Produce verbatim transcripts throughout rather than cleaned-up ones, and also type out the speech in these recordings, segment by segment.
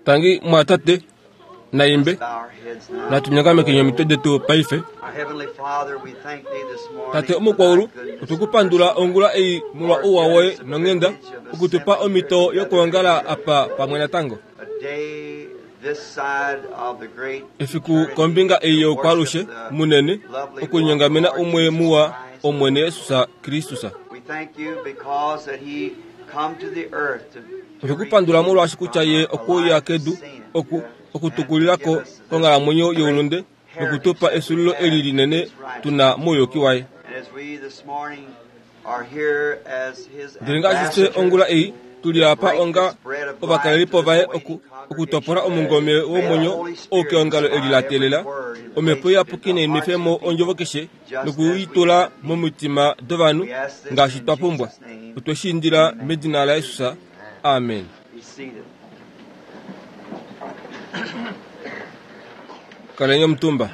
Tangi mwatate naimbe natunyongamekeni omitwe detu paife. Tate omukwaulu, otukupandula ongula ei molwa ouwa woye nonghenda okutupa omhito yokuongala apa pamwe natango. Efiku kombinga ei youkwalushe munene okunyongamena umwe muwa Omwene Jesus Kristus. Otwekupandula molwaashi kutya ye okwe uya kedu oku okutukulila ko konghalamwenyo youlunde nokutupa esulilo eli linene tu na mouyuki waye. Ndele ngaashi fye ongula ei tu li apa onga ovakalelipo vaye oku okutopola omungome womwenyo ou keongalo eli la teelela Omhepo Iyapuki nai nwefe mo ondjovo keshe noku i tula momitima dovanhu ngaashi twa pumbwa. Otwe shi indila medina laJesus. Amen. Kaleni omutumba.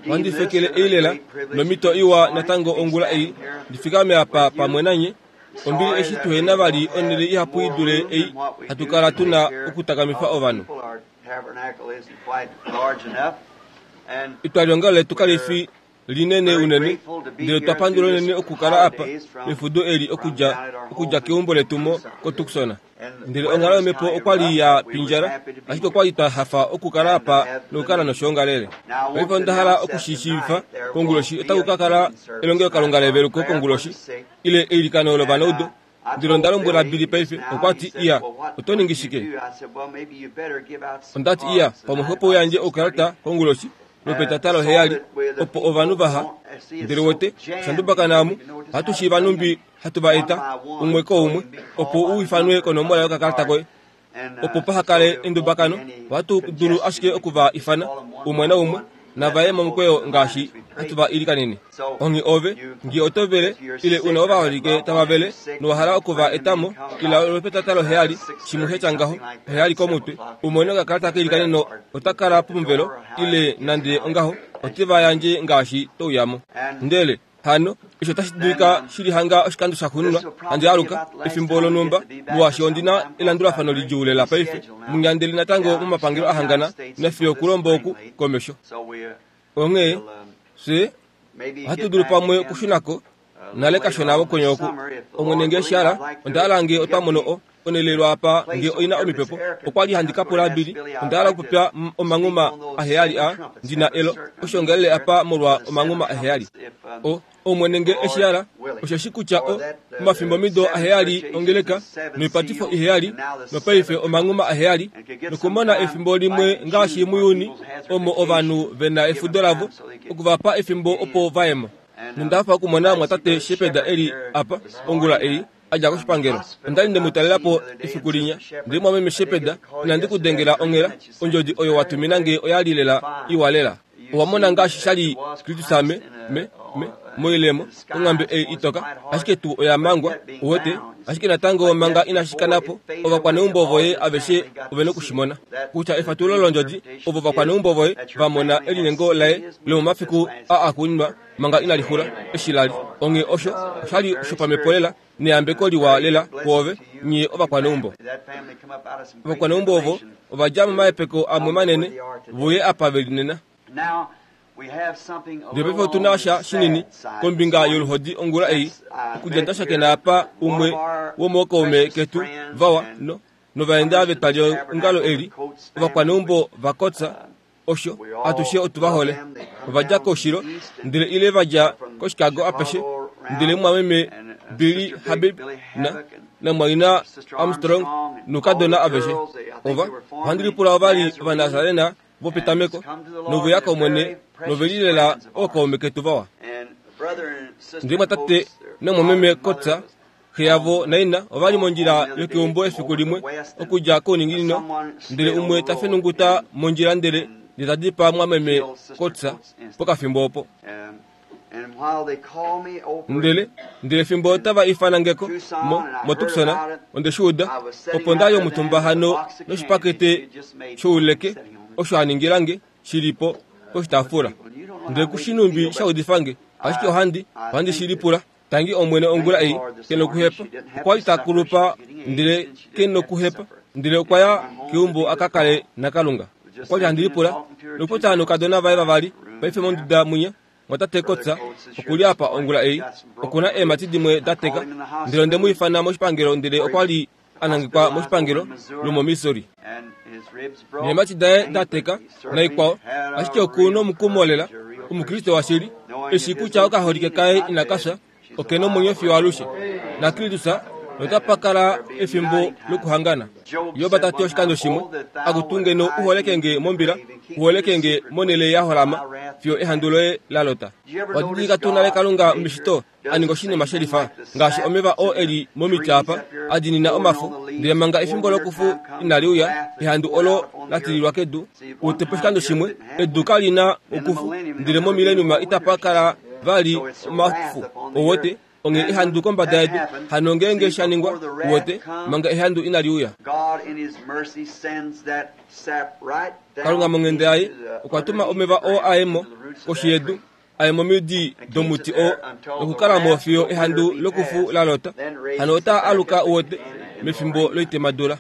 Ohandi fekele ei lela nomhito iwa natango ongula ei ndi fikame apa pamwe nanye. Ombili eshi tuhena vali onhele ihapu i dule ei hatu kala tu na okutakamifa ovanhu. Etwaliongalo letu kali fi linene unene, ndele otwa pandula unene okukala apa mefudo eli okudja, okudja keumbo letu mo koTucson. Ndele onghalo yomhepo okwa li ya pindjala, ashike okwa li twa hafa okukala apa nokukala noshoongalele. Paife onda hala oku shi shiivifa, konguloshi otaku ka kala elongelokalunga leveluko konguloshi, ile eilikano lovanaudu. Ndele onda lombwela Billy paife, okwa ti, Iya, oto ningi shike? Onda ti, Iya, pamwe xwepo u yandje oukalata konguloshi lwopetata loheyali, opo ovanhu vaha. Ndele wete, osha ndubakana omu, ohatu shiiva nhumbi hatu va eta, umwe koumwe, opo u ifanwe konomola yokakalata koye. Opo paha kale endubakano, ohatu dulu ashike oku va ifana, umwe naumwe, nava ye momukweyo ngaashi hatu va ilikanene. Onghee ove, nge oto vele, ile u na ovaholike tava vele, nowa hala oku va eta mo, ila lwopetata loheyali, shimwe sha tya ngaho, oheyali komutwe, u mone okakalata keilikaneno ota kala pomuvelo, ile nande ongaho, ote va yandje ngaashi to uya mo. Ndele, hano, eshi otashi dulika shi li hanga oshikando shaxuuninwa handi aluka, efimbo lonhumba, molwaashi ondi na elandulafano lidjuu lela paife, munyandeli natango momapangelo a hangana, nafiyo okulombo oku komesho. Onghee, fye ohatu dulu pamwe okushuna ko nale kashona mokwenye oku. Omwene nge eshi hala, onda hala nge otwa mono o, onhele lwaapa nge oi na omipepo. Okwa li handi ka pula Billy, onda hala okupopya omanghuma aheyali a ndi na elo oshiongalele apa molwa omanghuma aheyali. O, Omwene nge eshi hala, osheshi kutya o, omafimbomido aheyali ongeleka, noipatifo iheyali, nopaife omanghuma aheyali, nokumona efimbo limwe ngaashi muJuni omo ovanhu ve na efudo lavo, oku va pa efimbo opo va ye mo. Nonda hafa okumona Mumwatate Shepherd e li apa ongula ei, a dja koshipangelo. Onda li nde mu talela po efiku linya. Ndele Mumwameme Shepherd, inandi ku dengela onghela, ondjodi oyo wa tumina nge oya li lela iwa lela. Owa mona ngaashi sha li Kristus me, me, me, moilemo, onghambe ei itoka, ashike tuu oya mangwa, uwete, ashike natango manga inashi kana po, ovakwaneumbo voye aveshe ove noku shi mona. Kutya efatululo londjodi, ovo ovakwaneumbo voye va mona elinyengo laye lomomafiku aa axuuninwa manga inali xula, eshi la li. Onghee osho osha li shopamhepo lela neyambeko liwa lela kwoove nye ovakwaneumbo. Ovakwaneumbo ovo ova dja momahepeko amwe manene, voye apa ve li nena. Ndele paife otu na sha shinini kombinga yoluhodi ongula ei, okudja nda shakena apa umwe womookaume ketu vawa no, novaenda vetwaliongalo eli, ovakwaneumbo vaKotsa, osho atushe otu va hole. Ova dja koushilo, ndele ile va dja koChicago apeshe, ndele mumwameme Billy Habib na, namumwaina Armstrong noukadona aveshe. Ova, ohandi lipula ova li Ovanasarena vopetameko, nove ya kOmwene nove li lela ookaume ketu vawa. Ndele mumwatate namumwameme Kotsa, Xe yavo naina ova li mondjila yokeumbo efiku limwe okudja kouninginino, ndele umwe ta fenunguta mondjila ndele ndele ta dipaa mumwameme Kotsa pokafimbo opo. Ndele, ndele fimbo tava ifana nge ko, mo, moTucson, onde shi uda, opo nda li omutumba hano noshipakete shouleke osho a ningila nge, shi li po poshitaafula. Ndele ku shi nhumbi sha udifa nge, ashike ohandi, ohandi shi lipula. Tangi Omwene ongula ei, ke nokuhepa. Okwa li ta kulupa, ndele ke nokuhepa. Ndele okwa ya keumbo a ka kale naKalunga. Okwa li handi lipula nokupopya noukadona vaye vavali paife monduda mwinya. Mwatate Kotsa okuli apa ongula ei, okuna eemhati dimwe da teka. Ndele onde mu ifana moshipangelo, ndele okwa li a nangekwa moshipangelo lomoMissouri. Neemhati daye da teka naikwao, ashike oku nomukumo lela, Omukriste washili, eshi kutya okaholike kaye inaka fya, oke nomwenyo fiyo alushe. NaKristus notapa kala efimbo lokuhangana. Job ta ti oshikando shimwe, akutu ngeno u holeke nge mombila, u holeke nge monhele ya holama, fiyo ehandu loye la lota. Owa didilika tuu nale Kalunga meshito a ninga oshinima shelifa, ngaashi omeva oo e li momiti apa, a dinina omafo, ndele manga efimbo lokufu inali uya, ehandu olo la tililwa kedu, utepo oshikando shimwe, edu kali na okufu, ndele momileniuma itapa kala vali omafu. Owote onge ehandu kombada yedu, hano ngeenge sha ningwa, uwote, manga ehandu inali uya. Kalunga monghenda yaye okwa tuma omeva oo aye mo koshi yedu, aye momidi domuti oo, nokukala mo fiyo ehandu lokufu la lota. Hano ota aluka uwote mefimbo loitemadula.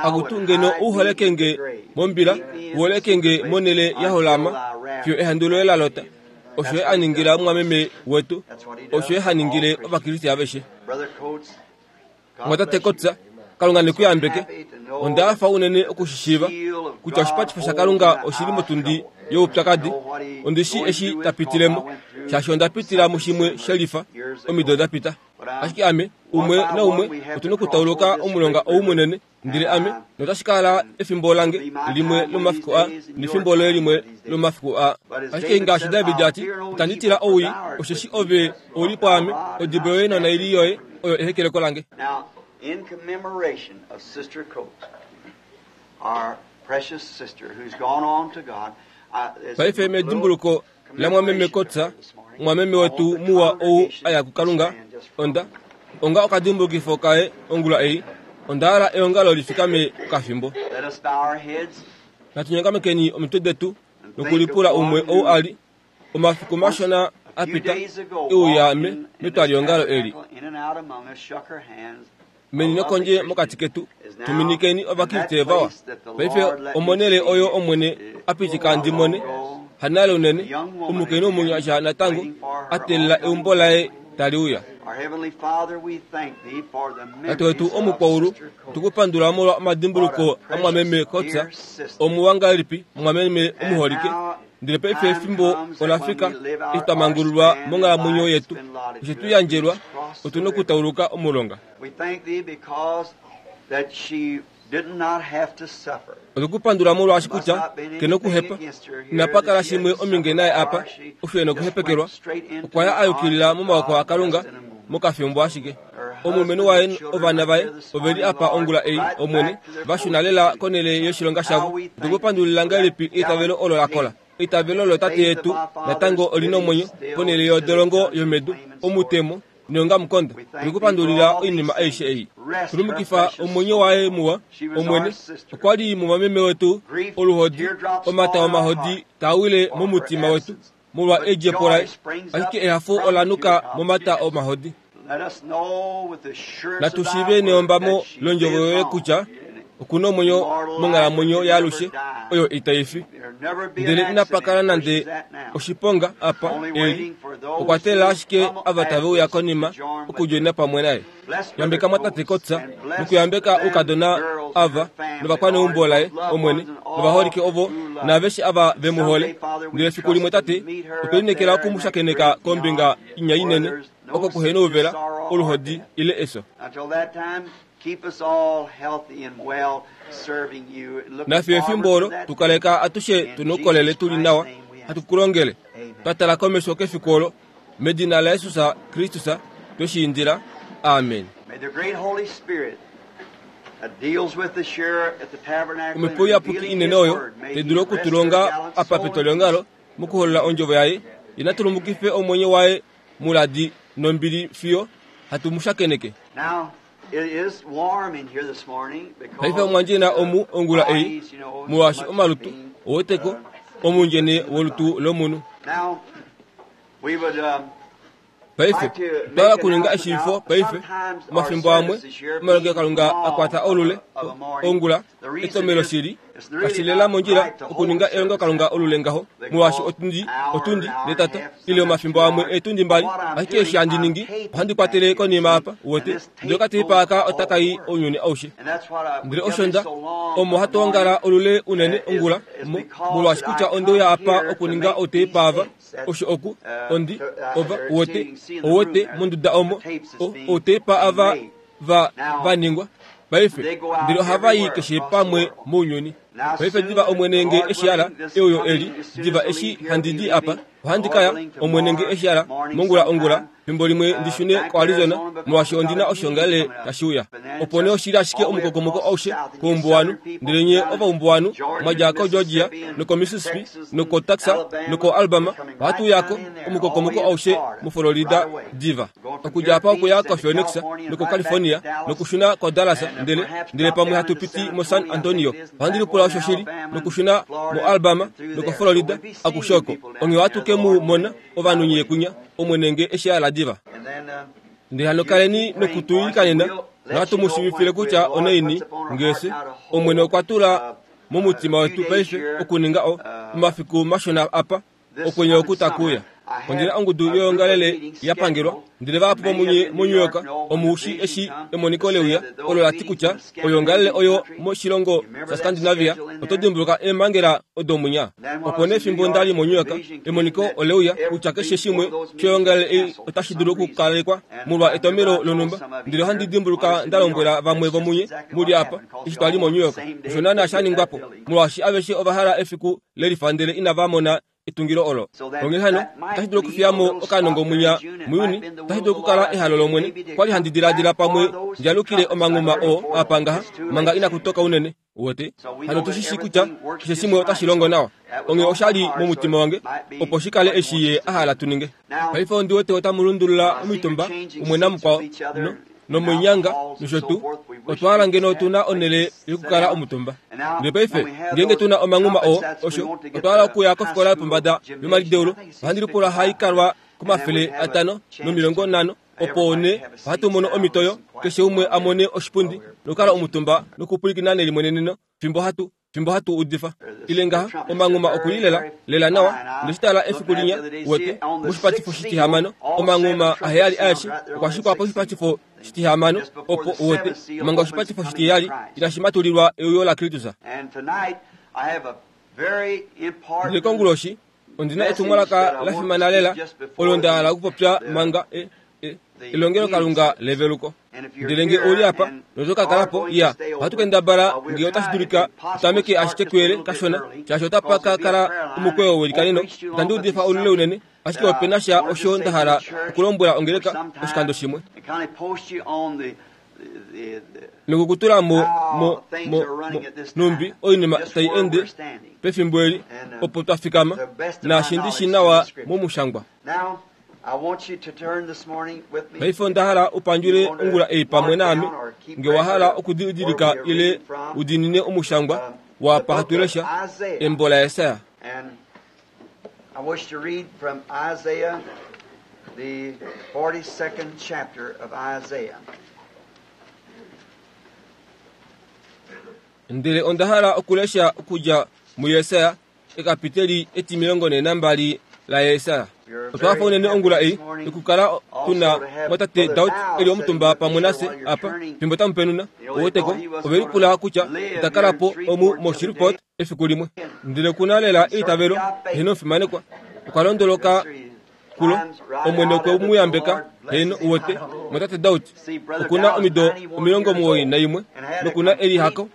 Akutu ngeno u holeke nge mombila, u holeke nge monhele ya holama, fiyo ehandu loye la lota. Osho ye a ningila omumwameme wetu, osho ye ha ningile Ovakriste aveshe. Mwatate Kotsa, Kalunga ne ku yambeke. Onda hafa unene okushishiiva kutya oshipatifo shaKalunga oshili motundi youpyakadi. Ondi shi eshi ta pitilemo, shaashi onda pitila mushimwe shelifa omido da pita. Ashike ame, umwe naumwe, otu na okutauluka omulonga ou munene, ndele ame, notashi kala efimbo lange limwe lomafiku a, nefimbo loye limwe lomafiku a. Ashike ngaashi David a ti, itandi tila owii, osheshi ove ouli pwaame, odibo yoye nonaili yoye oyo ehekeleko lange. Now, in commemoration of Sister Coates, our precious sister who's gone on to God, uh, there's a Paife little medimbuluko la mwameme Kotsa, mwameme wetu muwa ou aya kuKalunga, onda onga okadimbulukifo kaye ongula ei, onda hala eongalo lifikame okafimbo. Let us bow our heads. Natunyongamekeni omitwe detu nokulipula umwe ou ali omafiku mashona A few apita days ago, euya me walking in this metwaliongalo eli. tabernacle, in and out among us, shook her hands. Meni nokondje mokati ketu tuminikeni Ovakriste vawa. Paife omonhele oyo Omwene a pitika ndi mone, hanale unene, omukainhu omunyasha natango a teelela eumbo laye tali uya. Our Heavenly Father, we thank thee for the Tate wetu memories of omukwaulu, Sister Coates. tukupandula molwa omadimbuluko amwameme Kotsa, omuwa ngahelipi omwameme omuholike. Ndele paife efimbo ola fika eshi twa mangululwa monghalamwenyo yetu, oshe tu yandjelwa, otu na okutauluka omulonga. We thank thee because that she did not have to suffer. Otukupandula molwaashi kutya ke nokuhepa, inapa kala shimwe ominge naye apa, osho e nokuhepekelwa. Okwa ya a yukilila momawoko aKalunga mokafimbo ashike. Omulumenhu waye ovana vaye oveli apa ongula ei, Omwene, va shuna lela konhele yoshilonga shavo. Otukupandulila ngahelipi eitavelo olo la kola. Eitavelo lotate yetu natango oli nomwenyo ponhele yodolongo yomedu, omutemo neongamukonda. Otukupandulila oinima aishe ei. Tulumukifa omwenyo waye muwa, Omwene, okwa li mumwameme wetu oluhodi, omata omahodi taa wile momutima wetu molwa edjepo laye, ashike ehafo ola nuka momata omahodi. Let us know with assurance Natu of thy shiive word neombamo that she londjovo lives yoye on. kutya okuna omwenyo monghalamwenyo yaalushe oyo itai fi. There'll never be an Ndele inapa kala accident where nande she's at now. oshiponga apa Only eli, waiting for those okwa teelela who ashike come ava tave uya konima afterwards to join with okudjoina pamwe naye. Bless Brother Yambeka mwatate Coates Kotsa and bless nokuyambeka them oukadona girls and ava her family, novakwaneumbo Lord, laye those loved Omwene, ones and all novaholike ovo who love. naaveshe ava ve mu hole. Someday, Father, we Ndele fiku limwe trust to tate, meet her otwe linekela up there oku mu in that shakeneka great kombinga beyond, inya where inene, there's no oko kuhena sickness, ouvela, sorrow, or oluhodi death. ile efyo. Until that time, keep us all healthy and well, serving you and looking Nafiyo efimbo forward olo to that tukaleka atushe tuna oukolele tuli nawa, hatu ku longele. Twa tala komesho kefiku olo, medina laJesus Kristus twe shi indila. Amen. May the great Holy Spirit that deals with us here at the tabernacle and Omhepo iyapuki revealing inene His oyo word, may tai He dulu rest her okutulonga gallant apa soul in petwaliongalo mokuholola ondjovo yaye, ye na tulumukife omwenyo waye muladi nombili fiyo hatu mu shakeneke. Now, it is warm in here this morning because Paife omwandjena omu ongula ei, bodies, you know, molwaashi much omalutu being, oweteko uh, omundjene wolutu lomunhu. Now, we would um, Paife twala kuninga eshiifo paife omafimbo amwe omalongelokalunga akwata olule ongula etomelo shili kashilela mondjila okuninga elongelokalunga olule ngaho molwaashi otundi otundi netata ile omafimbo amwe etundi mbali ashike eshi handi ningi ohandi kwatele konima apa wote ndele okateipa aka otakai ounyuni aushe ndele osho nda omo hatu ongala olule unene ongula molwaashi kutya ondeuya apa okuninga outeipa ava osho oku ondi ova wote owote monduda omo outeipa ava va vaningwa paife ndele ohava i keshe pamwe mounyuni paife diva omwene nge eshiala euyo eli diva eshi handi di apa ohandi kaya omwene nge eshiala mongula ongula fimbo limwe ndishune koArizona molwaashi ondina oshongalele tashi uya opo nee oshili ashike omukokomoko aushe koumbuwanu ndele nye ovaumbuwanu mwadja koGeorgia nokoMississippi nokoTexas nokoAlabama ohatu uyako omukokomoko aushe muFlorida diva okudja apa okuya koPhoenix nokoCalifornia nokushuna koDallas ndele ndele pamwe hatu piti moSan Antonio ohandi lipula osho shili nokushuna moAlabama nokoFlorida akushe oko onghee ohatu ke mu mona ovanhu nye kunya omwene nge eshiala diva ndele hano kaleni nokutuilikanena nohatu mu shiivifile kutya onaini ngese omwene okwa tula momutima wetu paife okuninga o omafiku mashona apa okwenye oku takuuya ondina ongudu yoyongalele yapangelwa ndele vahapu vomunye moNew York omuushi eshi emoniko leuya olo lati kutya oyongalele oyo moshilongo shaScandinavia oto dimbuluka eemhangela odo munya opo nee fimbo ndali moNew York emoniko oleuya kutya keshe shimwe shoyongalele ei otashi dulu okukalekwa molwa etomelo lonhumba ndele ohandi dimbuluka nda lombwela vamwe vomunye muli apa eshi twali moNew York osho naana sha ningwapo molwaashi aveshe ova hala efiku lelifa ndele inava mona etungilo olo onghee hano otashi dulu okufiyamo okanongo munya muyuni otashi dulu okukala ehalo lomwene kwali handi diladila pamwe ndjalukile omanghuma oo apa ngaha manga inakutoka unene wote hano tushishi kutya keshe shimwe otashi longo nawa onghee oshali momutima wange opo shikale eshi ye ahala tuninge paife ondi wete otamu lundulula omitumba umwe namukwao no nomunyanga nosho tuu otwa ngeno otuna onele yokukala omutumba ndele paife ngeenge tuna omanghuma oo osho otwa hala okuya kofikola yopombada yomalideulo ohandi lipula haikalwa komafele atano nomilongo nhano opo ne ohatu mono omitoyo keshe umwe amone oshipundi nokukala omutumba nokupwilikina nelimweneneno fimbo hatu fimbo hatu udifa ile ngaha omanghuma okulilela lela nawa ndeshitala efiku linya wete moshipatifo shitihamano omanghuma aheyali aeshe okwa shikwa poshipatifo shitihamano opo wote manga oshipatifo shitiheyali inashi matulilwa euyo la Kristus ndele konguloshi ondina etumwalaka la fimana lela olo nda hala okupopya manga e elongelokalunga leveluko ndele nge uli apa notokakalapo iya ohatu kendabala nge otashi dulika tutameke ashike kuyele kashona shaashi otapa ka kala omukweyo welikaneno itandi udifa olule unene ashike opena sha osho nda hala okulombwela ongeleka oshikando shimwe nokukutula mo mo mo mo numbi oinima tai ende pefimbo eli opo twafikama naashi ndishi nawa momushangwa paife onda hala upandjule ongula ei pamwe naame nge wahala okudidilika ile udinine omushangwa wapa hatulesha embo la Yesaya. I wish to read from Isaiah, the forty-second chapter of Isaiah. Ndele onda hala okulesha okudja muYesaya ekapiteli etimilongo ne nambali la Yesaya. Otwafa unene ongula ei okukala tuna mwatate Daud eli omutumba pamwe nase apa fimbo tamupenuna oweteko ovelipula kutya otakalapo omu moShreveport efiku limwe ndele kuna lela eitavelo heno omufimanekwa okwa londoloka kulo omwene okwe muyambeka heno uwete mwatate Daud okuna omido omilongo muwoi naimwe nokuna elihako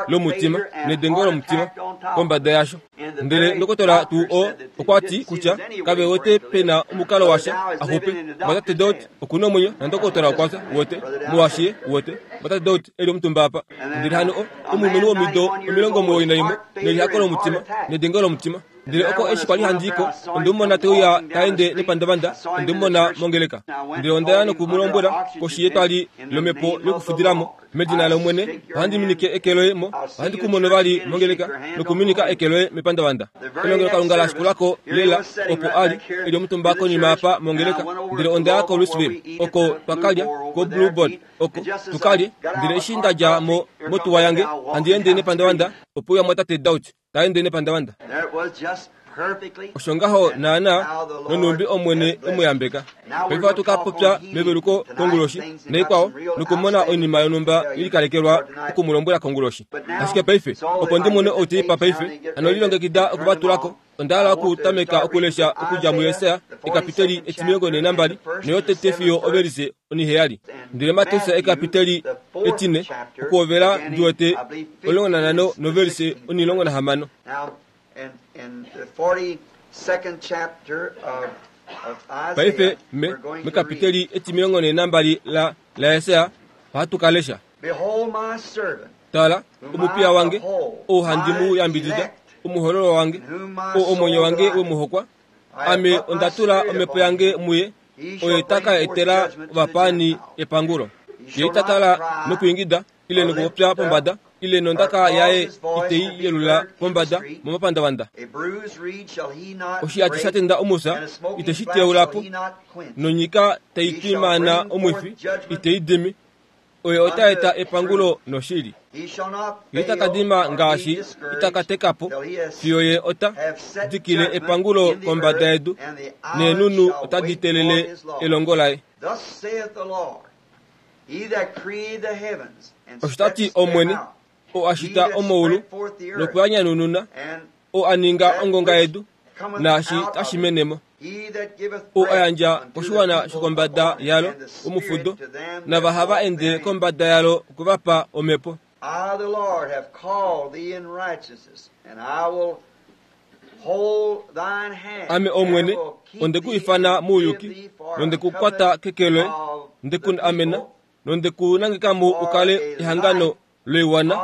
lomutima nedengo lomutima kombada yasho ndele ndokotola tuu o okwati kutya kave wete pena omukalo washa axupe mwatate Daud okuna omwenyo nandokotola okwafya wote muwashiye wote mwatate Daud eli omutumba apa ndele hano o omulumenhu womido omilongo muwoi naimwe nelihako lomutima nedengo lomutima ndele oko eshi kwali handiko ondimumona teuya taende nepandavanda ondimumona mongeleka ndele ondaya nokumulombwela koshi yetwali lomepo yokufudilamo Medina lOmwene ohandi minike eke loye mo, ohandi ku mono vali mongeleka nokuminika eke loye mepandavanda. Elongelokalunga la shikulako lela opo a li e li omutumba konima apa mongeleka, ndele onda ya koLouisville oko twa kalya ko Bluebird oko tukalye, ndele eshi nda dja mo motuwa yange handi ende nepandavanda, opo uya mwatate Dauch ta ende nepandavanda. Osho ngaho naana nonumbi Omwene e mu yambeka. Paife ohatu ka popya meveluko konguloshi naikwao nokumona oinima yonhumba ye likalekelwa oku mu lombwela konguloshi. Ashike paife opo ndi mone outeipa paife, hano lilongekida okuvatulako. Onda hala okutameka okulesha okudja muJesaja ekapiteli etimilongo nhee nambali noyotete fiyo ovelise oniheyali. Ndele Mateus ekapiteli etine okuhovela ndi wete omulongo nanhano novelise onilongo nahamano. Paife me mekapiteli etimilongo nhee nambali la laJesaja ohatu ka lesha. Tala, omupiya wange, ou handi mu yambidida, omuhoololwa wange, ou omwenyo wange we mu hokwa, ame onda tula omhepo yange muye, oye ta ka etela ovapaani epangulo. Ye ita kala nokwiingida ile nokupopya pombada, ile nondaka yaye itei yelula pombada momapandavanda. Oshihati sha tenda omufya ite shi teula po, nonyika tai twimaana omwifi itei dimi. Oye ota eta epangulo noshili. Ye ita ka dima ngaashi ita ka teka po, fiyo ye ota dikile epangulo kombada yedu, neenhunhu otadi telele elongo laye. Osho ta ti Omwene, oo a shita omaulu noku a nyanununa, oo a ninga ongonga yedu naashi tashi mene mo, oo a yandja koshiwana shokombada yalo omufudo, nava hava ende kombada yalo okwe va pa omhepo. I, the Lord, have called thee in righteousness, and I will hold thine hand, Ame Omwene, and will keep onde ku thee ifana and mouyuki, give thee for nonde a ku kwata covenant keke loye, of nde the ku amena, people nonde ku nangeka mo u kale ehangano loiwana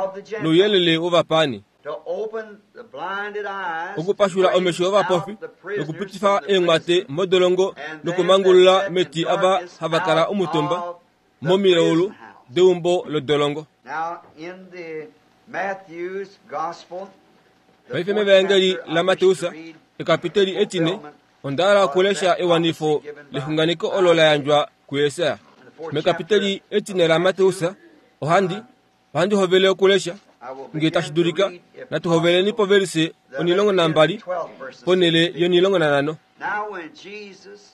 nouyelele wovapaani, to open the blinded eyes, okupashula to omesho bring ovapofi, out the prisoners nokupitifa from the eenghwate prison, modolongo and them nokumangulula that sat in meti ava darkness hava kala out omutumba of the momilaulu prison house. deumbo lodolongo. Now, in the Matthew's Gospel, the Paife fourth mevaengeli chapter, I la wish Mateus to read ekapiteli etine, onda hala okulesha ewanifo lexunganeko olo la yandjwa kuJesaja. the fourth Mekapiteli chapter etine la Mateus ohandi ohandi hovele okulesha I will ngee begin tashi to dulika read, if natu hoveleni possible, povelise the onilongo nambali twelve verses. ponele yonilongo nanhano. Now when Jesus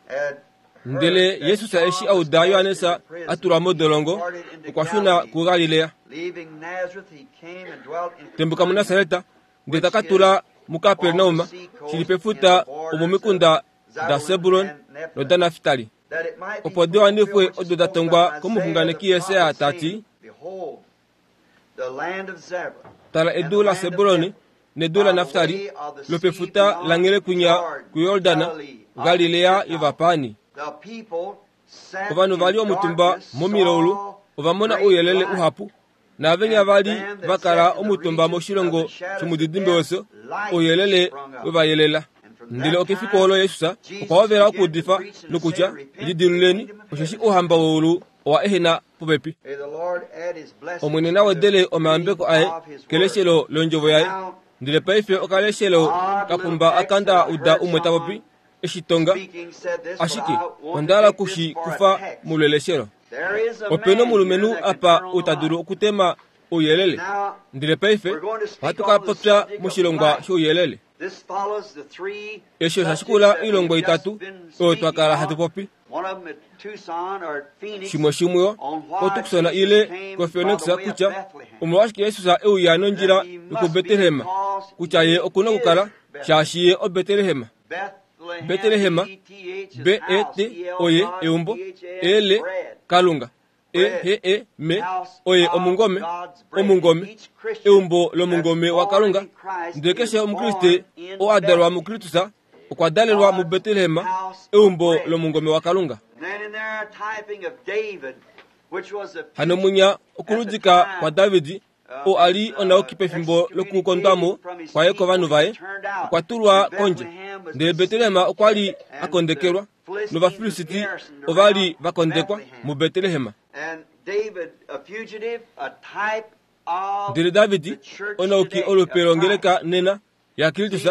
had Ndele heard that Jesus eshi John a was uda cast Johannes into prison, a tulwa modolongo, he departed into okwa shuna Galilee. kuGalilea. Leaving Nazareth, he came and dwelt in Tembuka muNasareta, ndele ta ka which tula is muKapernaum, on the sea shili coast in pefuta the borders omomikunda of da Zebulun Sebulon and Nephtali, nodaNaftali. that it might be Opo di wanifwe fulfilled which odo da is spoken tongwa by komuxunganeki Isaiah the Jesaja prophet, ta ti, saying, Behold, the land of Zebulun Tala and edu the la land of Sebuloni Nephtali, nedu la by the Naftali, way of the sea lopefuta beyond langhele kwinya Jordan, kuYordana, Galilee of the Galilea Gentiles. yovapaani. The people sat Ovanhu in va li omutumba darkness momilaulu saw ova mona great ouyelele light. uhapu, naavenya And va li them va that kala sat in the omutumba region of moshilongo the shadows of shomudidimbe death, wefyo, light ouyelele sprung up. we va yelela. And from Ndele that okefiku time, olo Jesus Jesus okwa hovela began to okuudifa preach and to say, nokutya, Repent, for the lidiluleni, kingdom of osheshi heaven is ouhamba at hand. weulu owa ehena popepi. May the Lord add his blessings Omwene na to the wedele reading omayambeko aye of his word. keleshelo londjovo yaye. Now, Ndele paife okaleshelo odd little kapumba text akanda that I uda heard umwe ta popi someone eshi tonga, speaking said this, but ashike I want to onda hala take this okushi for a kufa text. muleleshelo. There is a Opena man here omulumenhu that can apa turn on ou the ta dulu light. okutema ouyelele. Now, Ndele paife we're going to speak ohatu ka on the popya subject of moshilongwa light. shouyelele. This follows the three Eshi osha subjects shikula that oilongo we've just itatu been oyo twa speaking kala hatu on. popi. One of them at Tucson or at Phoenix Shimwe shimwe on why koTucson Jesus ile came by koPhoenix the way of kutya Bethlehem. omolwashike Jesus e uya nondjila That he must be yokuBetlehem, because kutya ye he okuna is okukala shaashi ye oBetlehem. Bethlehem, Betlehem, B E T H is B E house, T E L oye God, eumbo, T H A S L bread. Kalunga, E Bread. H E M House oye of omungome, God's bread. omungome, Each Christian eumbo that's lomungome born waKalunga. in Christ Ndele keshe is omukriste born in oo a dalwa Bethlehem. muKristus okwa dalelwa God's muBetlehem, house of eumbo bread. lomungome waKalunga. Then in there a typing of David, which was a Hano future munya at the okuludika kwa time Davidi of oo a his li uh, onauki pefimbo lokukondwamo excommunicating from his kwaye people, kovanhu he vaye, turned out. okwa tulwa And kondje. Bethlehem was Ndele Betlehem besieged, okwa li a and the kondekelwa, Philistines were nOvafilisiti garrisoned ova li around va kondekwa Bethlehem. muBetlehem. And Ndele David onauki olupe longeleka nena ya Kristus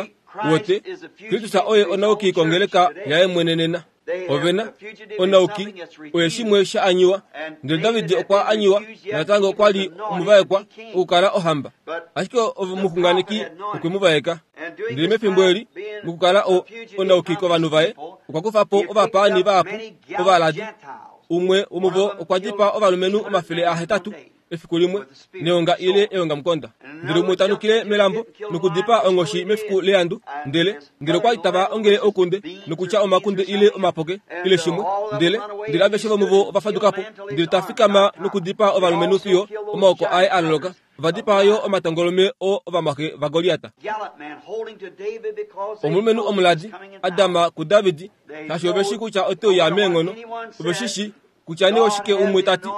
wote Kristus oye onauki kongeleka yaye mwene nena. Ovena onauki oye shimwe sha anyiwa. Ndele David okwa anyiwa natango okwa li omuvaekwa okukala ohamba. Ashike omuxunganeki okwe mu vaeka. Ndele mefimbo eli mokukala onauki kovanhu vaye okwa kufa po ovapaani vahapu ovaladi. Umwe womuvo okwa dipaa ovalumenhu omafele ahetatu efiku limwe neonga ile eongamukonda. Ndele umwe tanukile melambo nokudipaa onghoshi mefiku leandu. Ndele ndele okwa li tava ongele okunde nokutya omakunde ile omapoke ile shimwe. Ndele ndele aveshe vomuvo ova faduka po. Ndele ta fikama nokudipaa ovalumenhu fiyo omaoko aye a loloka. Ova dipaa yo omatongolume oo ovamwaxe vaGoliat. Omulumenhu omuladi a dama kuDavid, shaashi ove shi kutya ote uya meenghono. Ove shi shi kutya nee oshike umwe tati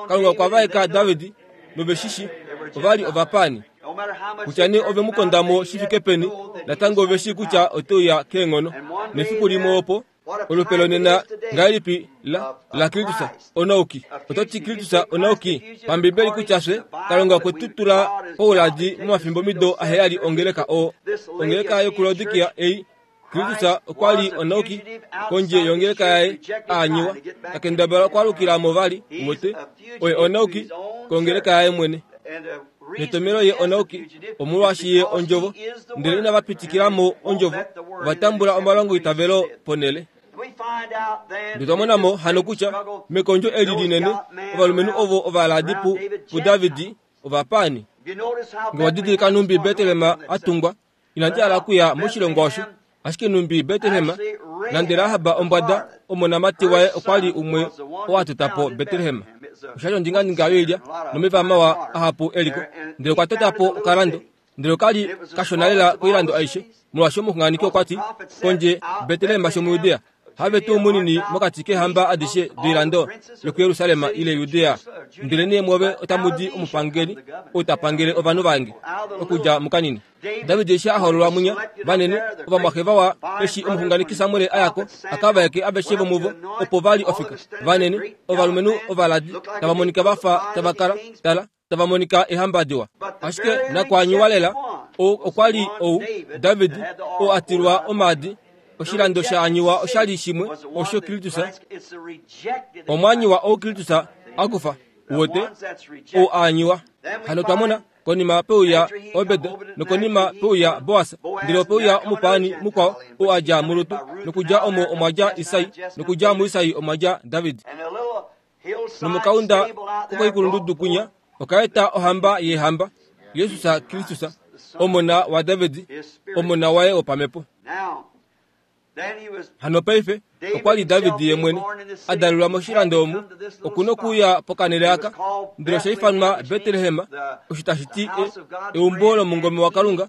Kalunga okwa vaeka David nove shi shi ova li ovapaani. Kutya nee ove mu kondamo shi fike peni, natango ove shi kutya ote uya keenghono. Nefiku limwe opo olupe lonena ngahelipi la la Kristus onauki. Ototi Kristus onauki pambibeli kutya fye Kalunga okwe tu tula pouladi momafimbo mido aheyali ongeleka o ongeleka yokuLaodikia ei. Kristus okwa li onauki kondje yongeleka yaye aanyiwa takendabala okwaalukila mo vali wote oye onauki kongeleka yaye mwene. Netomelo ye onauki omolwaashi ye ondjovo, ndele inava pitikila mo ondjovo, ova tambula omalongo itavelo ponele. Ndele twamona mo hano kutya mekondjo eli linene ovalumenhu ovo ovaladi pu puDavid ovapaani. Nge wadidilika numbi Betlehem atungwa, inandi hala okuya moshilongo osho, ashike numbi Betlehem nande Rahab ombwada omonamati waye okwa li umwe oo a tota po Betlehem. Osha li ondingandinga yoilya nomeva mawa ahapu eliko. Ndele okwa tota po okalando. Ndele okali kashona lela koilando aishe, molwaashi omuxunganeki okwa ti kondje Betlehem shomuJudea have tuu munini mokati keehamba adishe doilando yokuJerusalem ile Judea. Ndele nee mwove otamu di omupangeli ou ta pangele ovanhu vange okudja mukanini. David eshi a hoololwa munya vanene ovamwaxe vawa eshi omuxunganeki Samuel a yako a ka vaeke aveshe vomuvo opo va li ofika. Vanene ovalumenhu ovaladi tava monika vafa tava kala tala tava monika eehamba diwa. Ashike nakwaanyiwa lela okwa li ou David oo a tilwa omaadi. Oshilando sha anyiwa osha li shimwe osho Kristus omwaanyiwa ou Kristus a kufa wote ou aanyiwa. Hano twamona konima peuya Obed nokonima peuya Boas, ndele opeuya omupaani mukwao ou a dja muRut, nokudja omo omwa dja Isai, nokudja muIsai omwa dja David. Nomokaunda kokoikulundudu kunya okaeta ohamba yeehamba, Jesus Kristus, omona waDavid, omona waye wopamhepo. Hano paife okwa li David ye mwene a dalelwa moshilando omu, okuna okuuya pokanele aka, ndele osha ifanwa Betlehem, osho tashi ti eumbo lomungome waKalunga,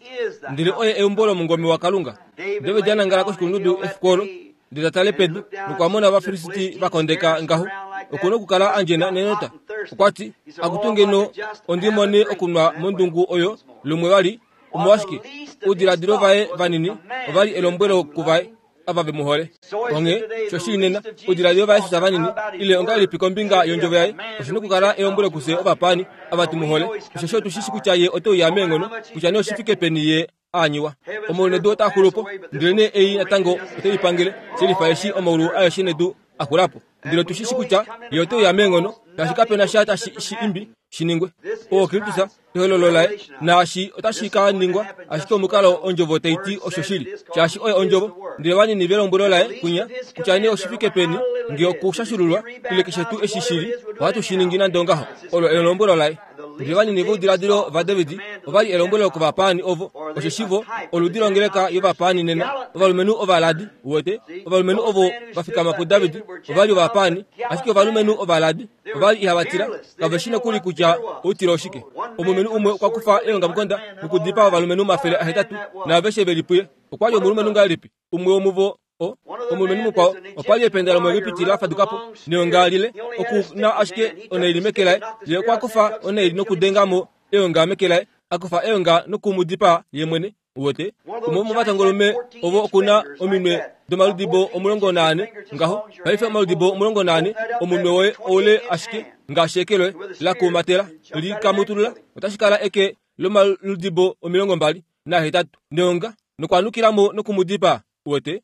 ndele oye eumbo lomungome waKalunga. David a nangala koshikulundudu efiku olo, ndele ta tale pedu nokwa mona Ovafilisti va kondeka ngaho. Okuna okukala andjena nenota. Okwa ti, akutu ngeno ondi mone okunwa mondungu oyo lumwe vali. Omolwashike oudiladilo vaye vanini ova li elombwelo kuvaye ava ve mu hole. Onghee shoshili nena oudiladilo vaJesus vanini ile ongahelipi kombinga yondjovo yaye oshi okukala elombwelo kufye ovapaani ava tu mu hole. Osheshi otu shi shi kutya ye ote uya meenghono, kutya nee oshi fike peni ye aanyiwa. Omaulu nedu otaa xulu po, ndele nee ei natango ote i pangele, shelifa eshi omaulu aeshe nedu a xula po. Ndele otu shi shi kutya ye ote uya meenghono, shaashi kapena sha tashi shi imbi shi ningwe. Oo Kristus ehololo laye, naashi otashi ka ningwa ashike omukalo ondjovo tai ti osho shili, shaashi oye ondjovo. Ndele vanini velombwelo laye kunya kutya nee oshi fike peni nge okushashululwa ile keshe tuu eshi shili, ohatu shi ningi nande ongaho. Olo elombwelo laye. Ndele vanini voudiladilo vaDavid ova li elombwelo kovapaani ovo, osheshi vo oludi longeleka yovapaani nena, ovalumenhu ovaladi wote, ovalumenhu ovo va fikama puDavid ova li ovapaani, ashike ovalumenhu ovaladi ova li ihava tila, kave shi nokuli kutya outilo oshike. Omulumenhu umwe okwa kufa eongamukonda nokudipaa ovalumenhu omafele ahetatu naaveshe ve li puye. Okwa li omulumenhu ngahelipi? Umwe womuvo o omulumenhu mukwao okwa li ependa lomuEgipiti la faduka po neonga lile, oku na ashike onaili meke laye. Ye okwa kufa onaili nokudenga mo eonga meke laye, a kufa eonga noku mu dipaa ye mwene. Wote umwe womovatongolume ovo oku na ominwe domaludibo omulongo naane ngaho. Paife omaludibo omulongo naane omunwe woye oule ashike ngaashi eke loye lakuumatela likamutulula otashi kala eke lomaludibo omilongo mbali nahetatu neonga nokwanukilamo nokumudipa uwete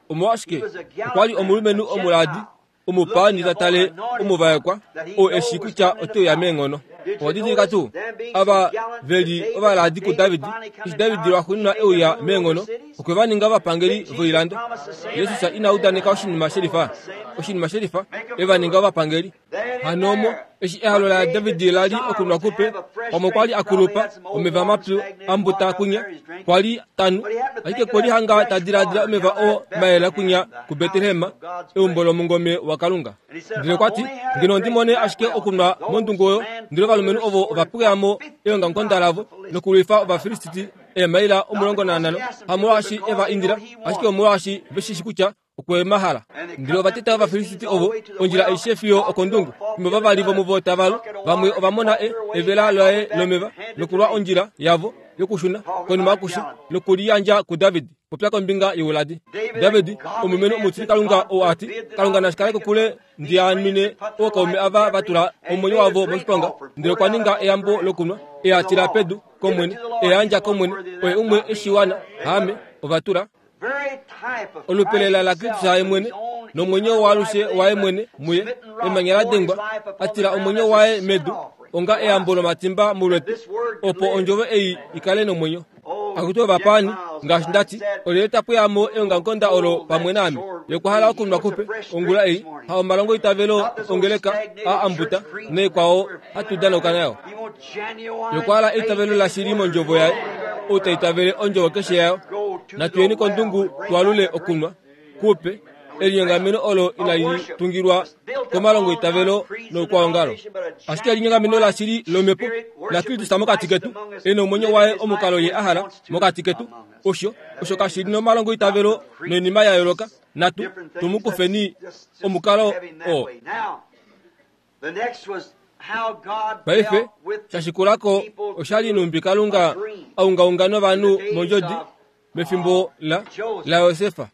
omolwashike okwali omulumenhu omuladi omupaani tatale omuvaekwa oo eshi kutya oteuya meenghono. Owadidilika tuu ava veli ovaladi kuDavid eshi David lwaxuuninwa euya meenghono okwe va ninga ovapangeli voilando. Jesus ina udaneka oshinima shelifa oshinima shelifa e va ninga ovapangeli. Hano omo eshi ehalo laDavid lali okunwa kupe pamwe kwali akulupa omeva mapyu ambuta kunya kwali tanu ashike kwali hanga tadiladila omeva oo mayela kunya kuBetlehem eumbo lomungome waKalunga. Ndele kwati ngeno ndimone ashike okunwa mondungu oyo ndele ovalumenhu ovo ovapweyamo eongamukonda lavo nokulwifa Ovafilistiti eemaila omulongo nanhano hamolwaashi eva indila ashike omolwaashi veshishi kutya okwemahala. Ndele ovateta Ovafilistiti ovo ondjila aishe fiyo okondungu fimbo vavali vomuvo tavalu vamwe ovamona e evela laye lomeva nokulwa ondjila yavo yokushuna konima yokusha nokuliyandja kuDavid. Popya kombinga youladi. David omulumenhu omutili Kalunga oo ati Kalunga nashikale kokule ndianwine ookaume ava vatula omwenyo wavo moshiponga ndele okwa ninga eyambo lokunwa eyatila pedu komwene eyandja komwene oye umwe eshiwana haame ovatula olupelela laKristus aye mwene nomwenyo waalushe waye mwene muye emanya la dengwa atila omwenyo waye medu onga eyambo lomatimba mulwetu opo ondjovo ei ikale nomwenyo. Akuti ovapaani ngaashi ndati olyelye tapweyamo eongamukonda olo pamwe naame yokwahala okunwa kupe ongula ei ha omalongo itavelo ongeleka a ambuta neekwao hatu danauka nayo. Yokwahala eitavelo lashili mondjovo yaye ou taitavele ondjovo keshe yayo. Natuyeni kondungu twalule okunwa kupe elinyongameno olo inali tungilwa komalongo itavelo noukwaongalo ashike elinyongameno lashili lomhepo laKristus mokati ketu e nomwenyo waye omukalo ye ahala mokati ketu osho osho kashili nomalongo itavelo noinima ya yooloka natu tumukufeni omukalo oo. Paife shashikulako oshali numbi Kalunga aungaunga novanhu mondjodi mefimbo la la Yosefa.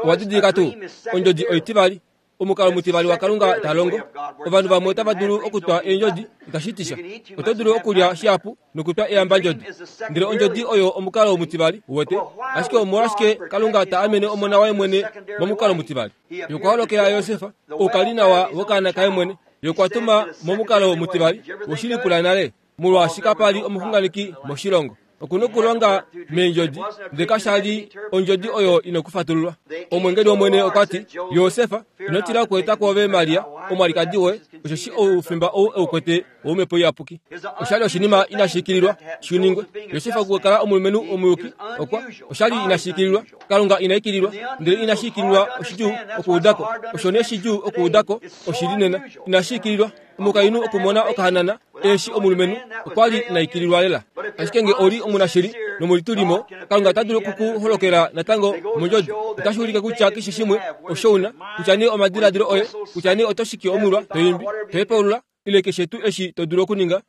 Owadidilika tuu ondjodi oitivali omukalo mutivali waKalunga talongo. Ovanhu vamwe otava dulu okutwa eendjodi itashitisha oto dulu okulya shihapu nokutwa eyambandjodi ndele ondjodi oyo omukalo mutivali uwete ashike omolwashike Kalunga ta amene omona waye mwene momukalo mutivali. Yokwaholokela Yosefa oukali nawa wokaana kaye mwene yokwatuma momukalo mutivali woshilipula nale molwaashi kapali omuxunganeki moshilongo. Okuna okulonga meendjodi ndele kashali ondjodi oyo inokufatululwa. Omwengeli wOmwene okwati Yosefa ino tila okueta kwoove Maria omwalikadi woye osheshi oufimba ou eukwete womhepo iyapuki. Oshali oshinima inashiikililwa shiningwe. Yosefa okukala omulumenhu omuyuki okwa oshali inashiikililwa Kalunga inaikililwa ndele inashiikililwa oshidjuu okuudako osho nee shidjuu okuudako oshili nena inashiikililwa omukainhu okumona okahanana eshi omulumenhu okwali inaikililwa lela. Ashike nge oli omunashili nomulitulimo Kalunga ota dulu okukuholokela natango mondjodi. Otashi ulike kutya keshe shimwe osho una kutya nee omadiladilo oye kutya nee oto shiki omulwa toimbi tohepaulula ile keshe tuu eshi to dulu okuninga.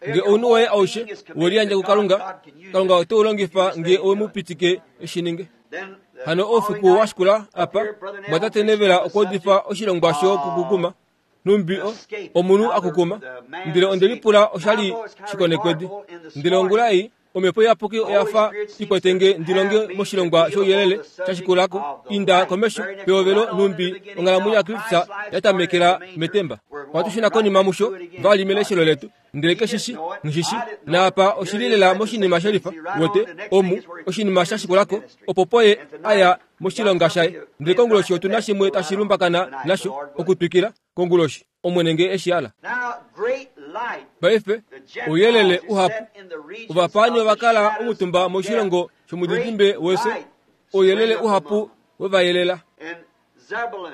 Nge ounhu woye aushe weliyandja kuKalunga Kalunga ote u longifa nge owemupitike eshi ninge. Hano oufiku washikula apa mwatate Nevela okwa oshilongwa shokukukuma numbi omunhu akukuma ndele ondelipula oshali shikonekwedi ndele ongula ei omhepo iyapuki oyafa ikwetenge ndilonge moshilongwa shouyelele shashikulako inda komesho peovelo numbi onghalamwenyo yaKristus yatamekela metemba. Watushuna konima musho vali meleshelo letu ndele keshishi ngishishi naapa oshili lela moshinima shelifa wote omu oshinima shashikulako opo poye aya moshilonga shaye ndele konguloshi otuna shimwe tashi lumbakana nasho okutwikila konguloshi Omwene nge eshi ala. Paife ouyelele uhapu ovapaani ovakala omutumba moshilongo shomudidimbe wefyo ouyelele uhapu wevayelela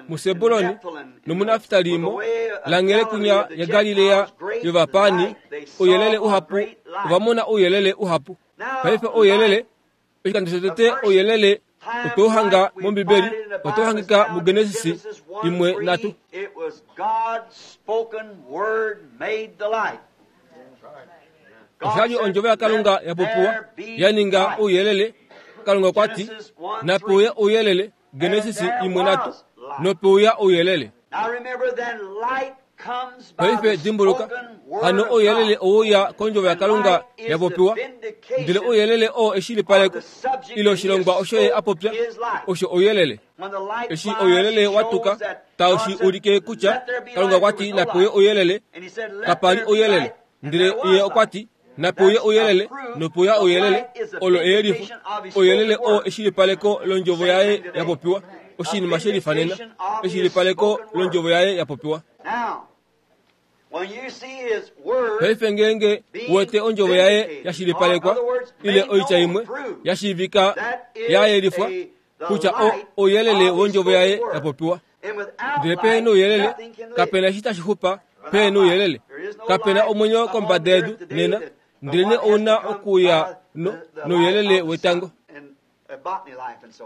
muSebuloni nomuNaftalimo langhele kunya yaGalilea yovapaani ouyelele uhapu ovamona ouyelele uhapu. Paife ouyelele oshikando shotete ouyelele otouhanga mOmbibeli otouhangika muGenesis imwe nhatu. Oshali ondjovo yaKalunga yapopiwa yaninga ouyelele. Kalunga okwati napeuya ouyelele Genesis imwe nhatu nopeuya ouyelele. Paife dimbuluka, hano ouyelele ouya kondjovo yaKalunga ya popiwa, ndele ouyelele oo eshilipaleko ile oshilongwa osho ye a popya osho ouyelele. Eshi ouyelele wa tuka tau shi ulike kutya Kalunga okwa ti napewe ouyelele, kapa li ouyelele, ndele ye okwa ti napewe ouyelele nopewa ouyelele. Olo eyelifo, ouyelele oo eshilipaleko londjovo yaye ya popiwa, oshinima she lifanena, eshilipaleko londjovo yaye ya popiwa. Paife ngeenge wete ondjovo yaye ya shilipalekwa ile oitya imwe ya shiivika ya yelifwa kutya ouyelele wondjovo yaye ya popiwa. Ndele pehena ouyelele, kapena eshi tashi xupa. Pehena ouyelele, kapena omwenyo kombada yedu nena, ndelene ouna okuya nouyelele wetango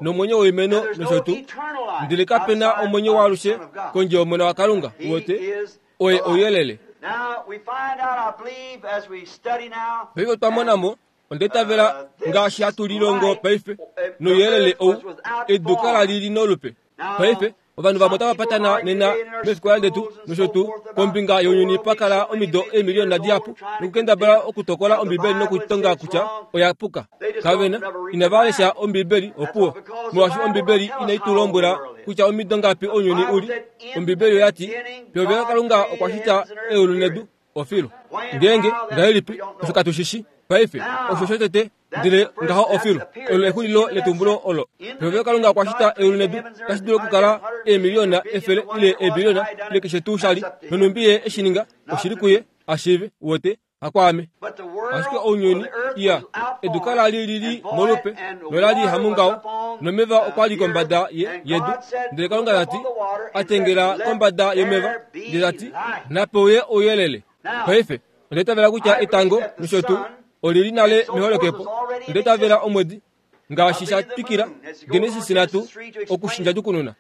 nomwenyo woimeno nosho tuu, ndele kapena omwenyo waalushe kondje yomona waKalunga. Wote oye ouyelele. Paife otwa mona mo, onda itavela ngaashi hatu lilongo paife nouyelele ou, edu kala lili nolupe. Paife ovanhu vamwe otava patana nena mefikola letu nosho tuu kombinga younyuni pa kala omido eemiliyona dihapu nokukendabala okutokola Ombibeli nokutonga kutya oya puka. Kavena inava lesha Ombibeli opuwo, molwaashi Ombibeli inai tu lombwela kutya omido ngapi ounyuni uli. Ombibeli oya ti pehovelo Kalunga okwa shita eulu nedu ofilu. Ngeenge ngahelipi osho katu shishi paife osho shotete, ndele ngaho ofilu olo exulilo letumbulo olo. Pehovelo Kalunga okwa shita eulu nedu, tashi dulu okukala eemiliyona efele ile eebiliyona ile keshe tuu shali, nonhumbi ye eshi ninga oshili kuye ashiive wote hakwaame. Ashike ounyuni iya edu kala li lili molupe nola li hamungaho, nomeva okwa li kombada yedu. Ndele Kalunga ta ti atengela kombada yomeva, ndele ta ti napeuye ouyelele. Paife onda itavela kutya etango nosho tuu olili nale meholokepo. Onda itavela omwedi ngaashi sha twikila Genesis nhatu okushinjadukununa.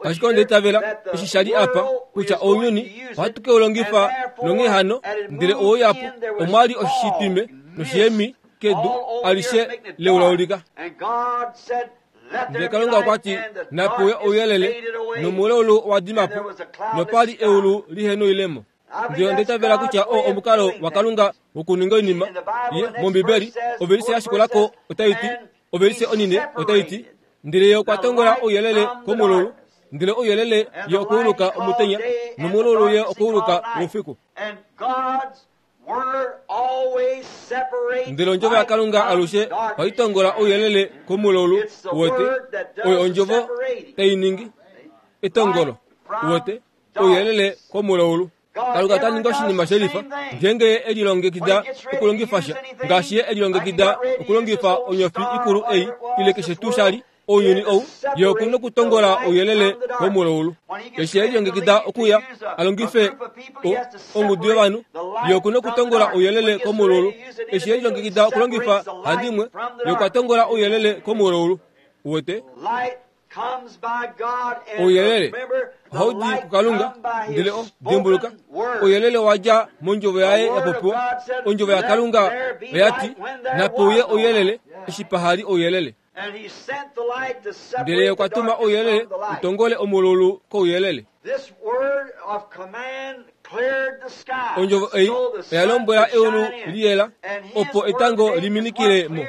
Ashike onda itavela eshi sha li apa kutya ounyuni ohatu ke u longifa nonghee hano, ndele ouyapu omwa li oshitwime noshiyemi kedu alishe leulaulika. Ndele Kalunga okwa ti napewe ouyelele, nomulaulu owa dima po, nopa li eulu lihe noilemo. Ndele onda itavela kutya oo omukalo waKalunga wokuninga oinima ye mOmbibeli ovelise ya shikulako otai ti, ovelise onine otai ti, ndele ye okwa tongola ouyelele komulaulu, ndele ouyelele ye okuuluka omutenya, nomulaulu ye okuuluka oufiku. Ndele ondjovo yaKalunga alushe ohai tongola ouyelele komulaulu wote, oyo ondjovo tai ningi etongolo wote, ouyelele komulaulu. Kalunga ota ningi oshinima shelifa ngeenge ye elilongekida okulongifa sha, ngaashi ye elilongekida okulongifa onyofi ikulu ei ile keshe tuu shali ounyuni ou, ye okuna okutongola ouyelele womulaulu. Eshi ye elilongekida okuya a longife ongudu yovanhu, ye okuna okutongola ouyelele komulaulu. Eshi ye elilongekida okulongifa handimwe, ye okwa tongola ouyelele komulaulu. Wote ouyelele ohau di kuKalunga, ndele o dimbuluka ouyelele wa dja mondjovo yaye ya popiwa. Ondjovo yaKalunga oya ti napeuye ouyelele eshi pahali ouyelele. Ndele ye okwa tuma ouyelele utongole omulaulu kouyelele. Ondjovo ei oya lombwela eulu liyela opo etango liminikile mo,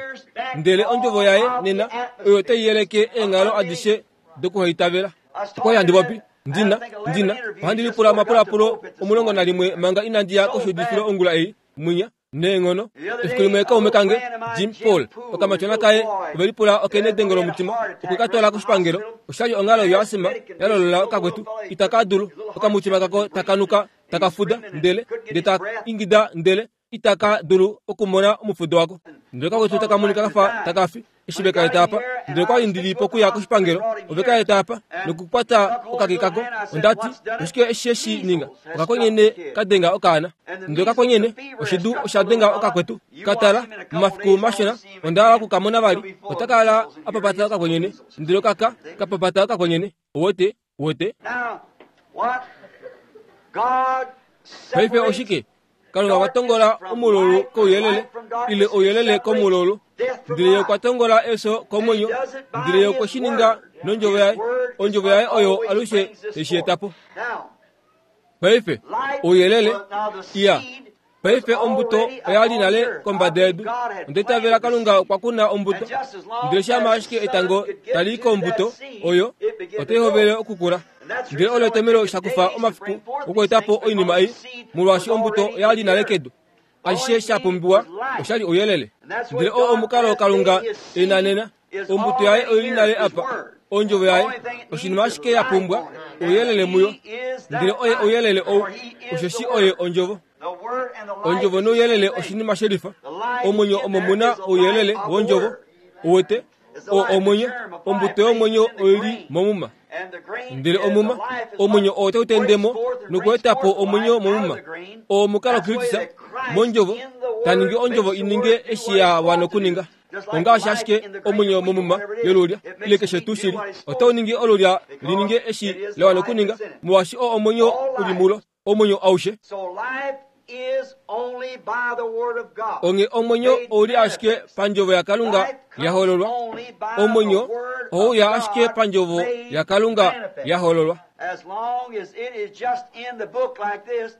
ndele ondjovo yaye nena oyo tai yeleke eenghalo adishe dokuhaitavela. Okwali handi popi ndina ndina ohandi lipula omapulapulo omulongo nalimwe manga inandi ya koshuudifilo ongula ei mwinya neenghono. Efiku limwe kaume kange Jim Paul okamatyona kaye ove lipula okenedengo lomutima okwe ka twala koshipangelo. Oshali onghalo yoasima ya lolola okakwetu itaka dulu, okamutima kako takanuka takafuda ndele ndele ta ingida ndele itaka dulu okumona omufudo wako. Ndele kakwetu takamonika kafa takafi eshi veka eta apa. Ndele kwali ndili pokuya koshipangelo, ove ka eta apa nokukwata okake kako. Onda ti oshike eshi eshi ninga? Okakwenyene kadenga okaana. Ndele okakwenyene oshidu osha denga okakwetu. Katala momafiku mashona onda hala okukamona vali, ota kala apapata okakwenyene. Ndele okaka kapapata okakwenyene. Wote wote paife oshike? Kalunga okwa tongola omulaulu kouyelele ile ouyelele komulaulu, ndele ye okwa tongola efyo komwenyo, ndele ye okwe shi ninga nondjovo yaye. Ondjovo yaye oyo alushe eshi eta po. Paife ouyelele iya paife ombuto oya li nale kombada yedu. Onda itavela Kalunga okwa kuna ombuto, ndele shama ashike etango tali i kombuto oyo, otai hovele okukula. Ndele olo etomelo shakufa omafiku okweeta po oinima ei, molwaashi ombuto oya li nale kedu. Ashishe sha pumbiwa osha li ouyelele. Ndele oo omukalo Kalunga e na nena, ombuto yaye oi li nale apa, ondjovo yaye, oshinima ashike ya pumbwa ouyelele muyo. Ndele oye ouyelele ou, osheshi oye ondjovo. Ondjovo nouyelele oshinima shelifa. Omwenyo omo mu na ouyelele wondjovo. Uwete, o omwenyo, ombuto yomwenyo oi li momuma. Ndele omuma, omwenyo oo tau tende mo nokweeta po omwenyo momuma. Oo omukalo Kristus mondjovo ta ningi ondjovo i ninge eshi ya wana okuninga. Ongaashi ashike omwenyo momuma yolulya ile keshe tuu shili, otau ningi olulya li ninge eshi la wana okuninga, molwaashi oo omwenyo u li mulo, omwenyo aushe. Onge omwenyo ou li ashike pandjovo yaKalunga ya hololwa. Omwenyo ou ya ashike pandjovo yaKalunga ya hololwa.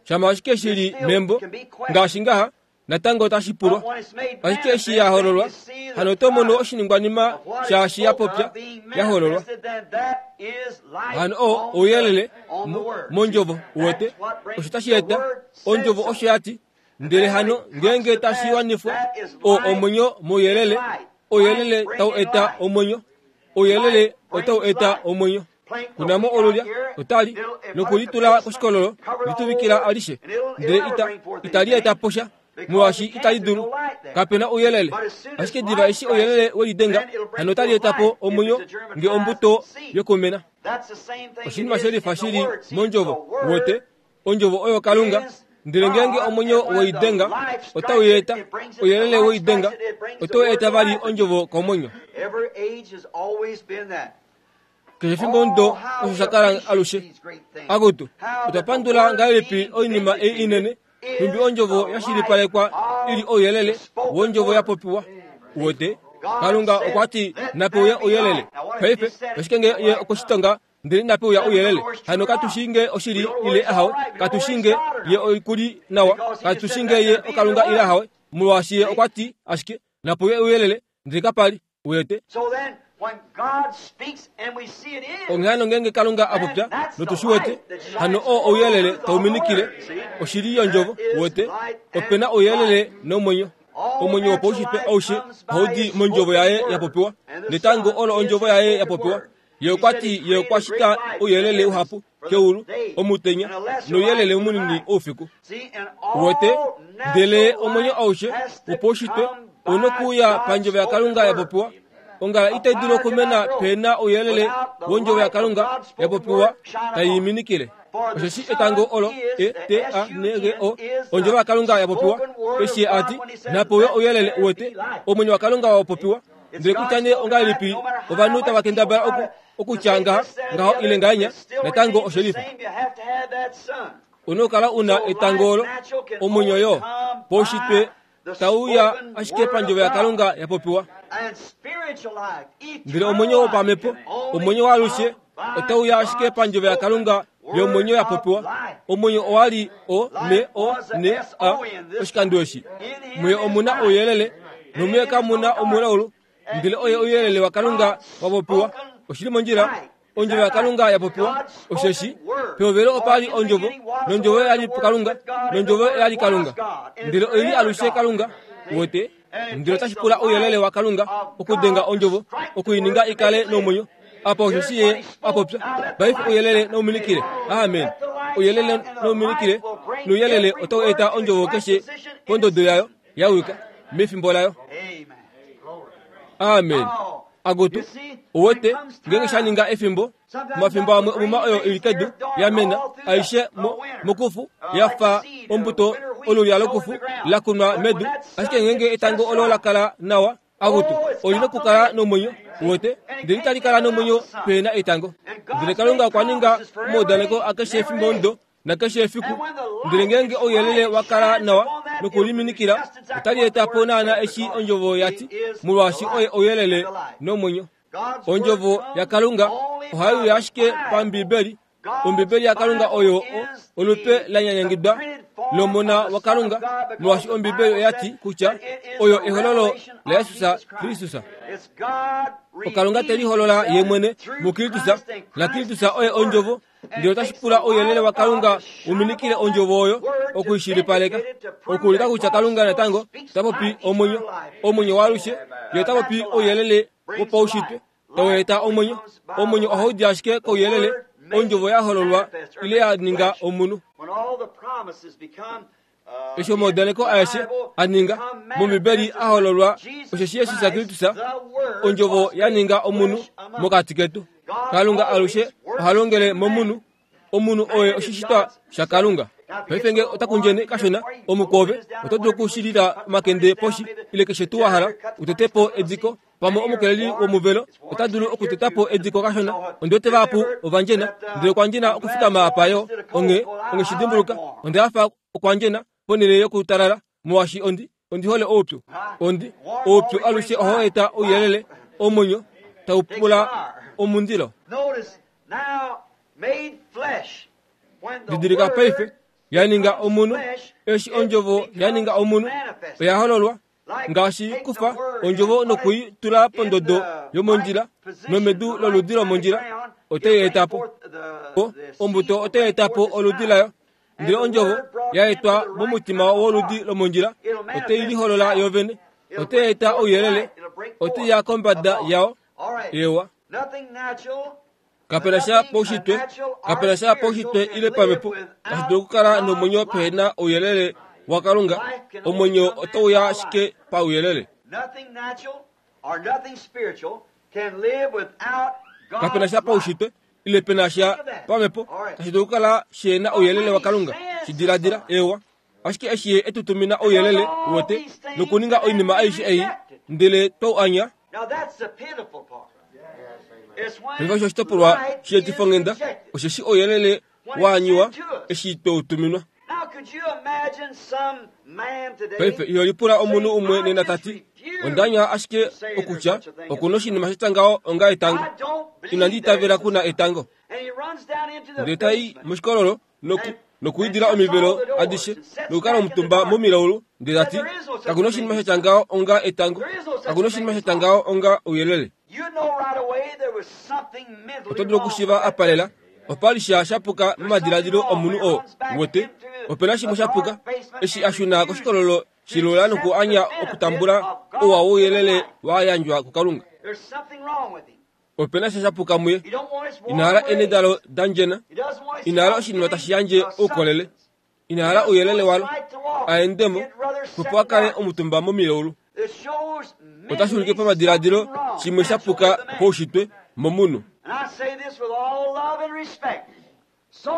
Shama ashike shi li membo ngaashi ngaha, natango otashi pulwa. Ashike eshi ya hololwa, hano oto mono oshiningwanima shaashi ya popya ya hololwa. Hano oo ouyelele mondjovo uwete, osho tashi eta ondjovo osho ya ti. Ndele hano ngeenge tashi wanifwa, oo omwenyo mouyelele, ouyelele tau eta omwenyo, ouyelele otau eta omwenyo. Kunamo olulya otali nokulitula koshikololo lituvikila alishe, ndele ita itali eta posha, molwaashi itali dulu, kapena ouyelele. Ashike diva eshi ouyelele welidenga, hano otali eta po omwenyo nge ombuto yokumena. Oshinima shelifa shili mondjovo uwete, ondjovo oyo Kalunga. Ndele ngeenge omwenyo weidenga otau eta ouyelele weidenga, otau eta vali ondjovo komwenyo. Keshe efimbo ndo osho sha kala alushe. Akutu, otwa pandula ngahelipi oinima ei inene, nhumbi ondjovo ya shilipalekwa ili ouyelele wondjovo ya popiwa. Uwete, Kalunga okwa ti nape uye ouyelele. Paife ashike nge ye okoshitonga ndele nape uya ouyelele, hano katu shii nge oshili ile ahawe, katu shii nge ye oikuli nawa, katu shii nge ye okalunga ile ahawe, molwaashi ye okwa ti ashike nape uye ouyelele, ndele kapali. Uwete, onghee hano ngeenge Kalunga a popya notu shi wete, hano oo ouyelele tau minikile oshili yondjovo. Uwete, opena ouyelele nomwenyo. Omwenyo wopaushitwe aushe ohau di mondjovo yaye ya popiwa, netango olo ondjovo yaye ya popiwa. Ye okwa ti ye okwa shita ouyelele uhapu keulu omutenya nouyelele munini oufiku. Uwete, ndele omwenyo aushe wopaushitwe ouna okuuya pandjovo yaKalunga ya popiwa. Ongala itai dulu okumena pena ouyelele wondjovo yaKalunga ya popiwa tai minikile. Osheshi etango olo E T A N G O, ondjovo yaKalunga ya popiwa, eshi ye a ti nape uye ouyelele. Uwete, omwenyo waKalunga wa popiwa. Ndele kutya nee ongahelipi ovanhu tava kendabala oku okutya ngaha ngaho ile ngahenya, natango oshelifa. Una okukala una etango olo, omwenyo yo paushitwe tauya ashike pandjovo yaKalunga ya popiwa. Ndele omwenyo wopamhepo, omwenyo waalushe, otauya ashike pandjovo yaKalunga yomwenyo ya popiwa. Omwenyo owa li O M O N A oshikando eshi. Muye omuna ouyelele, nomuye kamuna omulaulu, ndele oye ouyelele waKalunga wa popiwa. Oshili mondjila, ondjovo yaKalunga ya popiwa. Osheshi pehovelo opa li ondjovo, nondjovo oya li Kalunga, nondjovo oya li Kalunga, ndele oi li alushe Kalunga. Uwete, ndele otashi pula ouyelele waKalunga okudenga ondjovo, okuininga i kale nomwenyo. Apa osheshi ye a popya, paife ouyelele nouminikile. Amen. Ouyelele nouminikile, nouyelele otau eta ondjovo keshe pondodo yayo ya wika mefimbo layo. Amen. Akutu, uwete, ngeenge sha ninga efimbo, omafimbo amwe omuma oyo ili kedu ya mena aishe mo, mokufu ya fa ombuto olulya lokufu la kunwa medu, ashike ngeenge etango olo la kala nawa, akutu, olina okukala nomwenyo. Uwete, ndele itali kala nomwenyo pena etango. Ndele Kalunga okwa ninga omaudaneko akeshe efimbo ndo nakeshe efiku. Ndele ngeenge ouyelele wa kala nawa nokuliminikila, otali eta po naana eshi ondjovo ya ti, molwaashi oye ouyelele nomwenyo. Ondjovo yaKalunga ohai uya ashike pambibeli Ombibeli yaKalunga oyo olupe la nyanyangidwa lomona waKalunga, molwaashi Ombibeli oya ti kutya oyo ehololo laJesus Kristus. Okalunga te liholola ye mwene muKristus, naKristus oye ondjovo, ndele otashi pula ouyelele waKalunga uminikile ondjovo oyo okuishilipaleka, okuulika kutya Kalunga natango ta popi omwenyo, omwenyo waalushe, ye ota popi ouyelele wopaushitwe tau eta omwenyo. Omwenyo ohau di ashike kouyelele, ondjovo ya hololwa ile ya ninga omunhu. Eshi omaudaneko aeshe a ninga mOmbibeli a hololwa, osheshi Jesus Kristus ondjovo ya ninga omunhu mokati ketu. Kalunga alushe oha longele momunhu. Omunhu oye oshishitwa shaKalunga. Paife nge ota kundjene kashona omukove, oto dulu okushilila omakende poshi ile keshe tuu wa hala utete po ediko. Pamwe omukeleli womuvelo ota dulu okuteta po ediko kashona. Ondi wete vahapu ovandjena, ndele okwandjena okufikama apa yo onge onge shidimbuluka. Onda hafa okwandjena ponhele yokutalala, molwaashi ondi ondi hole oupyu. Ondi oupyu alushe ohau eta ouyelele, omwenyo tau pula omundilo. Didilika paife, ya ninga omunhu. Eshi ondjovo ya ninga omunhu, oya hololwa ngaashi kufa ondjovo nokui tula pondodo yomondjila nomedu loludi lomondjila, otai eta po ombuto, otai eta po oludi layo. Ndele ondjovo ya etwa momutima woludi lomondjila, otai liholola yovene, otai eta ouyelele, otai ya kombada yao. Ewa, kapena sha paushitwe, kapena sha paushitwe ile pamhepo tashi dulu okukala nomwenyo pehena ouyelele waKalunga. Omwenyo otau ya ashike pauyelele. Kapena sha paushitwe ile pena sha pamhepo tashi dulu okukala shena ouyelele waKalunga. Shidiladila, ewa, ashike eshi ye etutumina ouyelele wote nokuninga oinima aishe ei, ndele twau anya. Paife osho oshitopolwa sheetifonghenda, osheshi ouyelele waanyiwa eshi tweutuminwa. Paife iho lipula omunhu umwe nena tati, ondanya ashike okutya okuna oshinima sha tya ngaho onga etango. Inandi itavela kuna etango. Ndele tai moshikololo noku nokuidila omivelo adishe nokukala omutumba momilaulu, ndele tati kakuna oshinima sha tya ngaho onga etango, kakuna oshinima sha tya ngaho onga ouyelele. Oto dulu okushiva apalela opa li sha shapuka momadiladilo omunhu oo wote. Opena shimwe shapuka eshi ashuna koshikololo shilula noku anya okutambula ouwa wouyelele wa yandjwa kuKalunga. Opena sha shapuka muye. Ina hala enedalo dandjena, ina hala oshinima tashi yandje oukolele, ina hala ouyelele walo aendemo opo a kale omutumba momilaulu. Otashi ulike pamadiladilo shimwe shapuka poushitwe momunhu.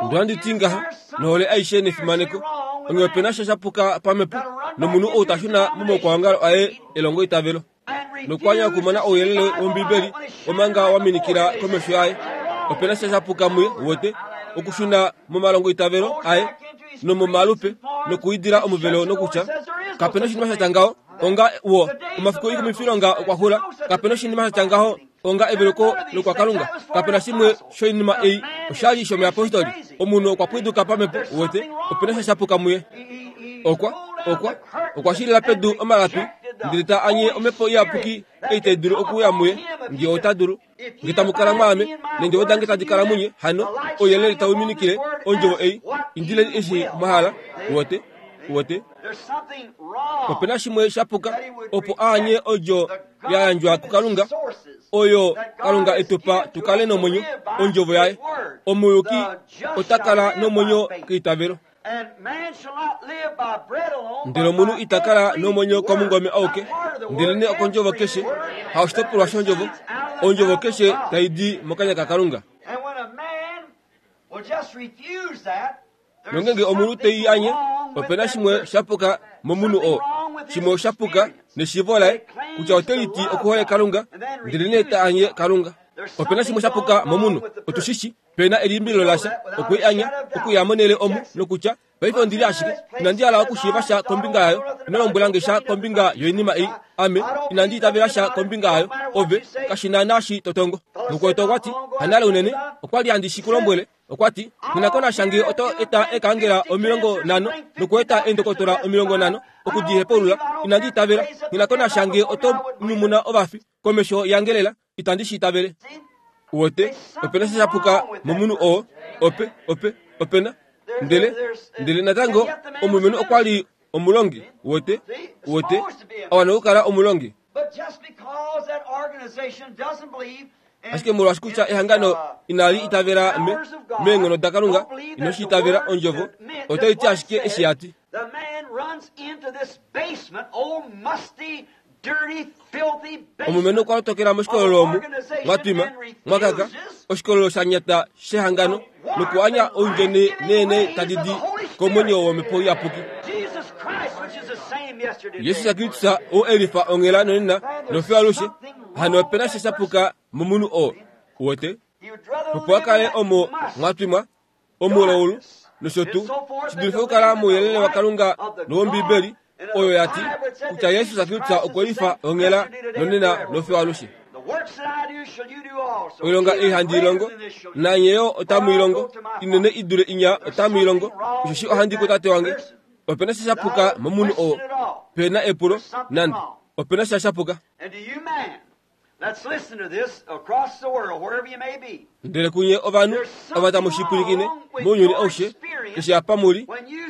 Ndohandi ti ngaha nohole aishe nefimaneko, onge opena sha shapuka pamhepo nomunhu ou tashuna momaukwaongalo aye elongo itavelo nokwanya okumona ouyelele wOmbibeli omanga waminikila komesho yaye. Opena sha shapuka muye wote okushuna momalongo itavelo aye nomomalupe nokuidila omuvelo nokutya kapena oshinima sha tya ngaho onga wo omafiku ikumifilonga okwa xula. Kapena oshinima sha tya ngaho onga eveluko lokwaKalunga. Kapena shimwe shoinima ei oshali shomuyapostoli. Omunhu okwa pwiduka pamhepo wote. Opena sha shapuka muye. Okwa okwa okwa shilila pedu omalapi ndele ta anye omhepo iyapuki ei tai dulu okuuya muye, nge ota dulu. Nge tamu kala mwaame neendjovo dange tadi kala munye, hano ouyelele tau minikile ondjovo ei. Indileni eshi mwa hala. Wote wote opena shimwe shapuka opo aanye odjo ya yandjwa kuKalunga, oyo Kalunga etupa tukale nomwenyo, ondjovo yaye. Omuyuki ota kala nomwenyo keitavelo. Ndele omunhu ita kala nomwenyo komungome auke, ndelenee okondjovo keshe, ha oshitopolwa shondjovo, ondjovo keshe tai di mokanya kaKalunga. Nongenge omunhu tei anye, opena shimwe shapuka momunhu oo, shimwe oshapuka neshiivo laye kutya ote liti okuhole Kalunga, ndelenee ta anye Kalunga. Opena shimwe shapuka momunhu, otushishi pena elimbilo lasha okui anya okuya monele omu nokutya paife ondili ashike inandi hala okushiiva sha kombinga yayo, ino lombwela sha kombinga yoinima ei, ame inandi itavela sha kombinga yayo, ove kashina nashi totongo. Mukwetu okwati hanale unene okwali handi shi kulombwele Okwa ti, "Nina shange oto eta ekangela omilongo nhano nokueta eendokotola omilongo nhano okudihepaulula inandi itavela. Nina shange oto nyumuna ovafi komesho yangelela itandi shi itavele." Wote opena sha shapuka momunhu oo ope ope opena ndele ndele natango omulumenhu okwa li omulongi. Wote wote awana okukala omulongi. Ashike molwaashi kutya ehangano inali itavela me meenghono daKalunga inoshi itavela ondjovo otai ti ashike eshi ya ti. Omulumenhu okwa lotokela moshikololo omu mwatwima mwakaka oshikololo sha nyata shehangano nokuanya oundjene neene tadi di komwenyo womhepo iyapuki. Jesus Kristus oo elifa onghela nonena nofiyo alushe hano opena sha shapuka momunhu oo. Wote opo a kale omo mwatwimwa omulaulu nosho tuu shidulife okukala mouyelele waKalunga nowOmbibeli oyo ya ti kutya Jesus Kristus okwe lifa onghela nonena nofiyo alushe. Oilonga ei handi ilongo nanye yo otamu ilongo inene idule inya otamu ilongo osheshi ohandi kuTate wange. Opena sha shapuka momunhu oo pena epulo nande opena sha shapuka. Ndele kunye ovanhu ava tamu shipwilikine mounyuni aushe eshi apa muli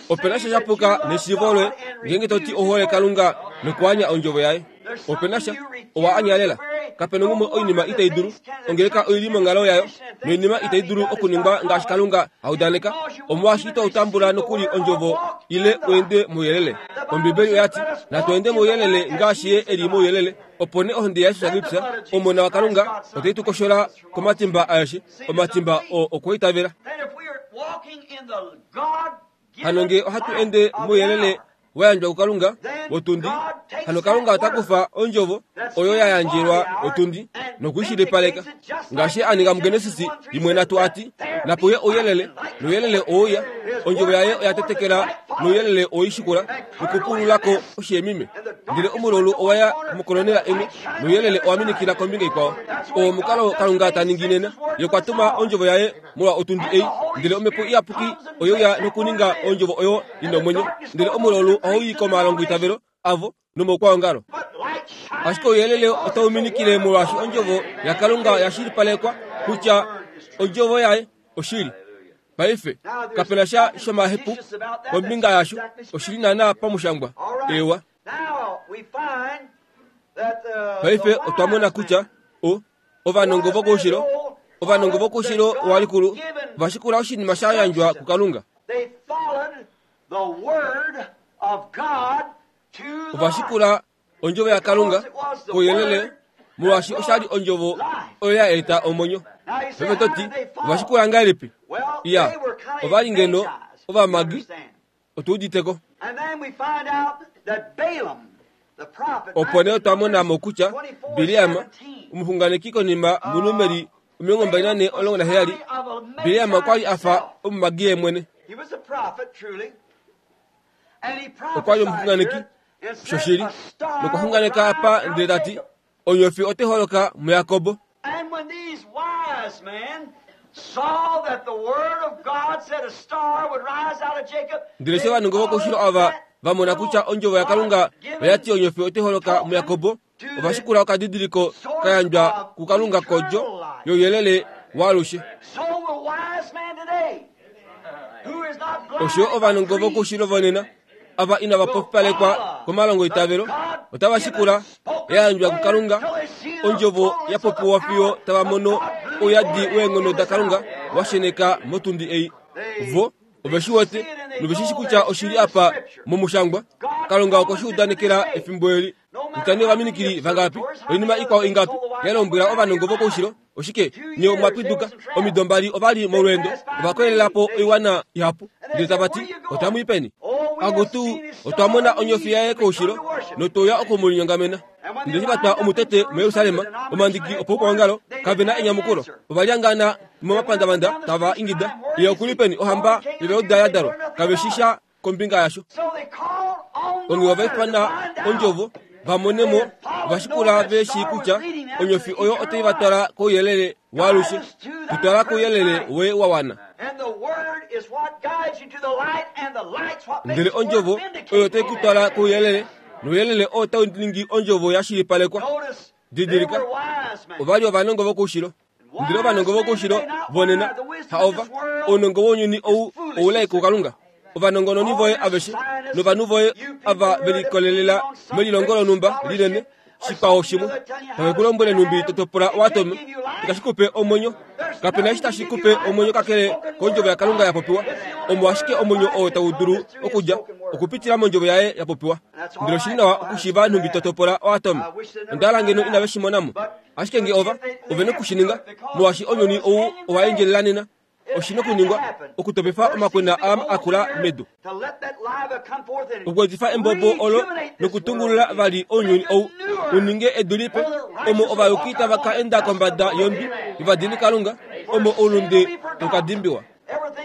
opena sha shapuka neshiivo loye ngeenge to ti ohole Kalunga nokuanya ondjovo yaye. Opena sha owa anyalela. Kapena ngumwe oinima itai dulu ongeleka oili monghalo yayo noinima itai dulu okuningwa ngaashi Kalunga audaneka. Omolwaashi ito utambula nokuli ondjovo ile uende mouyelele. Ombibeli oya ti natu ende mouyelele ngaashi ye eli mouyelele. Opo nee ohonde yaJesus Kristus omona waKalunga otai tu koshola komatimba aeshe omatimba oo okwoitavela. Hano ngee ohatu ende mouyelele wayandjwa kuKalunga wotundi, hano Kalunga ota kufa ondjovo oyo ya yandjelwa otundi nokuishilipaleka ngaashi a ninga muGenesis imwe nhatu ati napuye ouyelele nouyelele ouya. Ondjovo yaye oya tetekela nouyelele oishikula nokupululako oshiemime. Ndele omulaulu owaya mokolonela imwe nouyelele owa minikila kombinga ikwao. Oo omukalo Kalunga ta ningi nena. Ye okwa tuma ondjovo yaye molwa otundi ei, ndele omhepo iyapuki oyeuya nokuninga ondjovo oyo ina omwenyo. Ndele omulaulu ohau i komalongoitavelo avo nomoukwaongalo. Ashike ouyelele otau minikile molwaashi ondjovo yaKalunga oya shilipalekwa kutya ondjovo yaye oshili. Paife kapena sha shomahepu kombinga yasho oshili naana pamushangwa. Ewa. Paife otwa mona kutya o ovanongo vokoushilo ovanongo vokoushilo walikulu vashikula oshinima sha yandjwa kuKalunga. Ovashikula ondjovo yaKalunga kouyelele molwaashi oshali ondjovo oyo ya eta omwenyo. Paife to ti ovashikula ngahelipi? Iya, ovali ngeno ovamagi otuuditeko. Opo nee otwa mona mo kutya Bileam omuxunganeki konima muNumeri omilongo mbali nane omulongo naheyali, Bileam okwa li a fa omumagi ye mwene. Okwa li omuxunganeki shoshili nokwa xunganeka apa ndele ta ti onyofi otai holoka muJakob. Ndele eshi ovanongo vokoushilo ava va mona kutya ondjovo yaKalunga oya ti onyofi otai holoka muJakob, ovashikula okadidiliko ka yandjwa kuKalunga kodjo youyelele waalushe. Osho ovanongo vokoushilo vonena ava inava popipalekwa komalongoitavelo otava shikula ya yandjwa kuKalunga ondjovo ya popiwa fiyo tava mono ouyadi weenghono daKalunga wa sheneka motundi ei. Vo ove shi wete nove shi shi kutya oshili apa momushangwa. Kalunga okwe shi udanekela efimbo eli. Kutya nee ovaminikili vangapi oinima ikwao ingapi ya lombwela ovanongo vokoushilo oshike nye omwa pwiduka. Omido mbali ovali molweendo ova koyelela po oiwana ihapu ndele tava ti otamu i peni? Akutu otwa mona onyofi yaye koushilo notouya oku mu linyongamena. Ndele eshi va twa omutete muJerusalem omandiki opoukwaongalo kave na enyamukulo. Ova lyangana momapandavanda tava ingida ye okuli peni ohamba yovajuda ya dalwa? Kave shi sha kombinga yasho. Onghee ova ifana ondjovo va mone mo ovashikula ve shii kutya onyofi oyo otai va twala kouyelele waalushe, tu twala kouyelele woye wa wana. Ndele ondjovo oyo tai ku twala kouyelele, nouyelele oo tau ningi ondjovo ya shilipalekwa. Didilika, ova li ovanongo vokoushilo. Ndele ovanongo vokoushilo vonena haova ounongo wounyuni ou oulai kuKalunga. Ovanongononi voye aveshe novanhu voye ava velikolelela melilongo lonhumba linene shikwao shimwe tave ku lombwele nhumbi totopola oatome itashi kupe omwenyo. Kapena eshi tashi kupe omwenyo kakele kondjovo yaKalunga ya popiwa. Omo ashike omwenyo oo tau dulu okudja okupitila mondjovo yaye ya popiwa. Ndele oshili nawa okushiiva nhumbi totopola oatome. Onda hala ngeno inave shi mona mo, ashike nge ova ove nokushininga molwaashi ounyuni ou owa endjelela nena. Oshi nokuningwa okutopefa omakwena aam akula medu, okuetifa embobo olo nokutungulula vali ounyuni ou u ninge edu lipe, omo ovayuki tava ka enda kombada yondwi yovadini Kalunga, omo oulunde tau ka dimbiwa.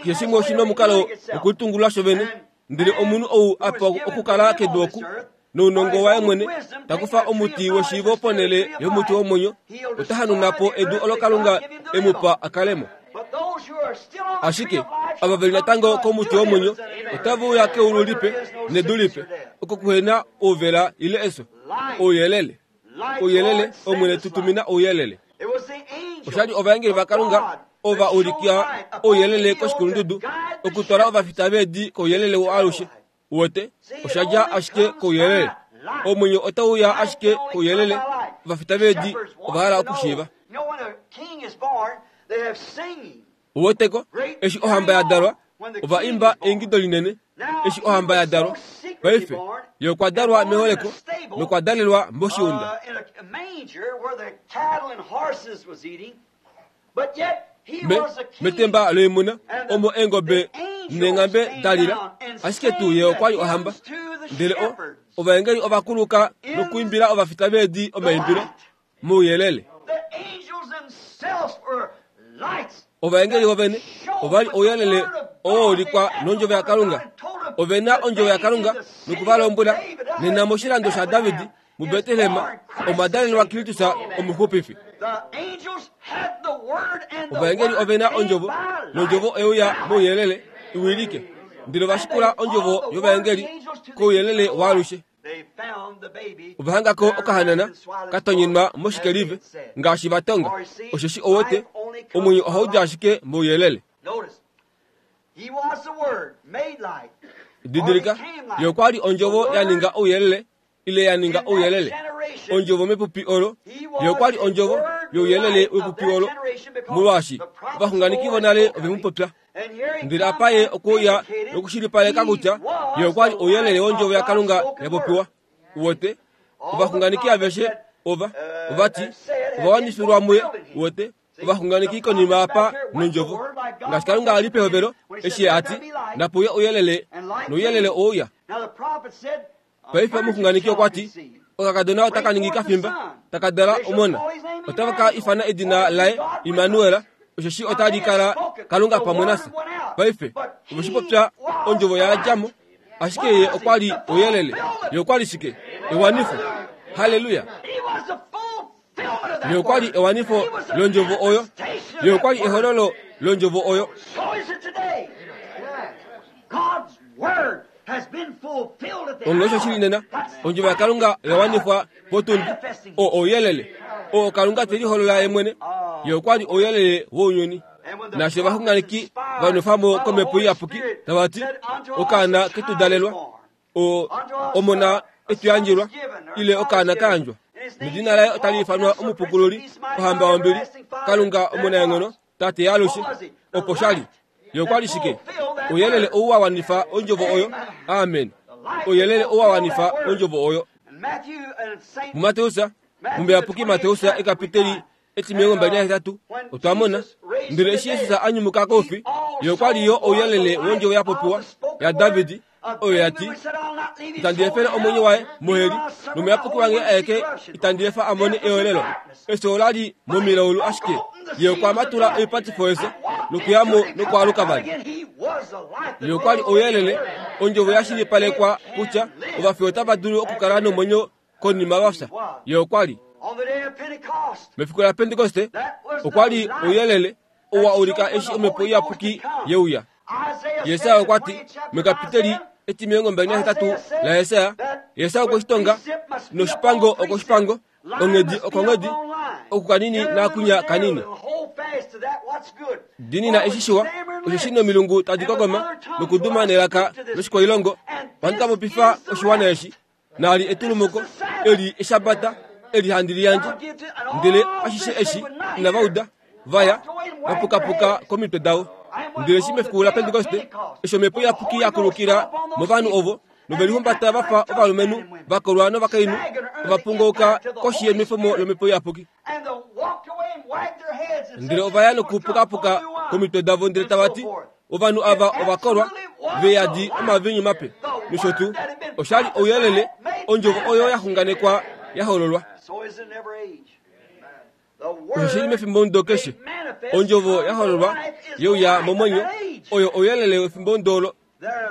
Keshe shimwe oshi nomukalo wokutungulula shovene. Ndele omunhu ou a pewa okukala kedu oku nounongo waye mwene ta kufa omuti weshiivo ponhele yomuti womwenyo, ota hanuna po edu olo Kalunga e mu pa a kale mo. Ashike ava veli natango komuti womwenyo otava uya keulu lipe nedu lipe, oko kuhena ouvela ile efyo. Ouyelele, ouyelele, Omwene tutumina ouyelele. Oshali ovaengeli vaKalunga ova ulika ouyelele koshikulundudu okutwala ovafita veedi kouyelele waalushe. Wote osha dja ashike kouyelele. Omwenyo otau uya ashike kouyelele. Ovafita veedi ova hala okushiiva. Woteko eshi ohamba ya dalwa, ova imba eingido linene eshi ohamba ya dalwa. Paife ye okwa dalwa meholeko nokwa dalelwa moshiunda, me metemba loimuna omo eengobe neenghambe da lila. Ashike tuu ye okwa li ohamba. Ndele o ovaengeli ova kuluka nokuimbila ovafita veedi omaimbilo mouyelele. Ovaengeli vovene ova li ouyelele oo wa ulikwa nondjovo yaKalunga. Ove na ondjovo yaKalunga noku va lombwela nena moshilando shaDavid muBetlehem omwa dalelwa Kristus omuxupifi. Ovaengeli ove na ondjovo, nondjovo oyeuya mouyelele iwilike. Ndele ova shikula ondjovo yovaengeli kouyelele waalushe. Ova hangako okahanana katonyenwa moshikelive ngaashi va tonga, osheshi owote omwenyo ohau di ashike mouyelele. Didilika, ye okwa li ondjovo ya ninga ouyelele ile ya ninga ouyelele. Ondjovo mepupi olo, ye okwa li ondjovo youyelele wepupi olo, molwaashi ovaxunganeki vonale ove mu popya. Ndele apa ye okuuya nokushilipaleka kutya ye okwa li ouyelele wondjovo yaKalunga ya popiwa. Wote ovaxunganeki aveshe ova ovati ova wanifilwa muye. Wote ovaxunganeki konima apa nondjovo ngaashi Kalunga a li pehovelo eshi ye ati napuye ouyelele, nouyelele ouya. Paife omuxunganeki okwa ti okakadona otaka ningi kafimba taka dala omona, otava ka ifana edina laye Immanuel, osheshi otali kala Kalunga pamwe nafye. Paife ove shi popya ondjovo ya dja mo, ashike ye okwa li ouyelele. Ye okwa li shike? Ewanifo. Halleluya. Ye okwa li ewanifo londjovo oyo. Ye okwa li ehololo londjovo oyo. Onge osho shili nena, ondjovo yaKalunga oya wanifwa potundi. O ouyelele oo Kalunga te liholola ye mwene. Ye okwa li ouyelele wounyuni. Naashi ovaxunganeki va nwefwa mo komhepo iyapuki tava ti okaana ketu dalelwa, o omona etu yandjelwa, ile okaana ka yandjwa, nedina laye otali ifanwa Omupukululi, Ohamba yombili, Kalunga omunaenghono, Tate yaalushe. Opo sha li. Ye okwa li shike? Ouyelele ou wa wanifa ondjovo oyo. Amen. Ouyelele ou wa wanifa ondjovo oyo. MuMateus, muMuyapuki Mateus ekapiteli etimilongo mbali nahetatu, otwa mona ndele eshi Jesus a nyumuka koufi, ye okwa li yo ouyelele wondjovo ya popiwa yaDavid oyo ya ti, itandi efele omwenyo waye moheli, nomuyapuki wange aeke itandi efa a mone eolelo. Efyo ola li momilaulu ashike ye okwa matula oipatifo yefyo nokuya mo nokwaaluka vali. Ye okwa li ouyelele, ondjovo ya shilipalekwa kutya ovafi otava dulu okukala nomwenyo konima vafya. Ye okwa li mefiku laPentekoste, okwa li ouyelele oo wa ulika eshi omhepo iyapuki ye uya. Yesaya okwa ti mekapiteli etimilongo mbali nahetatu laYesaya, Yesaya okwe shi tonga noshipango okoshipango, onghedi okonghedi, oku kanini naakunya kanini. Dinina eshi shiwa, osheshi nomilungu tadi kokoma nokuduma nelaka loshikwailongo, ohandi ka popifa oshiwana eshi. Naali etulumuko, eli eshabata, eli handi liyandje. Ndele ashishe eshi inava uda, vaya vapukapuka komitwe davo. Ndele eshi mefiku laPentekoste, eshi omhepo iyapuki ya kulukila movanhu ovo, novelihumbata vafa ovalumenhu vakolwa novakainhu, ovapungouka koshi yenwefomo lomhepo iyapuki. Ndele ovaya nokupukapuka komitwe davo ndele tava ti, ovanhu ava ovakolwa veyadi omavinyu mape. Nosho tuu, oshali ouyelele, ondjovo oyo ya xunganekwa ya hololwa. Osho shili mefimbo keshe, ondjovo ya hololwa yeuya momwenyo, oyo ouyelele wefimbo ndolo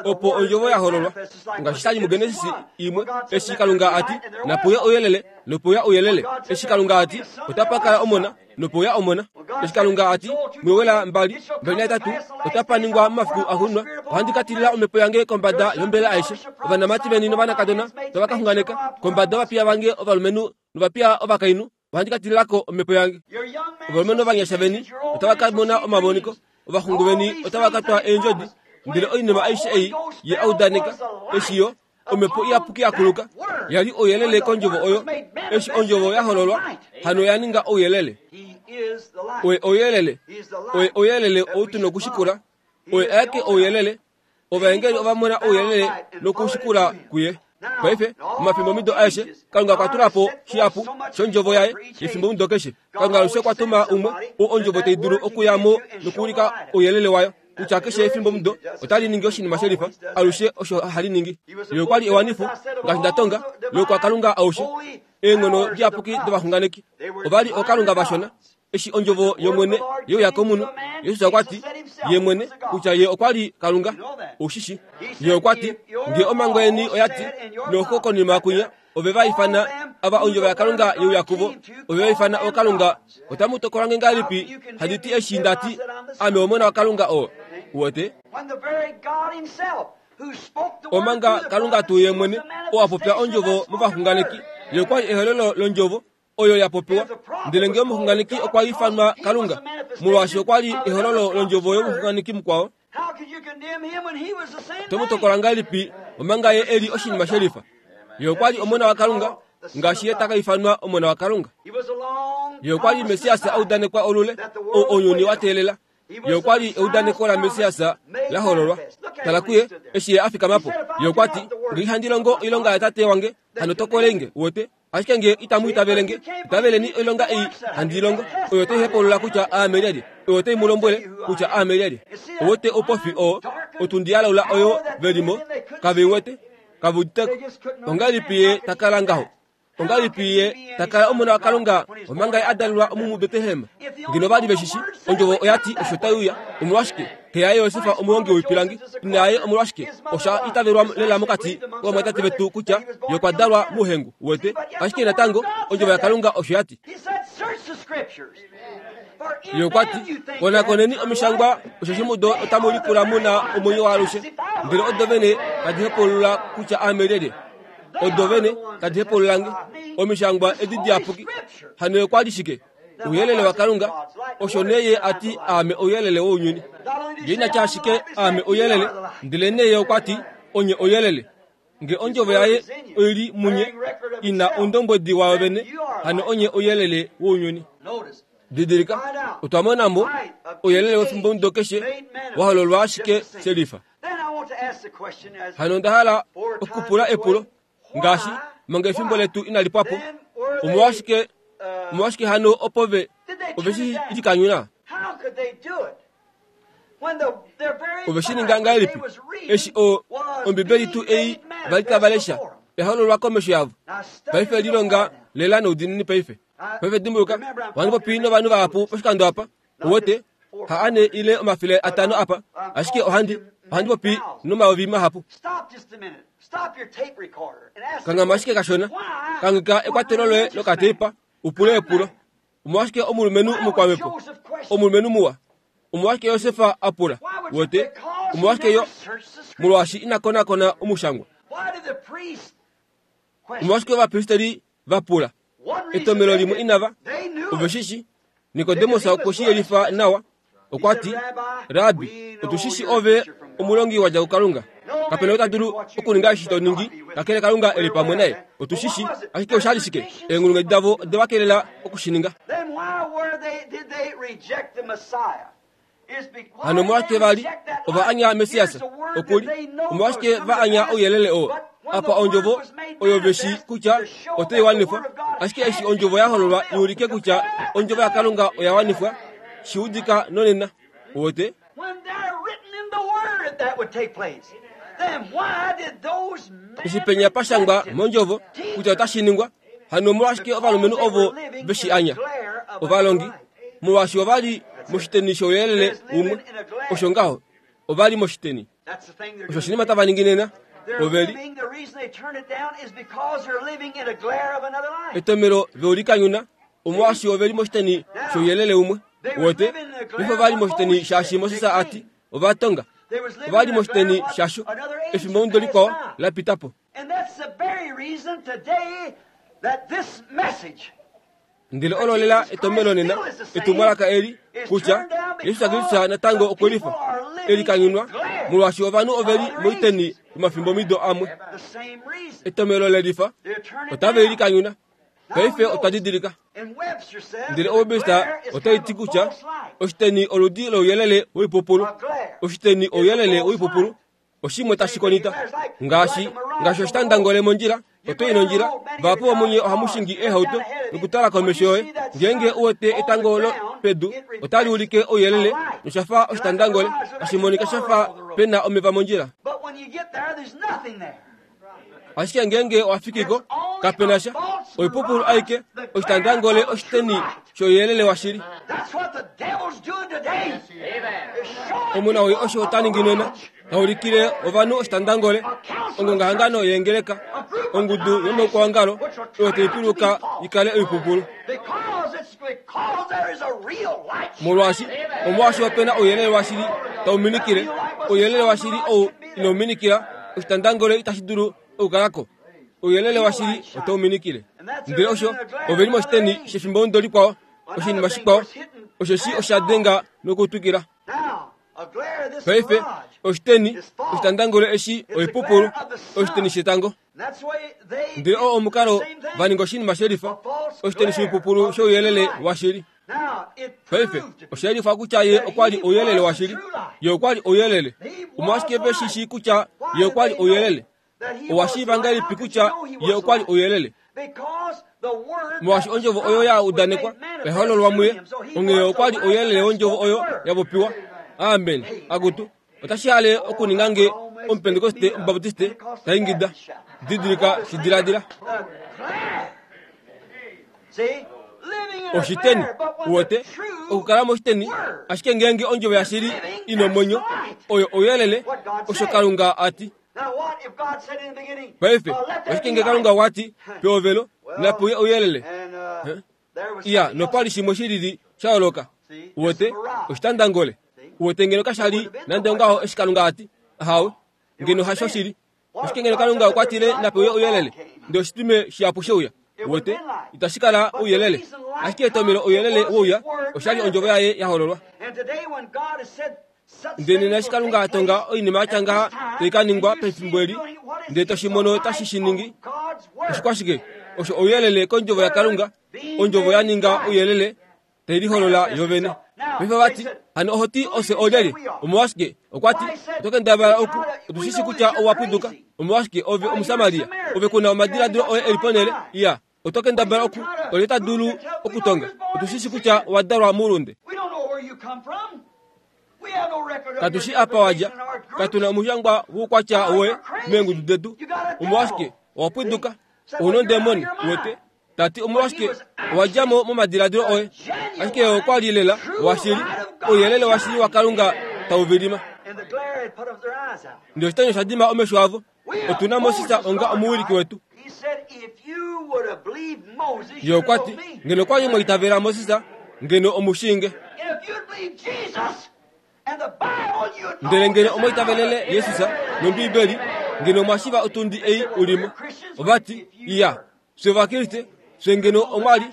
opo ondjovo ya hololwa. Ngaashi shali muGenesis imwe, eshi Kalunga ati napuya ouyelele, nopuya ouyelele. Eshi Kalunga ati otapa kala omona, nopuya omona. Eshi Kalunga ati mwewela mbali mbali naitatu otapa ningwa momafiku axuuninwa, ohandi ka tilila omhepo yange kombada yombela aishe. Ovanamati veni novanakadona tava ka xunganeka, kombada yovapiya vange ovalumenhu novapiya ovakainhu ohandi ka tililako omhepo yange. Ovalumenhu ovanyasha veni otava ka mona omamoniko, ovaxungu veni otava ka twa eendjodi. Ndele oinima aishe ei ye audaneka, eshi yo omhepo iyapuki ya kuluka, yali ouyelele kondjovo oyo. Eshi ondjovo ya hololwa, hano ya ninga ouyelele. Oye ouyelele, oye ouyelele ou tu nokushikula, oye aeke ouyelele. Ovaengeli ova mona ouyelele nokushikula kuye. Paife omafimbo aeshe Kalunga okwa tula po shihapu shondjovo yaye yefimbo keshe. Kalunga alushe okwa tuma umwe oo ondjovo tai dulu okuya mo nokuulika ouyelele wayo. Kutya keshe efimbo mudo otali ningi oshinima shelifa, alushe osho hali ningi. Ye okwa li ewanifo, ngaashi nda tonga, lokwa Kalunga aushe. Eenghono diyapuki dovaxunganeki ova li ookalunga vashona. Eshi ondjovo yOmwene yeuya komunhu, Jesus okwa ti ye mwene kutya ye okwa li Kalunga. Ushishi ye okwa ti, nge omhango yeni oya ti, noxo konima kunya ove va ifana ava ondjovo yaKalunga yeuya kuvo, ove va ifana ookalunga. Otamu tokola nge ngahelipi handi ti eshi nda ti ame omona waKalunga oo? Uwete? Omanga Kalunga tuu ye mwene oo a popya ondjovo movaxunganeki, ye okwa li ehololo londjovo oyo ya popiwa. Ndele nge omuxunganeki okwa ifanwa Kalunga, molwaashi okwa li ehololo londjovo yomuxunganeki mukwao, tomu tokola ngahelipi omanga ye eli oshinima shelifa? Ye okwa li omona waKalunga, ngaashi ye taka ifanwa omona waKalunga. Ye okwa li Messias audanekwa olule, oo ounyuni wa teelela. Ye okwa li eudaneko la Messias la hololwa. Tala kuye eshi ye a fikama po. Ye okwa ti, nge ihandi longo oilonga yatate wange, hano tokolenge. Uwete? Ashike nge itamu itavelenge, itaveleni oilonga ei handi longo, oyo tai hepulula kutya aame lyelye, oyo tai mu lombwele kutya aame lyelye. Uwete oupofi oo, otundi ya laula oyo velimo, kave wete, kave uditeko. Ongahelipi ye takala ngaho? Ongahelipi ye takala omona waKalunga omanga ye a dalelwa omu muBetlehem? Ngeno vali veshishi, ondjovo oya ti osho tai uya. Omolwashike? Xe yaye Josef omuhongi woipilangi, ina yaye omolwashike? Osha itavelwa lela mokati kovamwatate vetu kutya ye okwa dalwa mouhengu. Uwete? Ashike natango ondjovo yaKalunga osho ya ti. Ye okwa ti, konakoneni omishangwa, osheshi mudo otamu lipula mu na omwenyo waalushe. Ndele odo vene tadi hepulula kutya aame lyelye. Odo vene tadi hepulula nge. Omishangwa edi diyapuki. Hano okwa li shike? Ouyelele waKalunga. Osho nee ye a ti aame ouyelele wounyuni. Ye ina tya ashike aame ouyelele, ndele nee ye okwa ti onye ouyelele. Nge ondjovo yaye oili munye, ina oundombwedi wayo vene, hano onye ouyelele wounyuni. Didilika, otwa mona mo ouyelele wefimbo keshe wa hololwa ashike shelifa. Hano onda hala okupula epulo, ngaashi manga efimbo letu inali pwa po, omolwashike omolwashike hano opo ve ove shi likanyuna? Ove shi ninga ngahelipi eshi o Ombibeli tuu ei vali tava lesha ehololwa komesho yavo? Paife lilonga lela noudinini paife. Paife dimbuluka, ohandi popi novanhu vahapu poshikando apa. Uwete, ha ane ile omafele atano apa, ashike ohandi ohandi popi nomayovi mahapu. Kangama ashike kashona, kangika ekwatelo loye lokateipa, upule epulo. Omolwashike omulumenhu omukwamhepo, omulumenhu muwa, omolwashike Josef a pula? Uwete, Omolwashike yo? Molwaashi ina konakona omushangwa. Omolwashike ovapristeri va pula? Etomelo limwe inava ove shishi. Nikodemus okwe shi yelifa nawa. Okwa ti, Rabi, otu shishi ove omulongi wa dja kuKalunga. Kapena ota dulu okuninga eshi to ningi, kakele Kalunga e li pamwe naye. Otu shishi, ashike osha li shike? Eenghulunghedi davo ode va kelela okushininga. Hano omolwashike va li ova anya Messias? Okuli omolwashike va anya ouyelele oo? Apa ondjovo oyo ve shi kutya otai wanifwa, ashike eshi ondjovo ya hololwa i ulike kutya ondjovo yaKalunga oya wanifwa, shi udika nonena. Uwete? Eshi penya pa shangwa mondjovo kutya otashi ningwa, hano omolwashike ovalumenhu ovo ve shi anya? Ovalongi, molwaashi ova li moshiteni shouyelele umwe. Osho ngaho, ova li moshiteni. Osho oshinima tava ningi nena. Ove li etomelo veulikanyuna, omolwaashi ove li moshiteni shouyelele umwe. Uwete? Paife ova li moshiteni shaashi Moses a ti, ova tonga. Ova li moshiteni shasho efimbo mudo likwao la pita po. Ndele olo lela etomelo nena, etumwalaka eli, kutya Jesus Kristus natango okwe lifa, e likanyunwa, molwaashi ovanhu ove li moiteni yomafimbo mido amwe. Etomelo le lifa, otave likanyuna. Paife otwa didilika. Ndele Webster otai ti kutya oshiteni oludi louyelele woipupulu. Oshiteni ouyelele woipupulu. Oshimwe tashi konita. Ngaashi, ngaashi oshitandangole mondjila, oto i nondjila, vahapu vomunye ohamu shingi eehauto nokutala komesho yoye. Ngeenge u wete etango lo pedu, otali ulike ouyelele nosha fa oshitandangole, tashi monika sha fa pe na omeva mondjila. Ashike ngeenge owa fiki ko, kape na sha. Oipupulu aike, oshitandangole oshiteni shouyelele washili. Omuna oyo osho ota ningi nena, ta ulikile ovanhu oshitandangole, ongongahangano yeengeleka, ongudu yomaukwaongalo oyo tai piluka i kale oipupulu. Molwaashi omolwaashi ope na ouyelele washili tau minikile, ouyelele washili ou inau minikila, oshitandangole itashi dulu okukala ko. Ouyelele washili otau minikile. Ndele osho ove li moshiteni shefimbo mudo likwao, oshinima shikwao, osheshi osha denga nokutwikila. Paife oshiteni, oshitandangole eshi oipupulu, oshiteni shetango. Ndele oo omukalo va ninga oshinima shelifa, oshiteni shoipupulu shouyelele washili. Paife osha yelifa kutya ye okwa li ouyelele washili. Ye okwa li ouyelele. Omolwashike ve shi shii kutya ye okwa li ouyelele? Owa shiiva ngahelipi kutya ye okwa li ouyelele? Molwaashi ondjovo oyo ya udanekwa oya hololwa muye, onghee okwa li ouyelele wondjovo oyo ya popiwa. Amen. Akutu, otashi hale okuninga nge omupentekoste omubaptiste ta ingida. Didilika shi diladila. Oshiteni, uwete, okukala moshiteni, ashike ngeenge ondjovo yashili ina omwenyo, oyo ouyelele, osho Kalunga a ti. Paife, oshike nge Kalunga okwa ti, pehovelo, napuye ouyelele? Iya, nopa li shimwe shilili sha yooloka. Uwete, oshitandangole. Uwete ngeno kasha li nande ongaho eshi Kalunga a ti, ahawe, ngeno hasho shili. Oshike ngeno Kalunga okwa tile napuye ouyelele, ndele oshitime shihapu sheuya? Uwete, itashi kala ouyelele. Ashike etomelo ouyelele wouya, osha li ondjovo yaye ya hololwa. Ndele nena eshi Kalunga a tonga oinima ya tya ngaha tai ka ningwa pefimbo eli, ndele toshi mono tashi shi ningi, oshikwashike? Osho ouyelele kondjovo yaKalunga, ondjovo ya ninga ouyelele, tai liholola yovene. Paife vati, hano oho ti ofye olyelye? Omolwashike? Okwa ti, oto kendabala oku, otu shi shi kutya owa pwiduka. Omolwashike ove Omusamaria? Ove ku na omadiladilo oye e li ponhele? Iya, oto kendabala oku, olye ta dulu okutonga? Otu shi shi kutya owa dalwa moulunde. Katu shi apa wa dja, katu na omushangwa woukwatya woye meengudu detu. Omolwashike owa pwiduka? Ou nondemoni, uwete? Ta ti omolwashike owa dja mo momadiladilo oye? Ashike okwa li lela washili, ouyelele washili waKalunga tau vilima. Ndele oshitanya osha dima omesho avo. Otu na Moses onga omuwiliki wetu. Ye okwa ti, ngeno okwa li mwa itavela Moses, ngeno omu shii nge. Ndele ngeno omwaitavelele Jesus nOmbiibeli, ngeno mwashiva otundi ei ulimo. Ovati, iya, fye Ovakriste, fye ngeno omwali,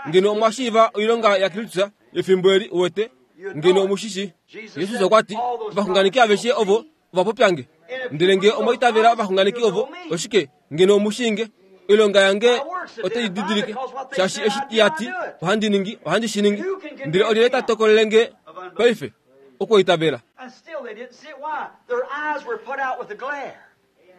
ngeno omwashiiva oilonga yaKristus yefimbo eli uwete, ngeno omushishi. Jesus okwa ti, ovaxunganeki aveshe ovo ovapopyange. Ndele nge omwaitavela ovaxunganeki ovo, oshike ngeno omushiinge? Oilonga yange otai didilike, shaashi eshi ya ti ohandi ningi, ohandi shi ningi. Ndele olyelye ta tokolele nge paife okwoitavela?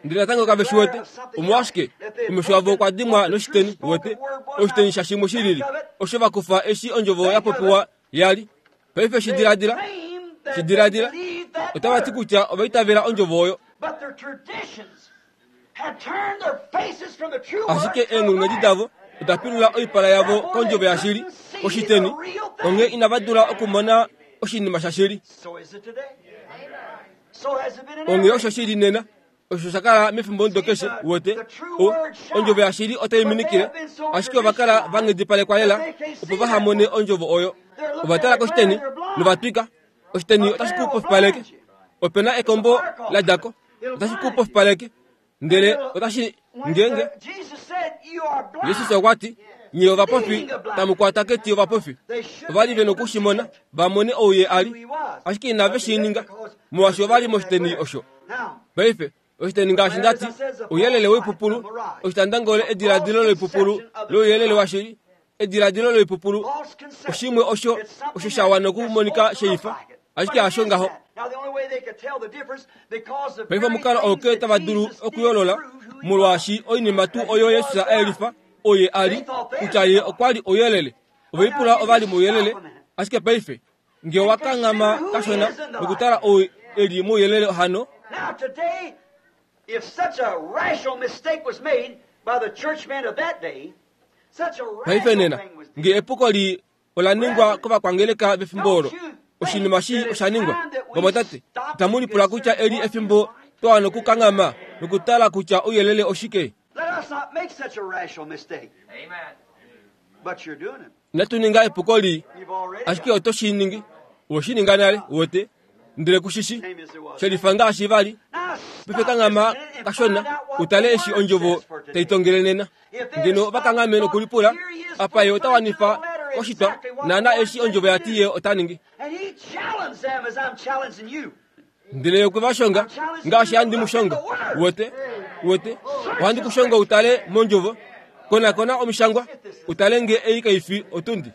Ndele natango kave shi wete, omolwashike omesho avo okwa dimwa noshiteni, wete, oshiteni shashimwe shilili, osho va kufa eshi ondjovo ya popiwa yali. Paife shi diladila, shi diladila, otava ti kutya ovaitavela ondjovo oyo. Ashike eenghulunghedi davo oda pilula oipala yavo kondjovo yashili, koshiteni, onghee inava dula okumona oshinima shashili. Onghee osho shili nena, osho sha kala mefimbo ndo keshe, wete, ondjovo yashili otai minikile, ashike ova kala va nghedipalekwa lela opo vaha mone ondjovo oyo. Ova tala koshiteni novatwika, oshiteni otashi ku pofipaleke. Opena ekombo la djako, otashi ku pofipaleke. Ndele otashi ngenge. Jesus okwa ti, nye ovapofi tamu kwata keti ovapofi. Ova li ve nokushimona va mone ou ye a li, ashike inave shi ninga, molwaashi ova li moshiteni osho. Paife oshiteni ngaashi ndati, ouyelele woipupulu, oshitandangole ediladilo loipupulu louyelele washili, ediladilo loipupulu, oshimwe osho osho sha wana okumonika sheifa, ashike hasho ngaho. Paife omukalo oo ke tava dulu okuyoolola, molwaashi oinima tuu oyo Jesus a yelifa oye a li, kutya ye okwa li ouyelele. Ovaipula ova li mouyelele, ashike paife nge owa kanghama kashona nokutala ou e li mouyelele hano. Now today, if such a rational mistake was made by the churchmen of that day, such a Paife nena, rational thing was nge epuko li ola ningwa kovakwangeleka vefimbo olo, oshinima shi osha ningwa. Vamwatate, itamu lipula kutya eli efimbo twa nokukanghama nokutala kutya ouyelele oshike. Let us not make such a rational mistake. Amen. But you're doing it. Inatu ninga epuko li, You've already ashike oto shi ningi. Owe shi ninga nale, uwete, ndele kushishi shelifa ngaashi vali. Now Paife kanghama kashona utale eshi ondjovo tai tongele nena. Ngeno ovakanghame nokulipula, apa ye ota wanifa oshitwa naana eshi ondjovo yati ye ota ningi. And he challenged them as I'm challenging you. Ndele okwe va shonga ngaashi handi mu shonga. Uwete, uwete, ohandi ku shonga utale mondjovo, konakona omishangwa, utale nge ei kaifi otundi.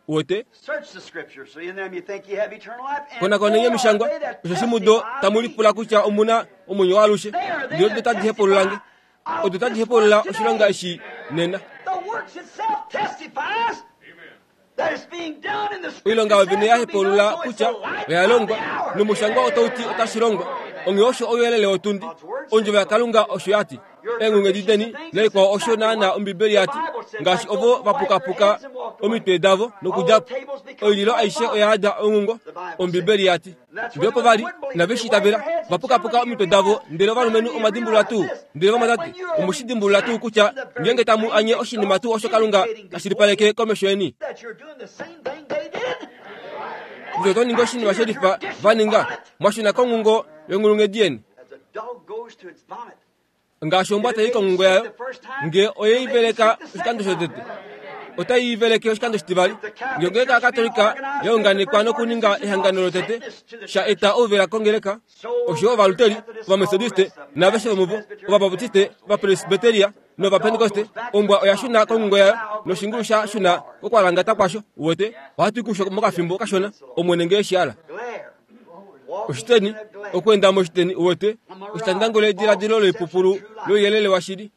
Uwete, Search the scriptures, so in them you think you have eternal life. And konakona they are omishangwa, they that osho mudo testify tamu me. lipula kutya omuna omwenyo waalushe. Ndele odo tadi hepulula nge, odo tadi hepulula oshilonga eshi nena. The works itself testifies that it's being done in the Oilonga scriptures yovene ya says it'll be hepulula done, so it's kutya the light oya of longwa, the hour. nomushangwa otau ti otashi longwa. Onghee osho ouyelele wotundi, ondjovo yaKalunga osho ya ti. Eenghulunghedi deni naikwao osho naana Ombibeli ya ti, ngaashi ovo va pukapuka omitwe davo nokudja po. Oililo aishe oya yada onghungo, Ombibeli ya ti. Ndele opo vali inave shi itavela, va pukapuka omitwe davo, ndele ovalumenhu omadimbulula tuu. Ndele vamwatate, omushi dimbulula tuu kutya ngeenge tamu anye oshinima tuu osho Kalunga tashi lipaleke komesho yeni, That you're doing the same thing they did. kutya oto ningi oshinima shelifa va ninga, mwashuna konghungo yonghulunghedi yeni. As a dog goes to its vomit. Ngaashi ombwa tai konghungo yayo, nge oyei veleka oshikando shotete, otai veleke oshikando shitivali. Nge ongeleka yaKatolika ya unganekwa nokuninga ehangano lotete, sha eta ouvela kongeleka, osho Ovaluteri, Ovametodiste, naaveshe vomuvo, Ovabaptiste, Ovapresbiteria nOvapentekoste, ombwa oya shuna konghungo yayo, noshingulu sha shuna kokwalangata kwasho. Uwete, ohatu i kusho mokafimbo kashona, Omwene nge eshi hala. Glare. Walking Oshiteni, in a glare. okwenda moshiteni, uwete, oshitandangole ediladilo loipupulu louyelele washili.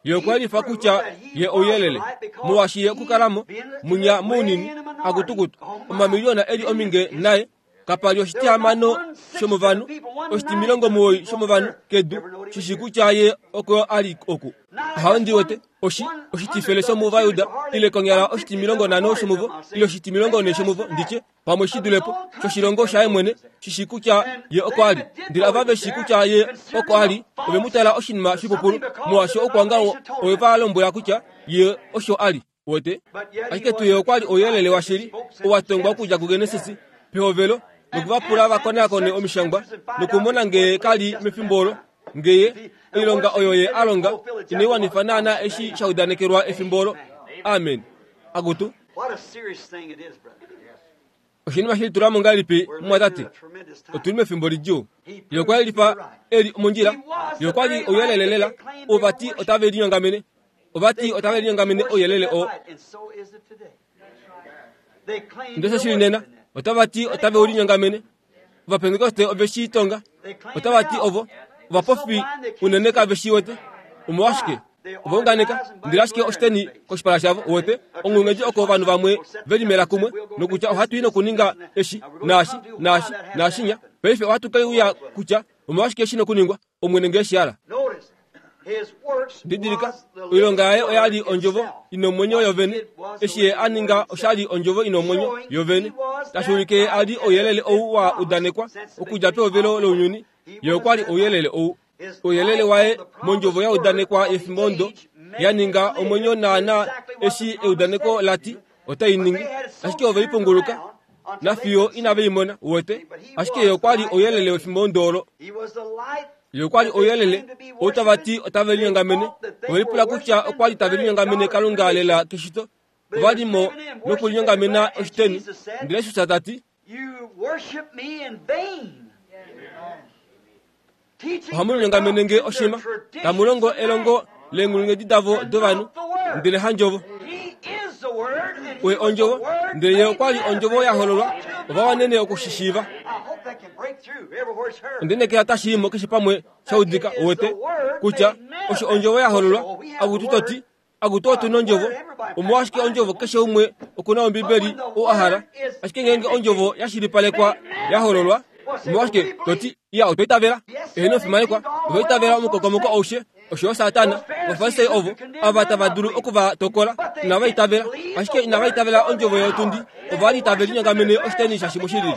Ye okwa lifa kutya ye ouyelele, molwaashi ye okukalamo munya mounini akutukutu omamiliyona eli ominge naye kapa li oshitihamano shomovanhu, oshitimilongo muwoi shomovanhu kedu shishi kutya ye oko a li oku. Ahawe ndi wete, oshi oshitifele shomuvayuda, ile konyala oshitimilongo nhano shomuvo, ile oshitimilongo ne shomuvo, nditye pamwe shi dulepo shoshilongo shaye mwene, shishi kutya ye oko a li. Ndele ava ve shi kutya ye oko a li, ove mu tala oshinima shipupulu, molwaashi okwanga ove va lombwela kutya ye osho a li. Wete, ashike tuu ye okwa li ouyelele washili, owa tongwa okudja kuGenesis pehovelo, Nokuvapula vakonakone omishangwa nokumona ngee kali mefimbo olo ngeye oilonga oyo ye a longa inaiwanifa naana eshi sha udanekelwa efimbo olo. Amen. Akutu. Oshinima shilitulamo ngahelipi mumwatate? Otuli mefimbo lidjuu. Ye okwa lifa eli mondjila. Ye okwa li ouyelele lela. Ovati otave linyongamene. Ovati otave linyongamene ouyelele oo. Ndele osho shili nena. Otavati otave ulinyongamene. Ovapentekoste ove shi tonga. Otavati ovo ovapofi unene kave shi wete. Omolwashike? Ovaunganeka ndele ashike oshiteni koshipala shavo wete onghulunghedi oko ovanhu vamwe ve limela kumwe nokutya ohatu i nokuninga eshi naashi naashi naashinya. Paife ohatu ke uya kutya omolwashike shi nokuningwa Omwene ngee shi hala. Didilika, oilonga yaye oya li ondjovo ina omwenyo yovene. Eshi ye a ninga osha li ondjovo ina omwenyo yovene. Tashi ulike ye a li ouyelele ou wa udanekwa okudja pehovelo lounyuni. Ye okwa li ouyelele ou. Ouyelele waye mondjovo ya udanekwa yefimbo ndo ya ninga omwenyo naana eshi eudaneko lati otai ningi. Ashike ove lipunguluka nafiyo inave i mona uwete. Ashike ye okwa li ouyelele wefimbo ndo olo. Ye okwa li ouyelele ou tava ti otave linyongamene. Ove lipula kutya okwa li tave linyongamene Kalunga lela keshito. Ova li mo nokulinyongamena oshiteni. Ndele Jesus ta ti, ohamu linyongamene nge oshima, tamu longo elongo leenghulunghedi davo dovanhu, ndele handjovo. Oye ondjovo, ndele ye okwa li ondjovo ya hololwa, ova wanene okushishiiva. Ondenekela tashi imo keshe pamwe sha udika uwete kutya osho ondjovo ya hololwa. Akutu toti, akutu otu nondjovo. Omolwashike ondjovo keshe umwe okuna Ombibeli ou a hala. Ashike ngeenge ondjovo ya shilipalekwa ya hololwa, omolwashike toti iya otwa itavela. Eheno ofimanekwa, ova itavela omukokomoko aushe osho yo Satana. Ovafarisai ovo ava tava dulu oku va tokola inava itavela, ashike inava itavela ondjovo yotundi. Ova li tave linyongamene oshiteni shashimwe shilili.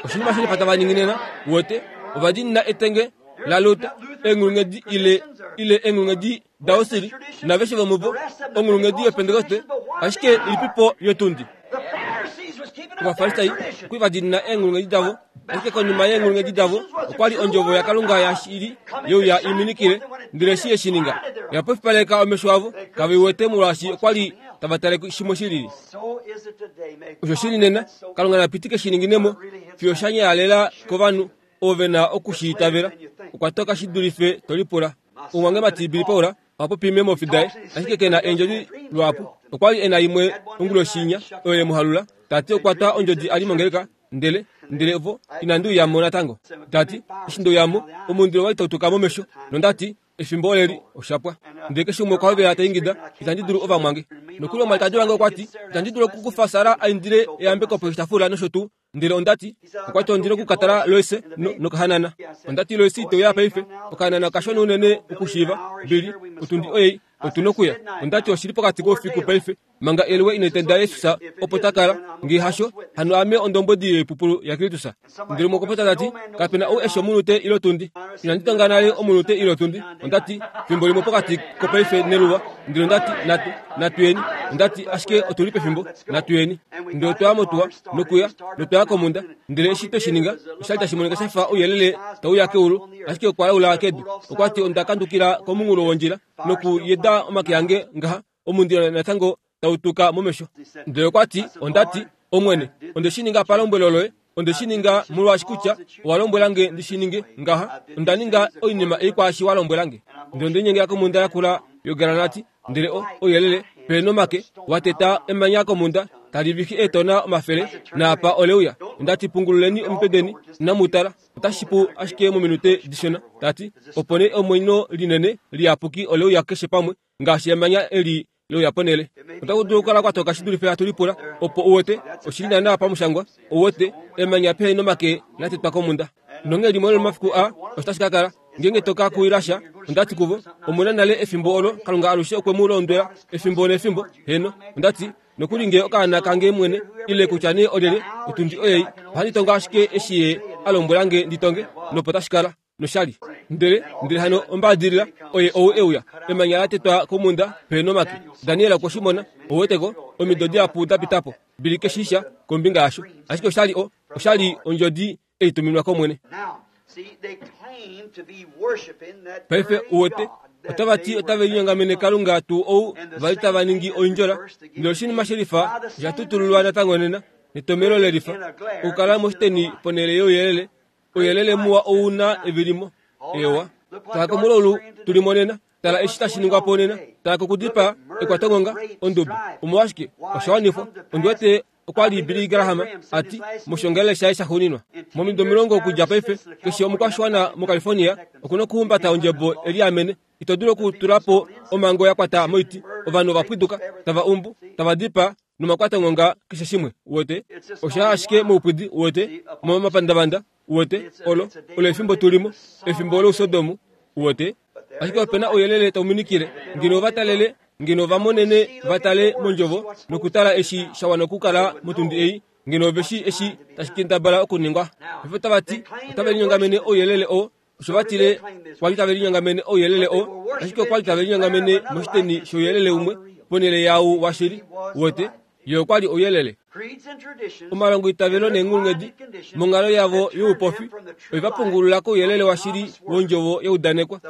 Oshinima shilifa tava ningi nena uwete, ova dinina etenge laLuther, eenghulunghedi ile ile eenghulunghedi daWesley naveshe vomuvo, onghulunghedi yoPentekoste, ashike ilipipo yotundi. Ovafarisai okwa li va dinina eenghulunghedi davo, ashike konima yeenghulunghedi davo okwa li ondjovo yaKalunga yashili yeuya i minikile. Ndele eshi ye shi ninga, oya pofipaleka omesho avo, kave i wete molwaashi okwa li tava tale shimwe shilili. Osho shili nena, Kalunga na pitike shi ninginemo fiyo sha nyayalela kovanhu ovo ve na oku shi itavela. Okwa toka shi dulife to lipula. Omumwangemati Billy Paul oha popi meemofi daye, ashike ke na eendjodi luhapu. Okwa li e na imwe onguloshinya oyo ye mu halula, ta ti okwa twa ondjodi a li mongeleka, ndele ndele vo inandi uya mo natango. Ta ti, eshi nde uya mo, omundilo wali tau tuka momesho, nonda ti, efimbo oleli, osha pwa. Ndele keshe umwe okwa hovela ta ingida, itandi dulu ovamwange. Nokuli omwalikadi wange okwa ti, itandi dulu okukufa Sara a indile eyambeko poshitafula nosho tuu. Ndele onda ti, okwa ti ondina okukatala Lois no, nokahanana. Onda ti Lois ite uya paife, okahanana okashona unene okushiiva. Billy, otundi oyei, otu nokuya. Onda ti oshili pokati koufiku paife, manga eluwe ina tenda Jesus opo ta kala, ngee hasho, hano ame ondombwedi yoipupulu yaKristus. Ndele umwe okwa popya ta ti, kape na ou eshi omunute ile otundi. Inandi tonga nale omunute ile otundi. Onda ti, fimbo limwe pokati kopaife neluwa. Ndele onda ti, natu, natu yeni. Onda ti, ashike otu li pefimbo, natu yeni. Ndele otwa ya motuwa, nokuya, notwa ya komunda. Ndele eshi twe shi ninga, osha li tashi monika sha fa ouyelele tau uya keulu, ashike okwa laula kedu. Okwa ti onda kandukila komunghulo wondjila, nokuyeda omake ange ngaha, omundilo natango tau tuka momesho. Ndele okwa ti, onda ti, Omwene, onde shi ninga palombwelo loye, onde shi ninga molwaashi kutya owa lombwela nge ndi shi ninge ngaha. Onda ninga oinima ei kwaashi wa lombwela nge. Ndele onde linyengela komhunda yakula yogranati, ndele o ouyelele peenomake wa teta emanya komhunda tali vixi eetona omafele, naapa ole uya. Onda ti, pungululeni omitwe deni, inamu tala. Otashi pu ashike mominute dishona. Ta ti, opo nee omwenyo linene liyapuki ole uya keshe pamwe, ngaashi emanya eli leuya ponhele. Otaku dulu okukala kwa toka shi dulife hatu lipula, opo u wete oshili naana pamushangwa. U wete emanya pehe nomake la tetwa komhunda. Nonghee limwe lomomafiku aa osho tashi ka kala, ngeenge to ka kuwila sha. Onda ti kuvo, omuna nale efimbo olo Kalunga alushe okwe mu londwela efimbo nefimbo. Heno, onda ti, nokuli ngee okaana kange mwene, ile kutya nee olyelye, otundi oyei, ohandi tongo ashike eshi ye a lombwela nge ndi tonge, nopo tashi kala. Noshali. Ndele, ndele hano ombaadilila, oye ou e uya, emanya la tetwa komhunda peenomake. Daniel okwe shi mona, ou weteko, omido dihapu da pita po. Billy ke shi sha kombinga yasho. Ashike oshali o, Oshali ondjodi ei tuminwa kOmwene. Paife uwete otava ti otave linyongamene Kalunga tuu ou vali tava ningi oindjola, ndele oshinima shelifa osha tutululwa natango nena netomelo lelifa okukala moshiteni ponhele youyelele. Ouyelele muwa ou na evilimo. Ewa, tala komulaulu tuli monena, tala eshi tashi ningwa po nena, tala kokudipaa, ekwatongonga, ondubo. Omolwashike osha wanifwa? Ondi wete okwa li Billy Graham ati moshongelele shaye shaxuuninwa momido omilongo okudja paife, keshe omukwashiwana moCalifornia okuna okuhumbata ondjebo eliamene. Ito dulu okutula po omhango ya kwata moiti. Ovanhu ova pwiduka, tava umbu, tava dipaa nomakwatongonga keshe shimwe. Uwete osha ashike moupwidi, uwete momapandavanda, uwete olo olo efimbo tulimo, efimbo lousodomu, uwete. Ashike opena ouyelele tau minikile ngeno va talele, ngeno va monene va tale mondjovo nokutala eshi sha wana okukala motundi ei, ngeno veshi eshi tashi kendabala okuningwa. Ovo tava ti otave linyongamene ouyelele oo, osho va tile kwali tave linyongamene ouyelele oo, ashike okwali tave linyongamene moshiteni shouyelele umwe ponhele yau washili. Uwete ye okwali ouyelele. Omalongo itavelo neenghulunghedi monghalo yavo youpofi oiva pungulula kouyelele washili wondjovo yeudanekwa,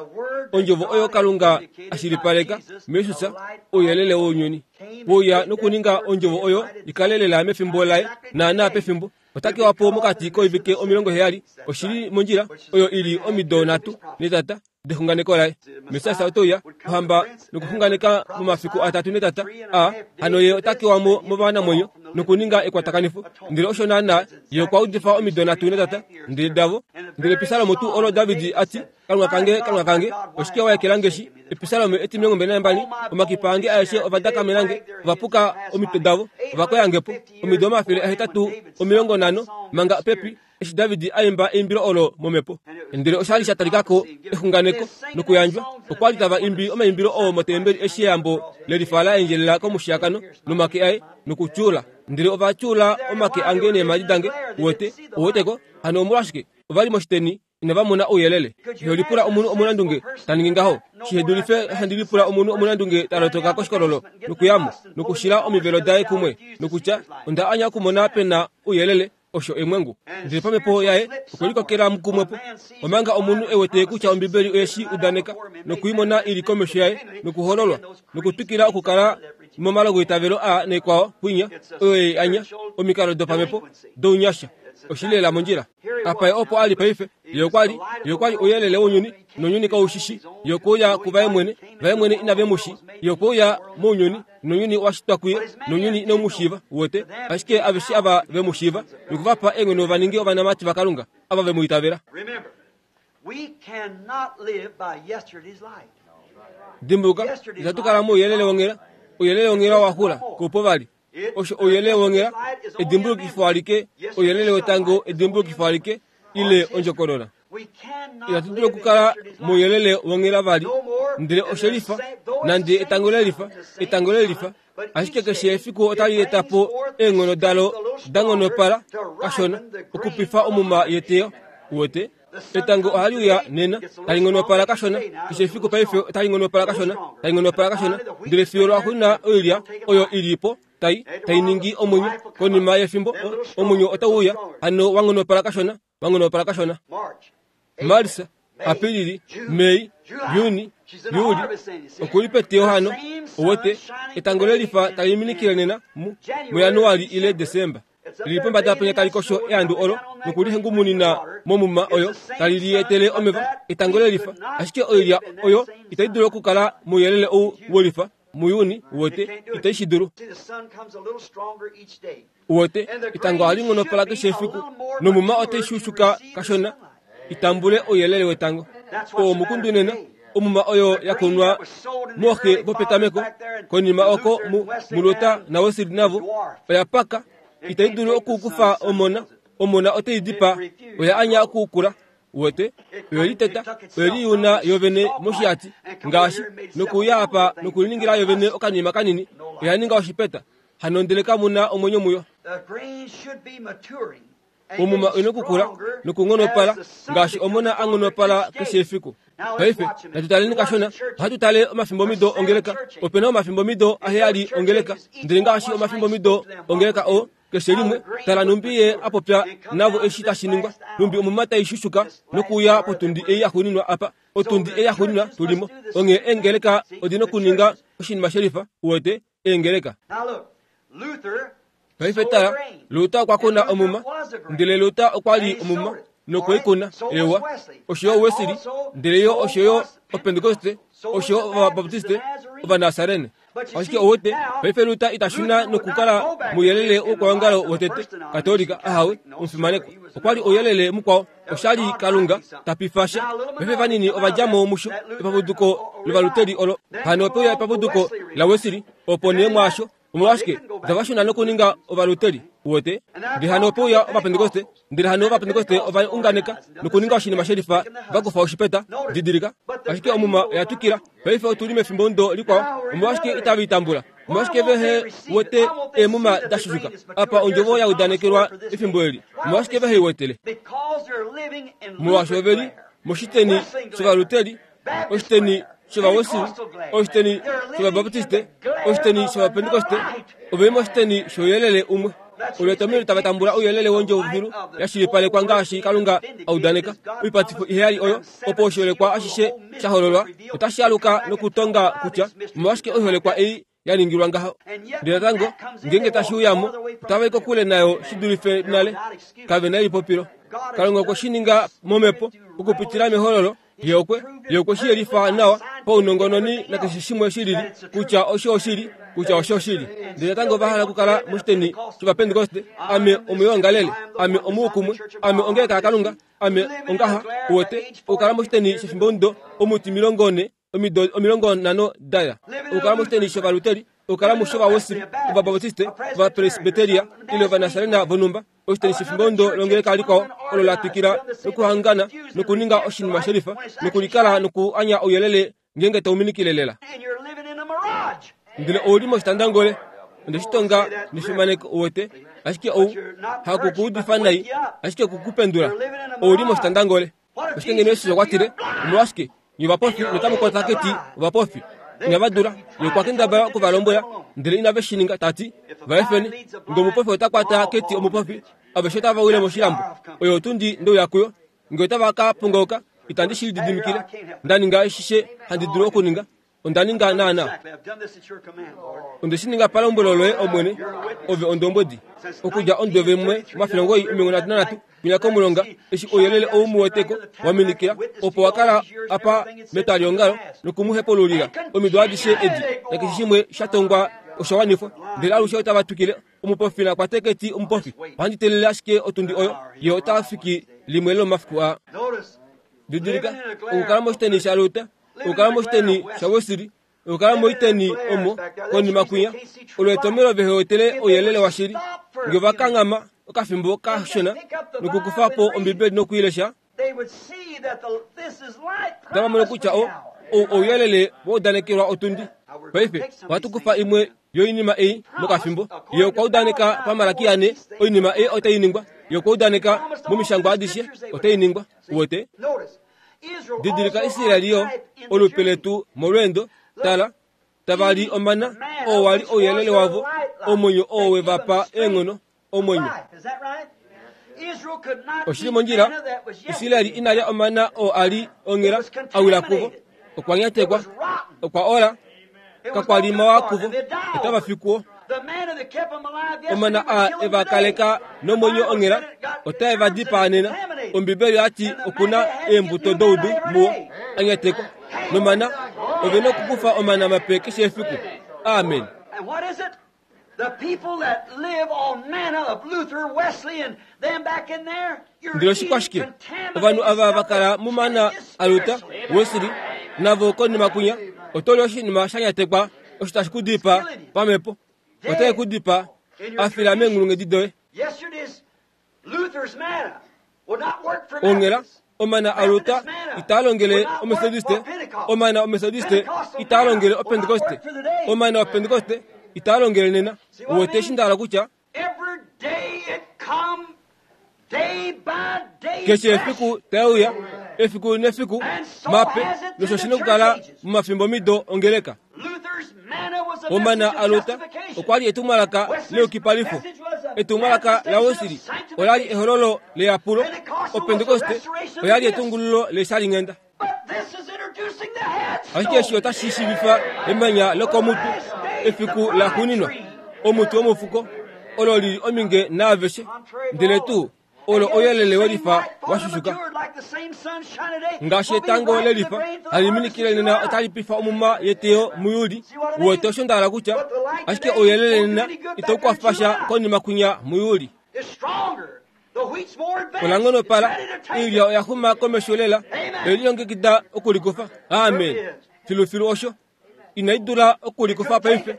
ondjovo oyo Kalunga ashilipaleka muJesus, ouyelele wounyuni wouya nokuninga ondjovo oyo ikalelela mefimbo laye naana pefimbo. Otakewa po mokati koivike omilongo heyali, oshili mondjila oyo ili omido nhatu netata dexunganeko laye. Messias otouya ohamba nokuxunganeka momafiku atatu netata a hano ye otakewa mo movanamwenyo nokuninga ekwatakanifo. Ndele osho naana ye okwa udifa omido nhatu netata ndele davo. Ndele episalomo tuu olo David ati, Kalunga kange, Kalunga kange, oshike wa ekelange shi? Episalomo etimilongo mbali nambali, omakipa ange aeshe ovadakamelange, ovapuka omitwe davo, ovakoyangepo omido omafele ahetatu omilongo nhano manga pepi eshi David aimba eimbilo olo momhepo. Ndele oshali sha talikako exunganeko nokuyandjwa. Okwa li tava imbi omaimbilo oo motembeli eshi eyambo lelifa la endjelela komushiyakano nomake aye nokutyuula. Ndele ova tyuula omake ange neemhadi dange. Uwete, uweteko hano omolwashike ova li moshiteni inava mona ouyelele. Iho lipula omunhu omunandunge ta ningi ngaho. Shihedulife handi lipula omunhu omunandunge ta lotoka koshikololo nokuyamo nokushila omivelo daye kumwe nokutya onda anya okumona pena ouyelele. Osho emwengu. Ndele pamhepo yaye okwe likokela mukumwepo, omanga omunhu ewete kutya Ombibeli oyeshi udaneka nokuimona ili komesho yaye nokuhololwa nokutwikila okukala momalongo itavelo a nekwao kwinya oyo ye anya omikalo dopamhepo dounyasha. Oshilela mondjila. Apa ye opo ali paife, ye okwali, ye okwali ouyelele wounyuni nounyuni kaushishi. Ye okweuya kuvaye mwene, vaye mwene inave mushi. Ye okweuya mounyuni nounyuni wa shitwa kuye nounyuni inau mu shiiva. Uwete, ashike aveshe ava ve mu shiiva nokuvapa eenghono va ninge ovanamati vaKalunga ava ve mu itavela. Dimbuluka, itatu kala mouyelele wonghela. Ouyelele wonghela wa xula koupo vali. Osho ouyelele wonghela edimbulukifo alike, ouyelele wetango edimbulukifo alike ile ondjokonona. Itatu dulu okukala mouyelele wonghela vali, ndele oshelifa nande etango lelifa, etango lelifa, ashike keshe efiku otali eta po eenghono dalo da nghonopala kashona okupifa omuma yeteyo. Uwete, etango ohali uya nena tali nghonopala kashona keshe efiku paife otali nghonopala kashona, tali nghonopala kashona, ndele fiyo lwaxuuninwa oilya oyo ili po tai tai ningi omwenyo. Konima yefimbo omwenyo otau uya hano wa nghonopala kashona, wa nghonopala kashona. Marsa, Apilili, Mei, Juni, Juli okuli peteyo hano. Uwete, etango lelifa tali minikile nena mu muJanuali ile Desemba. Lili pombada penya tali kosho eandu olo nokulihengumunina momuma oyo tali lietele omeva. Etango lelifa, ashike oilya oyo itai dulu okukala mouyelele ou welifa muyuni. Uwete, itai shi dulu. Uwete, etango ohali nghonopala keshe efiku nomuma otai shushuka kashona itambule ouyelele wetango. Oo mukundu nena, omuma oyo yakunwa mooxe vopetameko konima oko mu mulota naWesley navo oya paka, itai dulu okukufa omona. Omona otai dipa, oya anya okukula. Uwete, oye liteta, oye liyuna yovene moshihati ngaashi nokuuya apa nokuliningila yovene okanima kanini, oya ninga oshipeta hano ndele kamuna omwenyo muyo. Omuma oina okukula nokunghonopala ngaashi omona a nghonopala keshe efiku. Paife natu taleni kashona. Ohatu tale omafimbomido ongeleka. Opena omafimbomido aheyali ongeleka, ndele ngaashi omafimbomido ongeleka oo Keshe limwe tala numbi ye apopya navo eshi tashi ningwa numbi omuma taishushuka nokuuya potundi ei yaxuuninwa apa otundi ei yaxuuninwa tulimo onghee eengeleka odina okuninga oshinima shelifa uwete eengeleka. Paife tala Luther okwa kuna omuma ndele Luther okwa li omuma nokweikuna ewa oshoyo Wesley ndele yo oshoyo Opentekoste oshoyo Ovabaptiste Ovanasarene. Ashike owete paife Luther itashuna nokukala mouyelele wokwaongalo wotete Katolika ahawe omufimanekwa okwa li ouyelele mukwao oshali Kalunga tapifasha. Paife vanini ovadjamo musho epapuduko lovaluteli olo hano opeuya epapuduko la Wesley opo nee mwaasho omolwashike otavashuna nokuninga ovaluteli uwete ndele hano opeuya Ovapentekoste ndele hano Ovapentekoste ovaunganeka nokuninga oshinima shelifa vakufa oshipeta didilika. Ashike omuma oya twikila paife otuli mefimbo ndo likwao omolwashike itava itambula omolwashike vehe wete eemuma dashushuka apa ondjovo ya udanekelwa efimbo eli omolwashike vehe iwetele molwaasho oveli moshiteni shovaluteli oshiteni shovawesili oshiteni shovabaptiste oshiteni shovapentekoste oveli moshiteni shouyelele umwe olwetomelo tava tambula ouyelele wondjovo filu yashilipalekwa ngaashi Kalunga audaneka oipatifo iheyali oyo opo oshiholekwa ashishe shahololwa otashi aluka nokutonga kutya omolwashike oiholekwa ei yaningilwa ngaho. Ndele natango ngeenge tashi uyamo otava i kokule nayo shi dulife nale kave na elipopilo. Kalunga okwe shi ninga momhepo okupitila mehololo ye okwe ye okwe shi yelifa nawa paunongononi nakeshe shimwe shilili kutya osho oshili kutya osho oshili. Ndele natango ova hala okukala moshiteni shOvapentekoste ame omuyoongalele ame omuukumwe ame ongeleka yaKalunga ame ongaha uwete okukala moshiteni shefimbo ndo omuti milongo ne omido omilongo nhano daya okukala moshiteni shovaluteli okukala mushovawesili Ovabaptiste Ovapresbiteria ile Ovanasarena vonumba oshiteni shefimbo ndo longeleka likwao olo la twikila nokuhangana nokuninga oshinima shelifa nokulikala nokuanya ouyelele ngeenge tauminikile lela. Ndele ouli moshitandangole ondeshitonga nefimaneko uwete ashike ou hakukuudifa nai ashike kukupendula ouli moshitandangole. Ashike ngeno Yesus okwa tile omolwashike nye ovapofi notamu keti ovapofi inava dula ye okwa kendabala okuvalombwela ndele inave shi ninga tati vaefeni nge omupofi ota kwata keti omupofi aveshe otava wile moshilambo oyo otundi ndouya kuyo nge otava ka pongoloka itandi shi lididimikile ndaninga eshishe handi dulu okuninga onda ninga naana onde shi ninga palombwelo loye Omwene ove ondombwedi okudja ondove mwe omafilongo omilongo nhatu nanhatu kwinya komulonga eshi ouyelele ou muweteko waminikila opo wakala apa metwaliongalo nokumuhepululila omido adishe edi nakeshe shimwe shatongwa osha wanifwa ndele alushe otava twikile omupofi nakwate keti omupofi ohandi telele ashike otundi oyo ye ota fiki limwe lomafiku a. Didilika okukala moshiteni shaLuther okukala moshiteni shaWesley okukala moiteni omo konima kwinya olwetomelo vehe wetele ouyelele washili nge vakanghama okafimbo kashona nokukufa po Ombibeli nokuilesha otava mono kutya o ouyelele waudanekelwa otundi. Paife ohatu kufa imwe yoinima ei mokafimbo ye okwa udaneka pamalaki ane oinima ei otai ningwa ye okwa udaneka momishangwa adishe otai ningwa uwete. Didilika Israeli yo olupe letu molweendo tala tava li omana oo wali ouyelele wavo omwenyo oo wevapa eenghono omwenyo. Oshili mondjila Israeli inalya omana oo ali onghela awila kuvo okwa nyatekwa okwa ola kakwa mawa kuvo otava fikuo omana a evakaleka nomwenyo onghela otae va dipaa nena. Ombibeli yati okuna eembuto doudu muwo anyatekwa nomana ove nokukufa omana mape keshe efiku. Amen. And what is it? The people that live on manna of Luther, Wesley, and them back in there, you're Ndele eating oshikwashike ovanhu ava vakala mumana aLuther, Wesley navo konima kwinya otoli oshinima shanyatekwa osho tashi ku dipaa pamhepo otae ku dipaa afila meenghulunghedi doye. Yesterday's Luther's manna will not work for Onghela Methodist. omana aLuther itaa longele Omethodiste omana Omethodiste itaa longele Opentekoste omana Opentekoste itaa longele nena. Uwete shi ndahala kutya Every day it come, day by day. keshe fresh. efiku tauya efiku nefiku mape nosho shina okukala momafimbo mido ongeleka. Luther's manna was a Omana message of aLuther justification. okwa li etumwalaka Wesley's leyukipalifo. message was Etumwalaka laWesley ola li ehololo leyapulo. Opentekoste oya li etungululo leshalinghenda. Ashike eshi otashi shiivifa emanya lokomutwe efiku laxuuninwa, omuti womufuko olo lili ominge naaveshe, ndele tuu olo ouyelele welifa washushuka ngaashi etango lelifa hali minikile nena otali pifa omuma yeteyo muJuli. Uwete osho nda hala kutya? Ashike ouyelele nena itau kwafa sha konima kwinya muJuli. Ola nghonopala, oilya oya xuma komesho lela, oye lilongekida okulikufa. Amen. Filufilu osho. Inai dula okulikufa paife.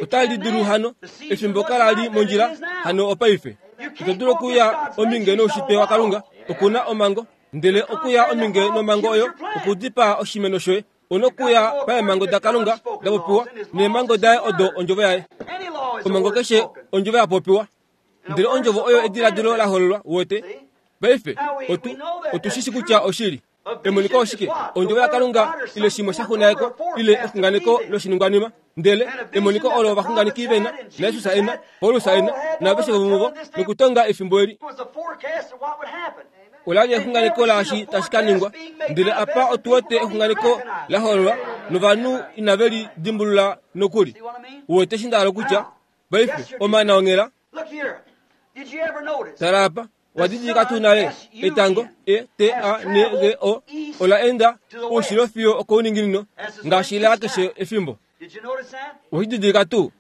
Otali dulu hano, efimbo kala li mondjila hano opaife. Ito dulu okuya ominge noushitwe waKalunga, okuna omhango, ndele okuya ominge nomhango oyo okudipaa oshimeno shoye. Ono kuya paemhango daKalunga da popiwa, neemhango daye odo ondjovo yaye. Omhango keshe ondjovo ya popiwa, ndele ondjovo oyo ediladilo la hololwa. Uwete? Paife otu otu shishi kutya oshili. Emoniko oshike? Ondjovo yaKalunga ile shimwe sha xunaeko ile exunganeko loshiningwanima. Ndele emoniko olo ovaxunganeki vena, naJesus ena, Paulus ena, naaveshe vomuvo, nokutonga efimbo eli. Ola li exunganeko laashi tashi ka ningwa. Ndele apa otu wete exunganeko la hololwa novanhu inave li dimbulula nokuli. Uwete eshi nda hala kutya? Paife omana onghela. Tala apa, wadidilika tuu nale etango E T A N G O ola enda oushilo fiyo okouninginino ngaashi la keshe efimbo. Oshididilika tuu?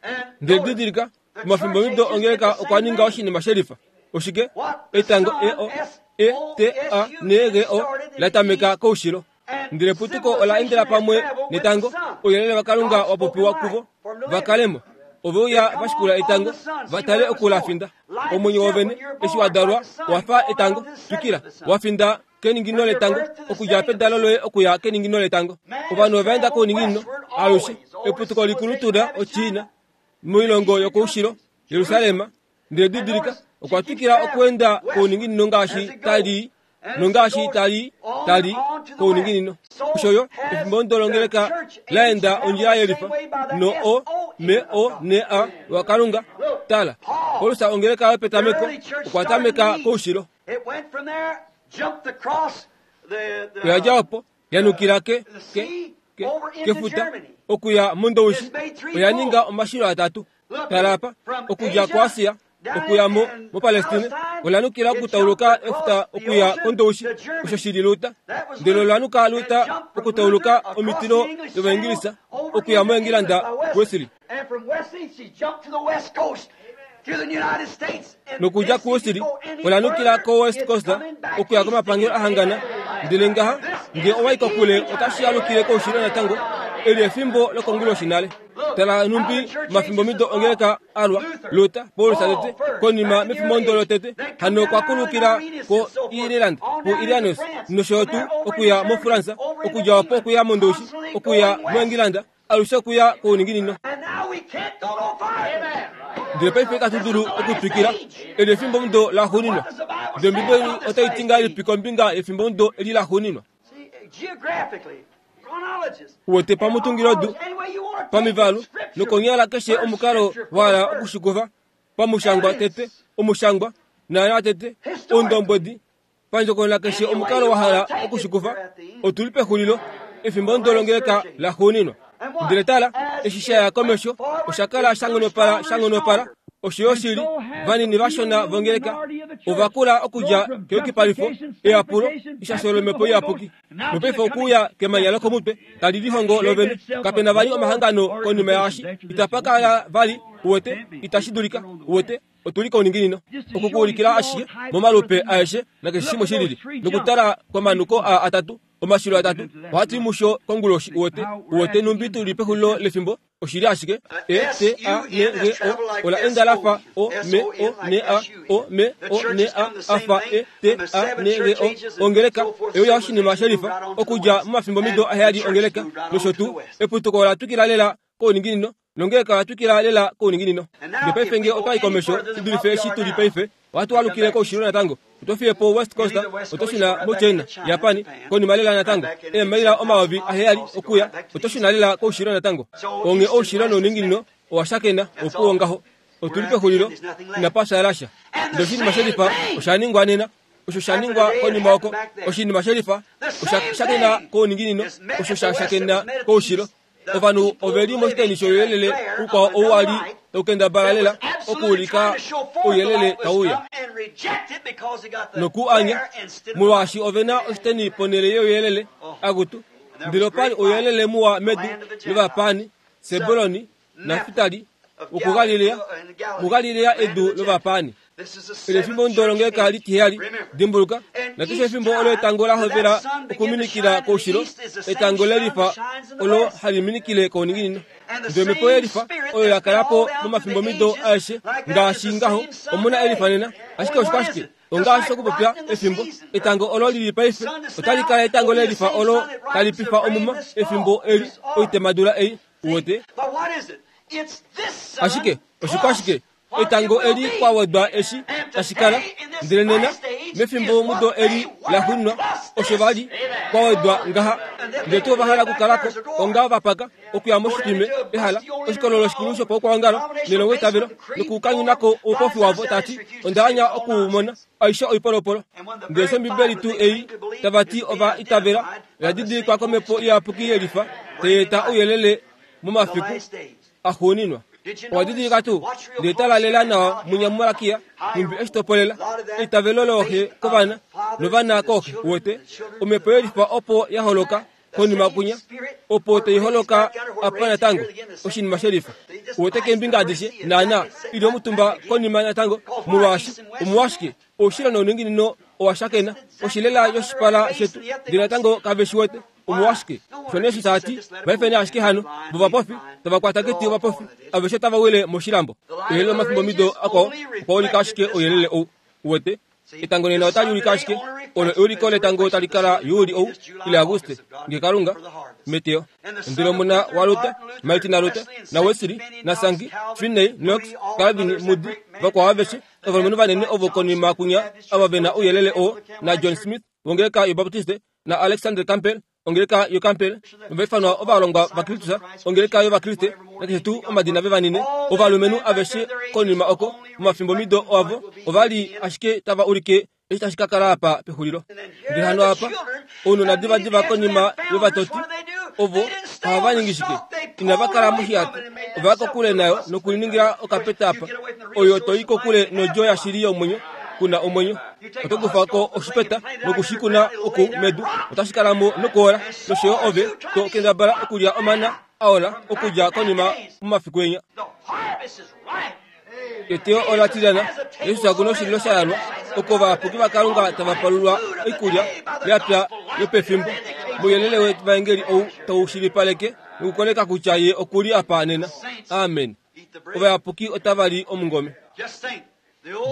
Ndele didilika, omafimbo mido ongeleka okwa ninga oshinima shelifa. Oshike? Etango E O E T A N G O la tameka koushilo. Ndele eputuko ola endela pamwe netango. Ouyelele waKalunga wa popiwa kuvo va kalemo. Ove uya va shikula etango, va tale oku la finda. Omwenyo wovene eshi wa dalwa owa fa etango. Twikila, wa finda keningino letango, okudja pedalo loye okuya keningino letango. Ovanhu ova enda kouninginino alushe. Eputuko likulu tula oChina moilongo yokoushilo, Jerusalem. Ndele didilika, okwa twikila okuenda kouninginino ngaashi tali nongaashi tali tali kouninginino. Osho yo efimbo ndolongeleka la enda ondjila yelifa no o m o n a waKalunga. Tala, Paulus ongeleka yopetameko okwa tameka koushilo. Oya dja opo yanukila ke ke ke kefuta okuya mOndoushi. Oya ninga omashilo atatu. Tala apa, okudja kuAsia okuya mo moPalestine, ola nukila okutauluka efuta okuya kOndoushi, osho shili Luta. Ndele ola nuka Luta okutauluka omitilo dOvaingilisa okuya moEngilanda Wesley. Nokudja kuWesley ola nukila koWest Coast okuya komapangelo ahangana. Ndele ngaha, nge owa i kokule otashi alukile koushilo natango. Eli efimbo lokonguloshi nale. Tala numbi mafimbo mido ongeleka alwa Luther, Paulus tete, konima mefimbo ndolo tete, hano okwa kulukila ko Ireland, ku Irianus, nosho yo tuu okuya moFrance, okudja opo okuya mOndoushi, okuya moEngilanda, alushe okuya kouninginino. Ndele paife itatu dulu okutwikila. Eli efimbo mudo laxuuninwa. Ndele Ombibeli otai ti ngahelipi kombinga yefimbo mudo eli laxuuninwa? Uwete pamutungilodu, pamivalu, nokonyala keshe omukalo wa hala okushikufa, pamushangwa tete, omushangwa, naana tete, oundombwedi, pandjokonona keshe omukalo wa hala okushikufa, otu li pexulilo, efimbo ndolongeleka laxuuninwa. Ndele tala, eshi sha ya komesho, osha kala sha nghonopala, sha nghonopala. Osho yo shili, vanini vashona vongeleka ova kula okudja keyukipalifo, eyapulo, eshasho lomhepo iyapuki. Nopaife okuuya kemanya lokomutwe tali lihongo lovene. Kapena vali omahangano konima yaashi. Itapa kala vali, uwete, itashi dulika, uwete, otu li kouninginino. Oku ku ulikila ashike momalupe aeshe nakeshe shimwe shilili, nokutala komanuko aa atatu, omashilo atatu, ohatu i musho konguloshi, uwete, uwete numbi tu li pexulilo lefimbo. Oshili ashike E T A N G O ola enda la fa O M O N A O M O N A a fa E T A N G O ongeleka euya oshinima shelifa okudja momafimbo mido aheyali ongeleka nosho tuu eputuko ola twikila lela kouninginino nongeleka oya twikila lela kouninginino. Ndele paife nge otwa i komesho shi dulife eshi tu li paife, ohatu alukile koushilo natango. Oto fiye po West Coast, oto shuna moChina, Japan, konima lela natango, eemaila omayovi aheyali okuya, oto shuna lela koushilo natango. Onge oushilo nouninginino owa shakena, opuwo ngaho. Otuli pexulilo inapa fyaala sha. Ndele oshinima shelifa osha ningwa nena. Osho sha ningwa konima oko oshinima shelifa osha shakena kouninginino, osho sha shakena koushilo. Ovanhu ove li moshiteni shouyelele ukwao ou wa li taukendabala lela okuulika ouyelele tauya noku anya molwaashi ove na oshiteni ponhele youyelele akutu. Ndele opa li ouyelele muwa medu lovapaani, Sebuloni Naftali wokuGalilea, muGalilea edu lovapaani. Ele efimbo ndolongeka litiheyali, dimbuluka, nakeshe efimbo olo etango la hovela okuminikila koushilo, etango lelifa olo hali minikile kouninginino. Ndele omhepo yelifa oyo ya kala po momafimbomido aeshe ngaashi ngaho, omuna elifa nena. Ashike oshikwashike? Ongaashi okupopya efimbo etango olo lili paife otali kala etango lelifa olo tali pifa omuma efimbo eli oitemadula ei uwete. Ashike oshikwashike? Etango eli kwa wedwa eshi tashi kala. Ndele nena mefimbo mudo eli la xunwa osho vali kwa wedwa ngaha. Ndele tuu va hala okukalako onga vapaka okuya moshitime ehala oshikololo shikulu shopaukwangalo nelongo itavelo nokukanyunako oupofi wavo tati onda anya okuumona aishe oipolopolo. Ndele shOmbibeli tuu ei tava ti ova itavela oya didilikwa komhepo iyapuki yelifa tai eta ouyelele momafiku axuuninwa. Owa didilika tuu ndele tala lela nawa munya muMalakia nhumbi eshi topolela eitavelo looxe kovana novana kooxe uwete. Omhepo yelifa opo ya holoka konima kunya opo tai holoka apa natango oshinima shelifa uwete keembinga adishe naana ili omutumba konima natango molwaashi omolwashike oushilo nouninginino owa shakena oshilela yoshipala shetu ndele natango kave shi wete. Omolwashike osho nee shi tati vaifeni ashike hano vovapofi tava kwata keti ovapofi aveshe tava wile moshilambo. Ouyelele womafimbomido akwao okwa ulika ashike ouyelele ou uwete. Etango nena otali ulike ashike olo euliko letango tali kala Juli ou ile Auguste nge Kalunga meteo. Ndele omuna waLuther, Martin naLuther naWesley naSankey, Finney, Knox, Calvin, Moody, vakwao aveshe ovalumenhu vanene ovo konima kunya ava ve na ouyelele oo na John Smith wongeleka yoBaptiste na Alexander Campbell ongeleka yoCampbell novaifanwa ovalongwa vaKristus ongeleka yOvakriste nakeshe tuu omadina vevanine ovalumenhu aveshe konima oko momafimbomido avo ova li ashike tava ulike eshi tashi ka kala apa pexulilo. Ndele hano apa ounona divadiva konima yovatoti ovo ohava ningi shike? Inava kala moshihato, ova ya kokule nayo nokuliningila okapeta apa oyo toi kokule nodjo yashili yomwenyo kuna omwenyo. Oto kufa ko oshipeta nokushikuna oku medu otashi kala mo nokuola nosho yo ove to kendabala okulya omana aola okudja konima momafiku enya. Eteyo ola tilyana Jesus akuna oshililo sha yalwa oko ovayapuki vaKalunga tava palulwa oikulya yapya yopefimbo mouyelele wevaengeli ou tau shilipaleke nokukoleka kutya ye okuli apa nena. Amen. Ovayapuki otava li omungome.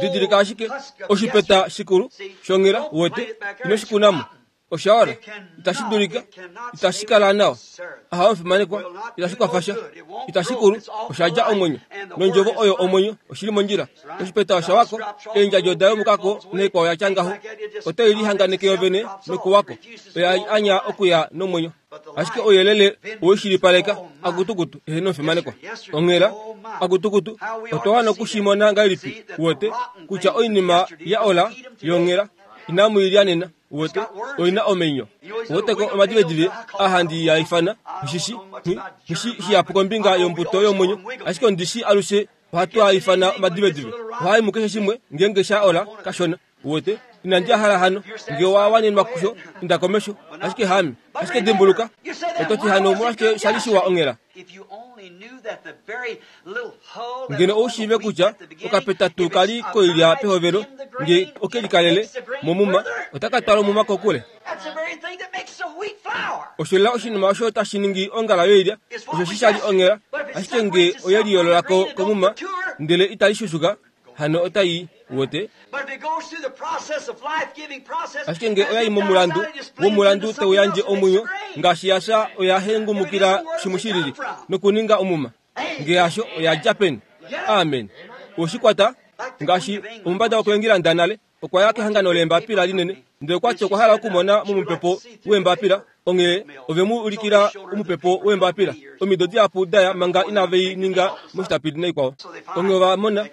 Didilika ashike oshipeta shikulu shonghela uwete ino shikunamo osha ola itashi dulika itashi kala nawa aha omufimanekwa itashi kwafasha itashi kulu osha dja omwenyo nondjovo oyo omwenyo oshili mondjila oshipeta osha wako eendjadjo oda yomukako naikwao yatya ngaho otai lihanganeke yovene nokuwako oya anya okuya nomwenyo ashike ouyelele oweshilipaleka akutukutu eheno omufimanekwa onghela akutukutu otwa wana okushimona ngahelipi uwete kutya oinima ya ola yonghela inamu ilya nena uwete oina omenyo uweteko omadivedive ahandi ya ifana nghishi nghishi shihapu kombinga yombuto yomwenyo ashike ondishi alushe ohatu a ifana omadivedive ohai mukeshe shimwe ngeenge sha ola kashona uwete inandi hala hano nge wa wanenwa kusho inda komesho ashike hami ashike dimbuluka ototi hano omolwashike shali shiwa onghela ngeno oushiive kutya okapeta tuu kali koilya pehovelo nge okelikalele momuma otaka twala omuma kokule. Osho lela oshinima osho tashi ningi ongala yoilya osho shi shali onghela ashike nge oyeliyoololako komuma ndele itali shushuka hano otai uwete. Ashike nge oyai momulandu womulandu tau yandje omwenyo ngaashi yasha oya hengumukila shimwe shilili nokuninga omuma nge yasho oya dja peni. Amen. Oshikwata ngaashi omumbada wokuengilanda nale Okwa ya kehangano leembapila linene, ndele okwati okwa hala okumona momupepo weembapila. Onghee ove mu ulikila omupepo weembapila omido dihapu daya manga inave i ninga moshitapili naikwao. Onghee ova mona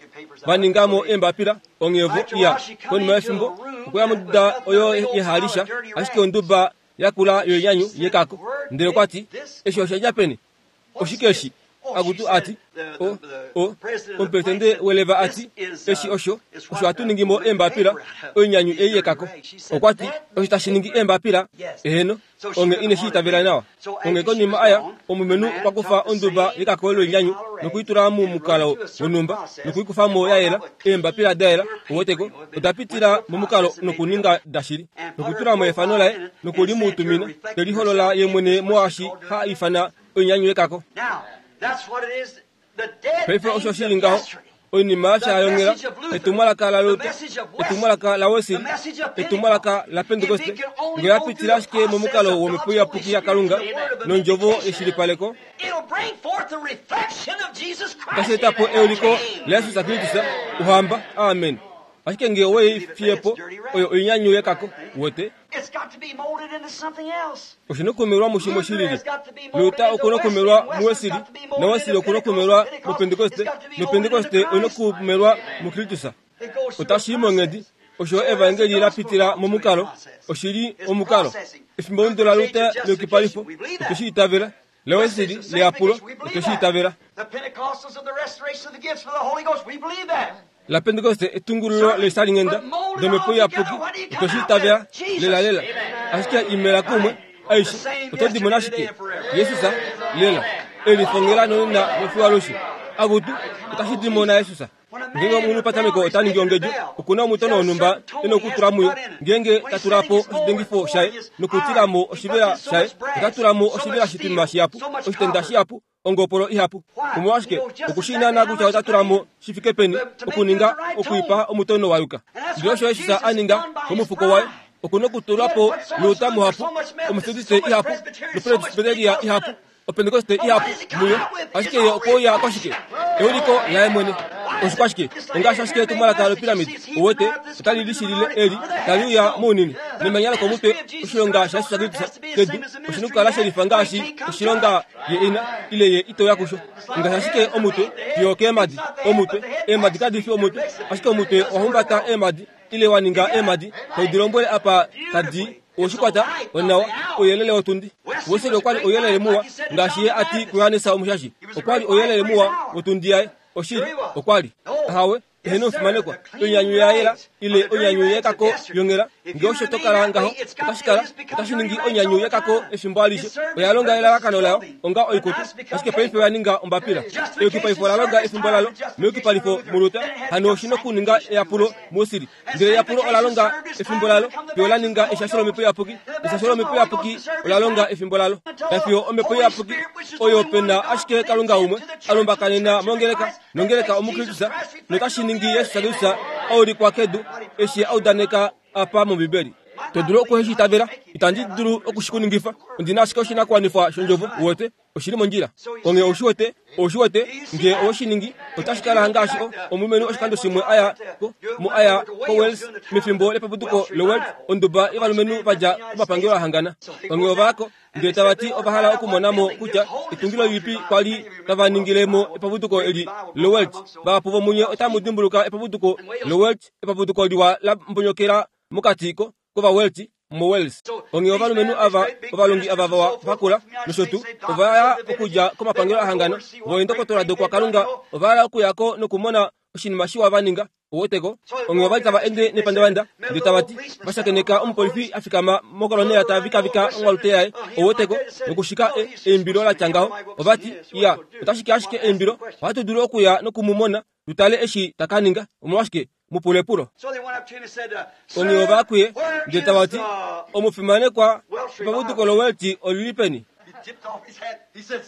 va ninga mo eembapila. Onghee vo iya konima yefimbo okwa ya monduda oyo yehalisha, ashike onduba yakula yoinyanyu yekako. Ndele okwati, eshi osha dja peni? Oshike eshi? Akutu ati, o o omupresidente weleva ati, eshi osho osho hatu ningi mo eembapila oinyanyu ei yekako. Okwati, osho tashi ningi eembapila? Eheno, onge ine shi itavela nawa. Onge konima aya, omulumenhu okwa kufa onduba yekako loinyanyu nokuitula momukalo wonhumba nokuikufa mo ya yela, eembapila da yela, uweteko, oda pitila momukalo nokuninga dashili, nokutula mo efano laye nokulimutumina, teliholola ye mwene moashi ha ifana oinyanyu yekako. Paife osho shili ngaho, oinima yashayongela, etumwalaka la Luther, etumwalaka la Wesley, etumwalaka la Pentecoste, nge ya pitila ashike momukalo womhepo iyapuki yaKalunga nondjovo yeshilipaleko, otashi eta po euliko laJesus Kristus, Ohamba. Amen. Ashike nge owei fiye po, oyo oinyanyu yekako, uwete. Oshina okumelwa mushimwe shilili. Luther okuna okumelwa muWesley, naWesley okuna okumelwa muPentecoste, noPentecoste oina okumelwa muKristus. Otashi i monghedi osho evangeli la pitila momukalo, oshili omukalo. Efimbo la Luther leyukipalifo, otwe shi itavela. LaWesley leyapulo, otwe shi itavela. La Pentecoste etungululo leishalinghenda domhepo iyapuki, otwe shi itavela lela lela. Ashike imela kumwe aishe, oto dimona ashike Jesus lela elifongela nonena nofiwalushe. Akutu otashi dimona Jesus. Ngeenge omunhu patameko ota ningi ongedjo, okuna omutono wonhumba e nokutula muyo. Ngeenge ta tula po oshidengifo shaye nokutila mo oshivela shaye, ota tula mo oshivela shitwima shihapu, oshitenda shihapu, ongopolo ihapu. Omolwashike okushi naana kutya ota tula mo shi fike peni okuninga okuipa omutono wa yuka. Ndele osho Jesus a ninga komufuko waye, okuna okutulwa po Luther muhapu, Omethodiste ihapu, noPresbyteria ihapu, Opentecoste ihapu muyo. Ashike ye okwa kwashike? Euliko laye mwene. Oshikwashike? Ongaashi ashike etumwalaka lopiramidi, uwete, otali lishilile eli tali uya mounini nemanya lokomutwe. Oshilonga shaJesus Kristus kedu oshina okukala shelifa ngaashi oshilonga ye ina ile ye itoya kusho. Ngaashi ashike omutwe fiyo keemadi, omutwe eemadi kadi fi omutwe, ashike omutwe owa humbata eemadi ile wa ninga eemadi tau dilombwele apa tadi oshikwata onawa ouyelele wotundi. Wesley okwali ouyelele muwa ngaashi ye ati kuJohannes Omushashi, okwali ouyelele muwa wotundi yaye. Oshili okwali ahawe eheno omufimanekwa, oinyanyu ya yela ile oinyanyu yekako yongela. Nge osho to kala ngaho, otashi kala otashi ningi oinyanyu yekako efimbo alishe. Oya longa elalakano layo onga oikutu, ashike paife oya ninga ombapila. Eyukipalifo ola longa efimbo lalo meyukipalifo muLuther, hano oshina okuninga eyapulo muWesley. Ndele eyapulo ola longa efimbo lalo fiyo la ninga eshasho lomhepo iyapuki. Eshasho lomhepo iyapuki ola longa efimbo lalo fiyo omhepo iyapuki oyo pena ashike Kalunga umwe a lumbakanena mongeleka nongeleka omuKristus, notashi ningi Jesus Kristus aulikwa kedu eshi a udaneka apa mOmbibeli. To dulu okuheshi itavela, itandi dulu okushikuningifa. Ondina ashike oshinakuwanifwa shondjovo, uwete, oshili mondjila. Onge oushi wete, oushi wete, nge oweshi ningi, otashi kala ngaashi omulumenhu oshikando shimwe aya ko mo aya ko Wales mefimbo lepapuduko loWales, onduba yovalumenhu va dja komapangelo a hangana. Onge ovayako ndele tava ti ova hala okumona mo kutya etungilo lilipi kwali tava ningile mo epapuduko eli loWales. Vahapu vomunye otamu dimbuluka epapuduko loWales, epapuduko liwa la mbonyokela mokati ko kOvawelti moWales. Onghee ovalumenhu ava ovalongi ava vawa vakula nosho tuu ova ya okudja komapangelo ahangana, voendokotola dokwakalunga ova hala okuya ko nokumona oshinima shiwa va ninga. Uweteko, onghee ovali tava ende nepandavanda ndele tava ti va shakeneka omupolifi a fikama mokolonela ta vikavika onghalute yaye. Uweteko, nokushika eimbilo la tya ngaho. Ova ti, iya, otashi ke ashike eimbilo, ohatu dulu okuya nokumumona tu tale eshi ta ka ninga. Omolwashike mupulepulo? Onghee ova kuye ndele tava ti, omufimanekwa, epapuduko loWelti olili peni?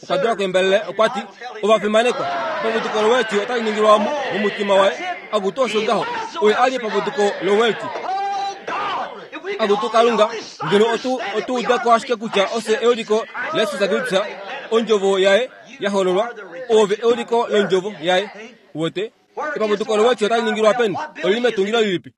Okwa dula kuembalele, okwa ti, ovafimanekwa, epapuduko loWelti otali ningilwa omu momutima waye. Akutu osho ngaho, oye ali epapuduko loWelti. Akutu Kalunga, ngeno otu otu uda ko ashike kutya ose euliko laJesus Kristus, ondjovo yaye ya hololwa, ove euliko londjovo yaye. Uwete? Epapuduko lowetyo otali ningilwa peni? Olili metungilo lilipi?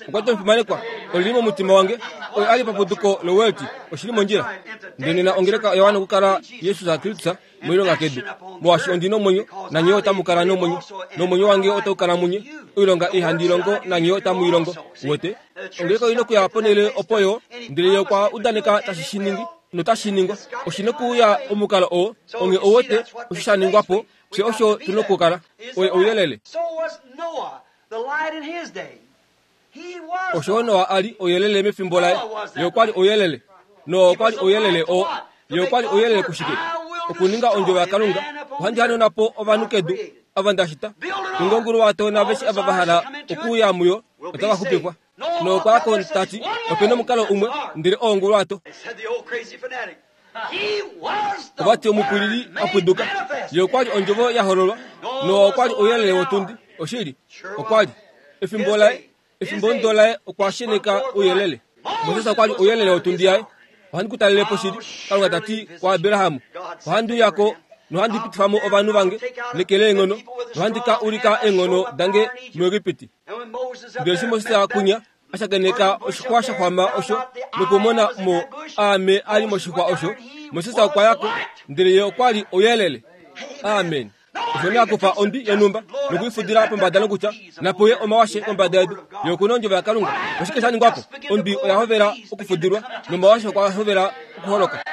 Okwa ti omufimanekwa, olili momutima wange. Oyo ali epapuduko lowelti, oshili mondjila. Ndele nena ongeleka oya wana okukala Jesus Kristus moilonga kedu. Molwaashi ondi nomwenyo, nanye otamu kala nomwenyo, nomwenyo wange otau kala munye. Oilonga ei handi longo nanye otamu i longo. Uwete? Ongeleka oina okuya ponhele opo yo, ndele ye okwa udaneka tashi shi ningi, notashi ningwa. Oshina okuuya omukalo oo, onge ouwete osho sha ningwa po, fye osho tuna okukala. Oye ouyelele. Osho Noa a li ouyelele mefimbo laye. Ye okwa li ouyelele. Noa okwa li ouyelele oo. Ye okwa li ouyelele kushike? Okuninga ondjovo yaKalunga. Ohandi hanona po ovanhu kedu, ava nda shita. Tunga onguluwato naaveshe ava va hala okuuya muyo otava xupifwa. Noa okwa ya ko ta ti, ope nomukalo umwe, ndele oo onguluwato. Ova ti omupwilili a pwiduka. Ye okwa li ondjovo ya hololwa. Noa okwa li ouyelele wotundi. Oshili, okwa li. Efimbo laye, efimbo ndo laye okwa sheneka ouyelele. Moses okwa li ouyelele wotundi yaye. Ohandi ku talele po shili, Kalunga ta ti kuAbraham. Ohandi uya ko nohandi pitifa mo ovanhu vange neke leenghono, nohandi ka ulika eenghono dange muEgipiti. Ndele eshi Moses a kunya, a shakeneka oshixwa sha xwama osho nokumona mo aame a li moshixwa osho, Moses okwa ya ko, ndele ye okwa li ouyelele. Amen. Osho nee a kufa ondwi yonhumba nokuifudila pombada nokutya, napuye omawashe kombada yedu. Ye okuna ondjovo yaKalunga. Oshike sha ningwa po? Ondwi oya hovela okufudilwa nomawashe okwa hovela okuholoka.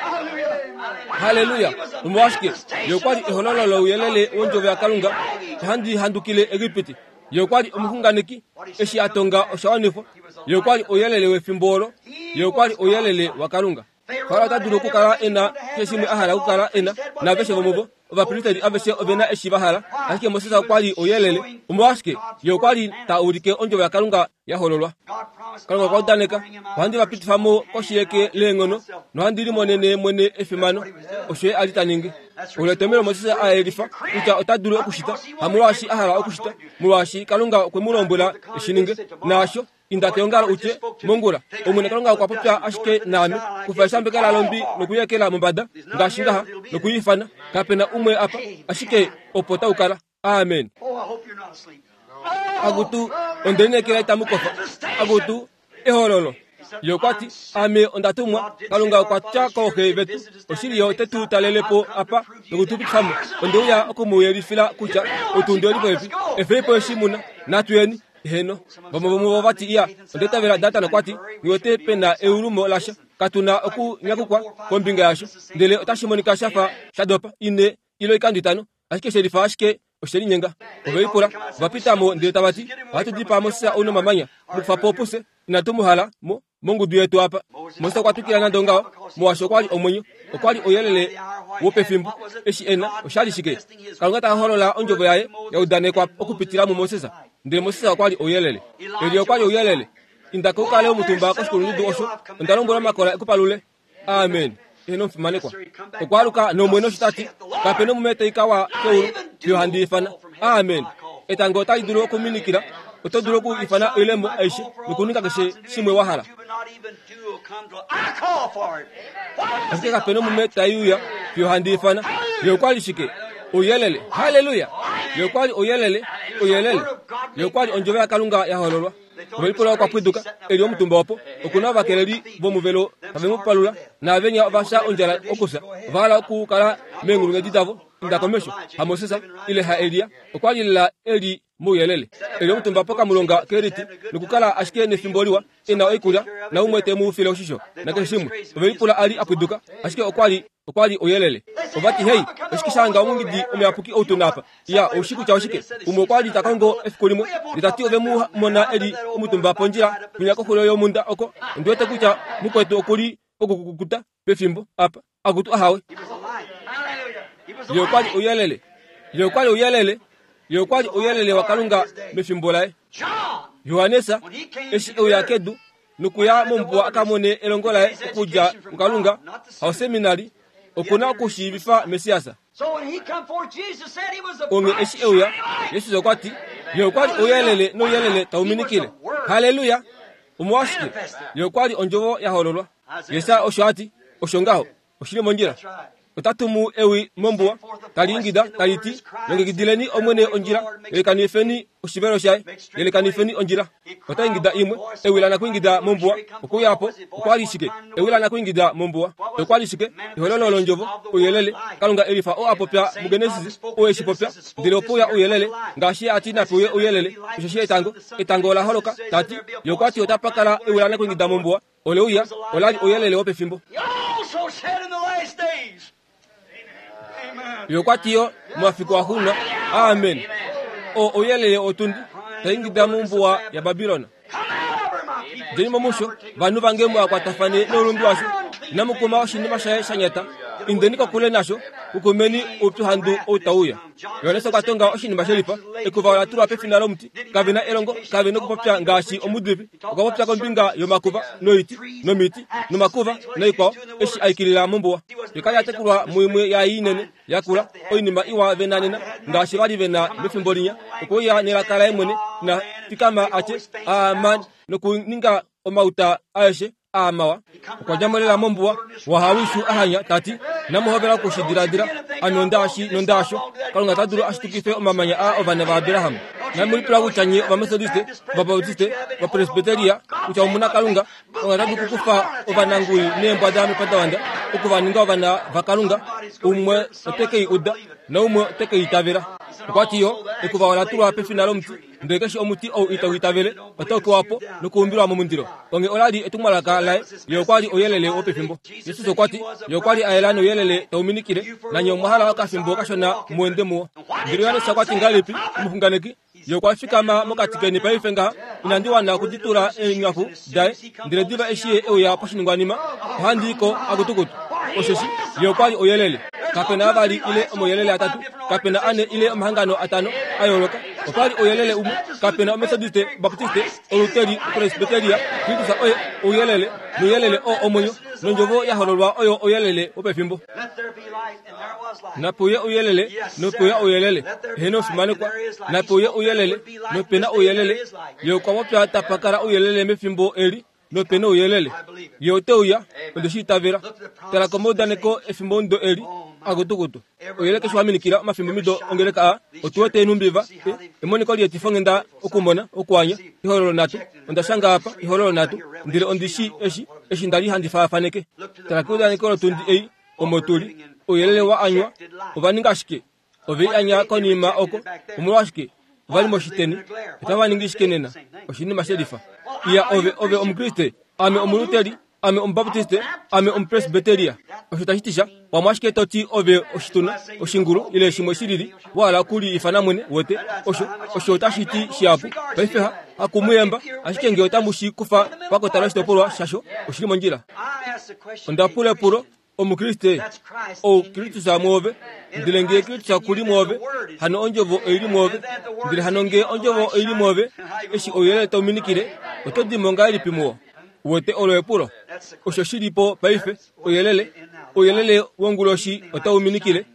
Halleluya! Omolwashike? Ye okwa li ehololo louyelele wondjovo yaKalunga. Ohandi handukile Egipiti. Ye okwa li omuxunganeki. Eshi a tonga osha wanifwa. Ye okwa li ouyelele wefimbo olo. Ye okwa li ouyelele waKalunga. Farao ota dulu okukala e na keshe shimwe a hala okukala e na, naaveshe vomuvo, ovapristeri aveshe ove na eshi va hala, ashike Moses okwa li ouyelele. Omolwashike? Ye okwa li ta ulike ondjovo yaKalunga ya hololwa. Kalunga okwa udaneka, ohandi va pitifa mo koshi yeke leenghono, nohandi limonene mwene efimano. Osho ye a li ta ningi. Olo etomhelo Moses a yelifa kutya ota dulu okushita, hamolwaashi a hala okushita, molwaashi Kalunga okwe mu lombwela e shi ninge. Naasho inda keongalo utye, mongula, Omwene Kalunga okwa popya ashike naame, kufa eshambekela lombi nokuyekela mombada, ngaashi ngaha, nokuiifana. Kape na umwe apa, ashike opo tau kala. Amen. Akutu, onde lineekela itamu kofa. Akutu, ehololo. Ye okwa ti, ame onda tumwa, Kalunga okwa tya kooxe vetu, oshili ye ote tu talele po apa noku tu pitifa mo. Onde uya oku mu yelifila kutya otundi oli popepi. Efei po eshi mu na, natu yeni. Heno, vamwe vomuvo va ti, iya, onda itavela Datan okwa ti, nghi wete pe na eulumo lasha, katu na okunyakukwa kombinga yasho, ndele otashi monika sha fa sha dopa ine ile oikando itano, ashike she lifa ashike oshe linyenga. Ove lipula, va pita mo ndele tava ti, ohatu dipaa Moses ou nomamanya, mu kufa po pufye, inatu mu hala mo mongudu yetu apa. Moses okwa twikila nande ongaho, molwaashi okwa li omwenyo, okwa li ouyelele wopefimbo. Eshi e na, osha li shike? Kalunga ta holola ondjovo yaye ya udanekwa okupitila muMoses. Ndele Moses okwa li ouyelele. Elia okwa li ouyelele. Inda ko u kale omutumba koshikulundudu osho, onda lombwela omakola e ku palule. Amen. Eheno omufimanekwa. Okwa aluka nOmwene osho ta ti, kape nomume tai ka wa keulu, fiyo handi ifana. Amen. Etango otali dulu okuminikila, oto dulu oku ifana oilemo aishe nokuninga keshe shimwe wa hala. Ashike kape nomume tai uya fiyo handi ifana. Ye okwa li shike? Ouyelele. Halleluya! Ye okwa li ouyelele, ouyelele. Ye okwa li ondjovo yaKalunga ya hololwa. Ovelipula okwa pwiduka, e li omutumba opo. Oku na ovakeleli vomuvelo tave mu palula, naavenya ova fya ondjala okufya. Ova hala okukala meenghulunghedi davo. Inda komesho, haMoses ile haElia, okwa li lela e li mouyelele. E li omutumba pokamulonga keriti nokukala ashike nefimbo liwa, e na oikulya, naumwe te mu file oshisho, nakeshe shimwe. Ovelipula a li a pwiduka, ashike okwa li okwa li ouyelele. Ova ti, Hei, oshike sha hanga omungidi omuyapuki ou tu na apa? Iya, ou shii kutya oshike? Umwe okwa li ta kongo efiku limwe, ndele ta ti ove mu mona e li omutumba pondjila kwinya koxulo yomhunda oko. Ondi wete kutya mukwetu oku li pokukukuta pefimbo apa. Akutu ahawe. Ye okwa li ouyelele. Ye okwa li ouyelele. Ye okwa li ouyelele waKalunga mefimbo laye. Johannes, eshi e uya kedu, nokuya mombuwa a ka mone elongo laye okudja kuKalunga, hauseminari, oku na okushiivifa Messias. Onghee eshi e uya, Jesus okwa ti, Ye okwa li ouyelele nouyelele tau minikile. Halleluya! Omolwashike? Ye okwa li ondjovo ya hololwa. Jesaja osho a ti, Osho ngaho. Oshi li mondjila. Ota tumu ewi mombuwa tali ingida tali ti, longekidileni Omwene ondjila, yelekanifeni oshivelo shaye, yelekanifeni ondjila. Ota ingida imwe, ewi lanakuingida mombuwa, okuuya po, okwa li shike? Ewi lanakuingida mombuwa, okwa li shike? Ehololo londjovo, ouyelele, Kalunga elifa oo a popya muGenesis, oo eshi popya, ndele opo uya ouyelele, ngaashi a ti nape uye ouyelele, osheshi etango, etango ola holoka, ta ti, ye okwa ti otapa kala ewi lanakuingida mombuwa, ole uya, ola li ouyelele wopefimbo. Ye okwa ti yo, momafiku axuuninwa, amen, oo ouyelele otundi, taingida mombuwa yaBabilon. Djeni mo musho, vanhu vange mu akwatafane noulundu washo, inamu kuma oshinima shaye sha nyata, indeni kokule nasho, kukumeni oupyuhandu ou tau uya. Johannes okwa tonga oshinima shelifa, ekuva ola tulwa pefina lomuti, kave na elongo, kave nokupopya ngaashi omudivi, okwa popya kombinga yomakuva noiti nomiti nomakuva noikwao, eshi aikilila mombuwa. Ye kali a tekulwa muimwe yaai inene yakula, oinima iwa vena nena, ngaashi vali vena mefimbo linya, okwe uya nelaka laye mwene, na fikama a tye, amen, nokuninga omauta aeshe aamawa. Okwa dja mo lela mombuwa, wahawishu a hanya, ta ti, inamu hovela okushidiladila, ame ondaashi nondaasho, Kalunga ota dulu a shitukife omamanya aa ovana vaAbraham. Inamu lipula kutya nye Ovametodiste, Ovabaptiste, Ovapresbiteria, kutya omuna Kalunga, Kalunga ota dulu okukufa ovanangui neembwada mepandavanda, oku va ninga ovana vaKalunga, umwe ote ke i uda, naumwe ote ke i itavela. Okwa ti yo, ekuva ola tulwa pefina lomuti, ndele keshe omuti ou itau itavele, otau kewa po nokuumbilwa momundilo. Onge ola li etumwalaka laye, ye okwa li ouyelele wopefimbo. Jesus okwa ti, ye okwa li a yela nouyelele tau minikile, nanye omwa hala okafimbo kashona mu ende muwo. Ndele Johannes okwa ti ngahelipi, omuxunganeki, ye okwa fikama mokati keni paife ngaha, inandi wana okuditula eenghaku daye, ndele diva eshi ye e uya poshiningwanima, ohandi i ko akutukutu. Osheshi ye okwa li ouyelele. Kape na vavali ile omauyelele atatu, kape na ane ile omahangano atano a yooloka. Opa li ouyelele umwe, kape na Ometodiste, Baptiste, Oluteri, Presbyteria, Kristus oye ouyelele, nouyelele oo omwenyo, nondjovo ya hololwa oyo ouyelele wopefimbo. Nape uye ouyelele, nope uya ouyelele, eheno fimanekwa, nape uye ouyelele, nope na ouyelele, ye okwa popya tapa kala ouyelele mefimbo eli, nope na ouyelele. Ye ote uya, onde shi itavela. Tala komaudaneko efimbo ndo eli, akutukutu. Ouyelele keshe wa minikila omafimbo mido ongeleka a, otu wete enumbiva, emoniko lietifo-nghenda okumona, okuanya, ehololo nhatu, onda shanga apa, ehololo nhatu, ndele ondi shi eshi, eshi nda li handi faafaneke. Tala keudaneko lotundi ei, omo tu li, ouyelele wa anywa, ova ninga shike? Ove i anya konima oko, omolwashike? Ova li moshiteni, otava ningi shike nena? Oshinima shelifa. Iya, ove, ove Omukriste, ame Omuluteri, ame Omubaptiste, ame Omupresbyteria. Osho tashi ti sha, pamwe ashike to ti ove oshituna, oshingulu, ile shimwe shilili, wa hala okuli ifana mwene, wete, osho, osho otashi ti shihapu. Paife ha, hakumuyemba, ashike nge otamu shi kufa pakota loshitopolwa shasho, oshili mondjila. Onda pula epulo, Omukriste, ou Kristus mwoove, ndele nge Kristus kuli mwoove, hano ondjovo oili mwoove, ndele hano nge ondjovo oili mwoove, eshi ouyelele tau minikile, oto di mo ngahelipi muwo? Wete olo epulo. Osho shili po paife, ouyelele, ouyelele wonguloshi otau minikile,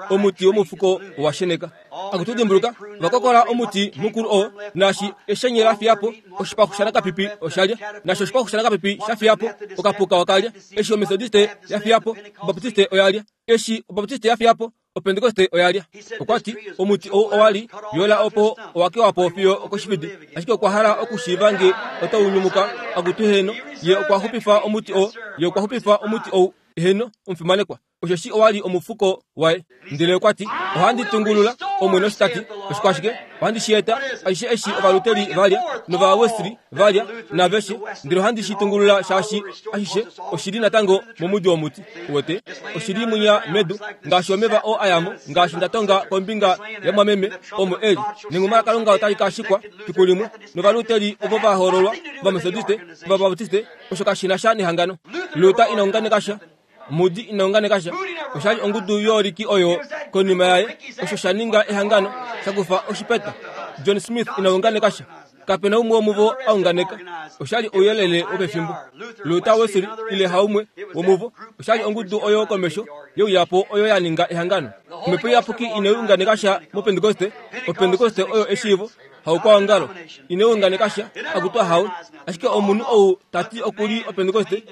omuti womufuko owa sheneka. Akutu dimbuluka, vakokola omuti mukulu oo, naashi eshenye la fiya po, oshipaxu shanakapipi osha lya, naashi oshipaxu shanakapipi sha fiya po, okapuka oka lya, eshi Ometodiste ya fiya po, Obaptiste oya lya, eshi Obaptiste ya fiya po, Opentekoste oya lya. Okwa ti, omuti ou owa li yola opo owa kewa po fiyo okoshifidi, ashike okwa hala okushiiva nge otau nyumuka. Akutu heno, ye okwa xupifa omuti oo, ye okwa xupifa omuti ou, heno, omufimanekwa. Osheshi owa li omufuko waye. Ndele okwa ti, ohandi tungulula, Omwene osho ta ti, oshikwashike, ohandi shi eta, aishe eshi Ovaluteri va lya, nOvawesli va lya, naveshe, ndele ohandi shi tungulula shaashi ashishe oshili natango momudi womuti. Wete, oshili mwinya medu, ngaashi omeva oo a yamo, ngaashi nda tonga kombinga yamwameme, omo eli. Nenguma laKalunga otali ka shikwa fiku limwe, nOvaluteri ovo va hoololwa, Ovametodiste, Ovabaptiste, osho kashi na sha nehangano. Luther ina unganeka sha, Mudi ina unganeka sha, osha li ongudu yooliki oyo konima yaye, osho sha ninga ehangano, sha kufa oshipeta. John Smith ina unganeka sha, kape na umwe womuvo a unganeka, osha li ouyelele wopefimbo. Luther, Wesley ile haumwe womuvo, osha li ongudu oyo komesho yeuya po oyo ya ninga ehangano. Omhepo Iyapuki ina unganeka sha moPentekoste, oPentekoste oyo eshiivo, haukwaongalo, ina unganeka sha, akutwa hawe, ashike omunhu ou ta ti oku li oPentekoste,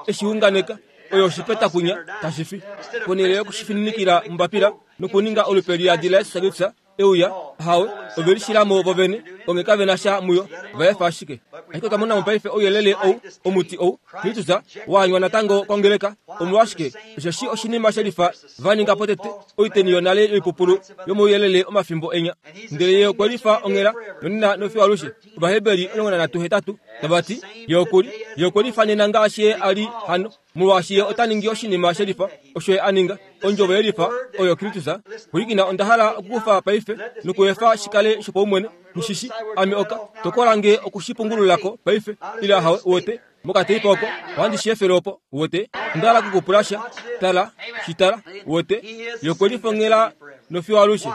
eshi unganeka, Oyo oshipeta kunya tashi fi. Ponhele yokushifininikila mombapila nokuninga olupe liyadi laJesus Kristus euya, hawe, ove lishilamo vovene, onge kave na sha muyo, va efa ashike. Ashike otwa mona mo paife ouyelele ou, omuti ou, Kristus, waanywa natango kongeleka. Omolwashike? Osheshi oshinima shelifa va ninga potete, oiteni yonale yoipupulu yomouyelele omafimbo enya. Ndele ye okwe lifa onghela nonena nofiyo alushe. Ovaheberi omulongo nanhatu hetatu tava ti, ye okuli, ye okwe lifa nena ngaashi ye a li hano, molwaashi ye ota ningi oshinima shelifa osho ye a ninga. Ondjovo yelifa oyo Kristus. Pwilikina, onda hala okukufa paife nokuefa shikale shopaumwene. Mushishi, ame oka tokola nge okushipungululako paife, ila hawe wote mokateipa oko, ohandi shi efele opo wote. Onda hala okukupula sha, tala, shitala, wote, ye okwe lifa onghela nofiyo alushe.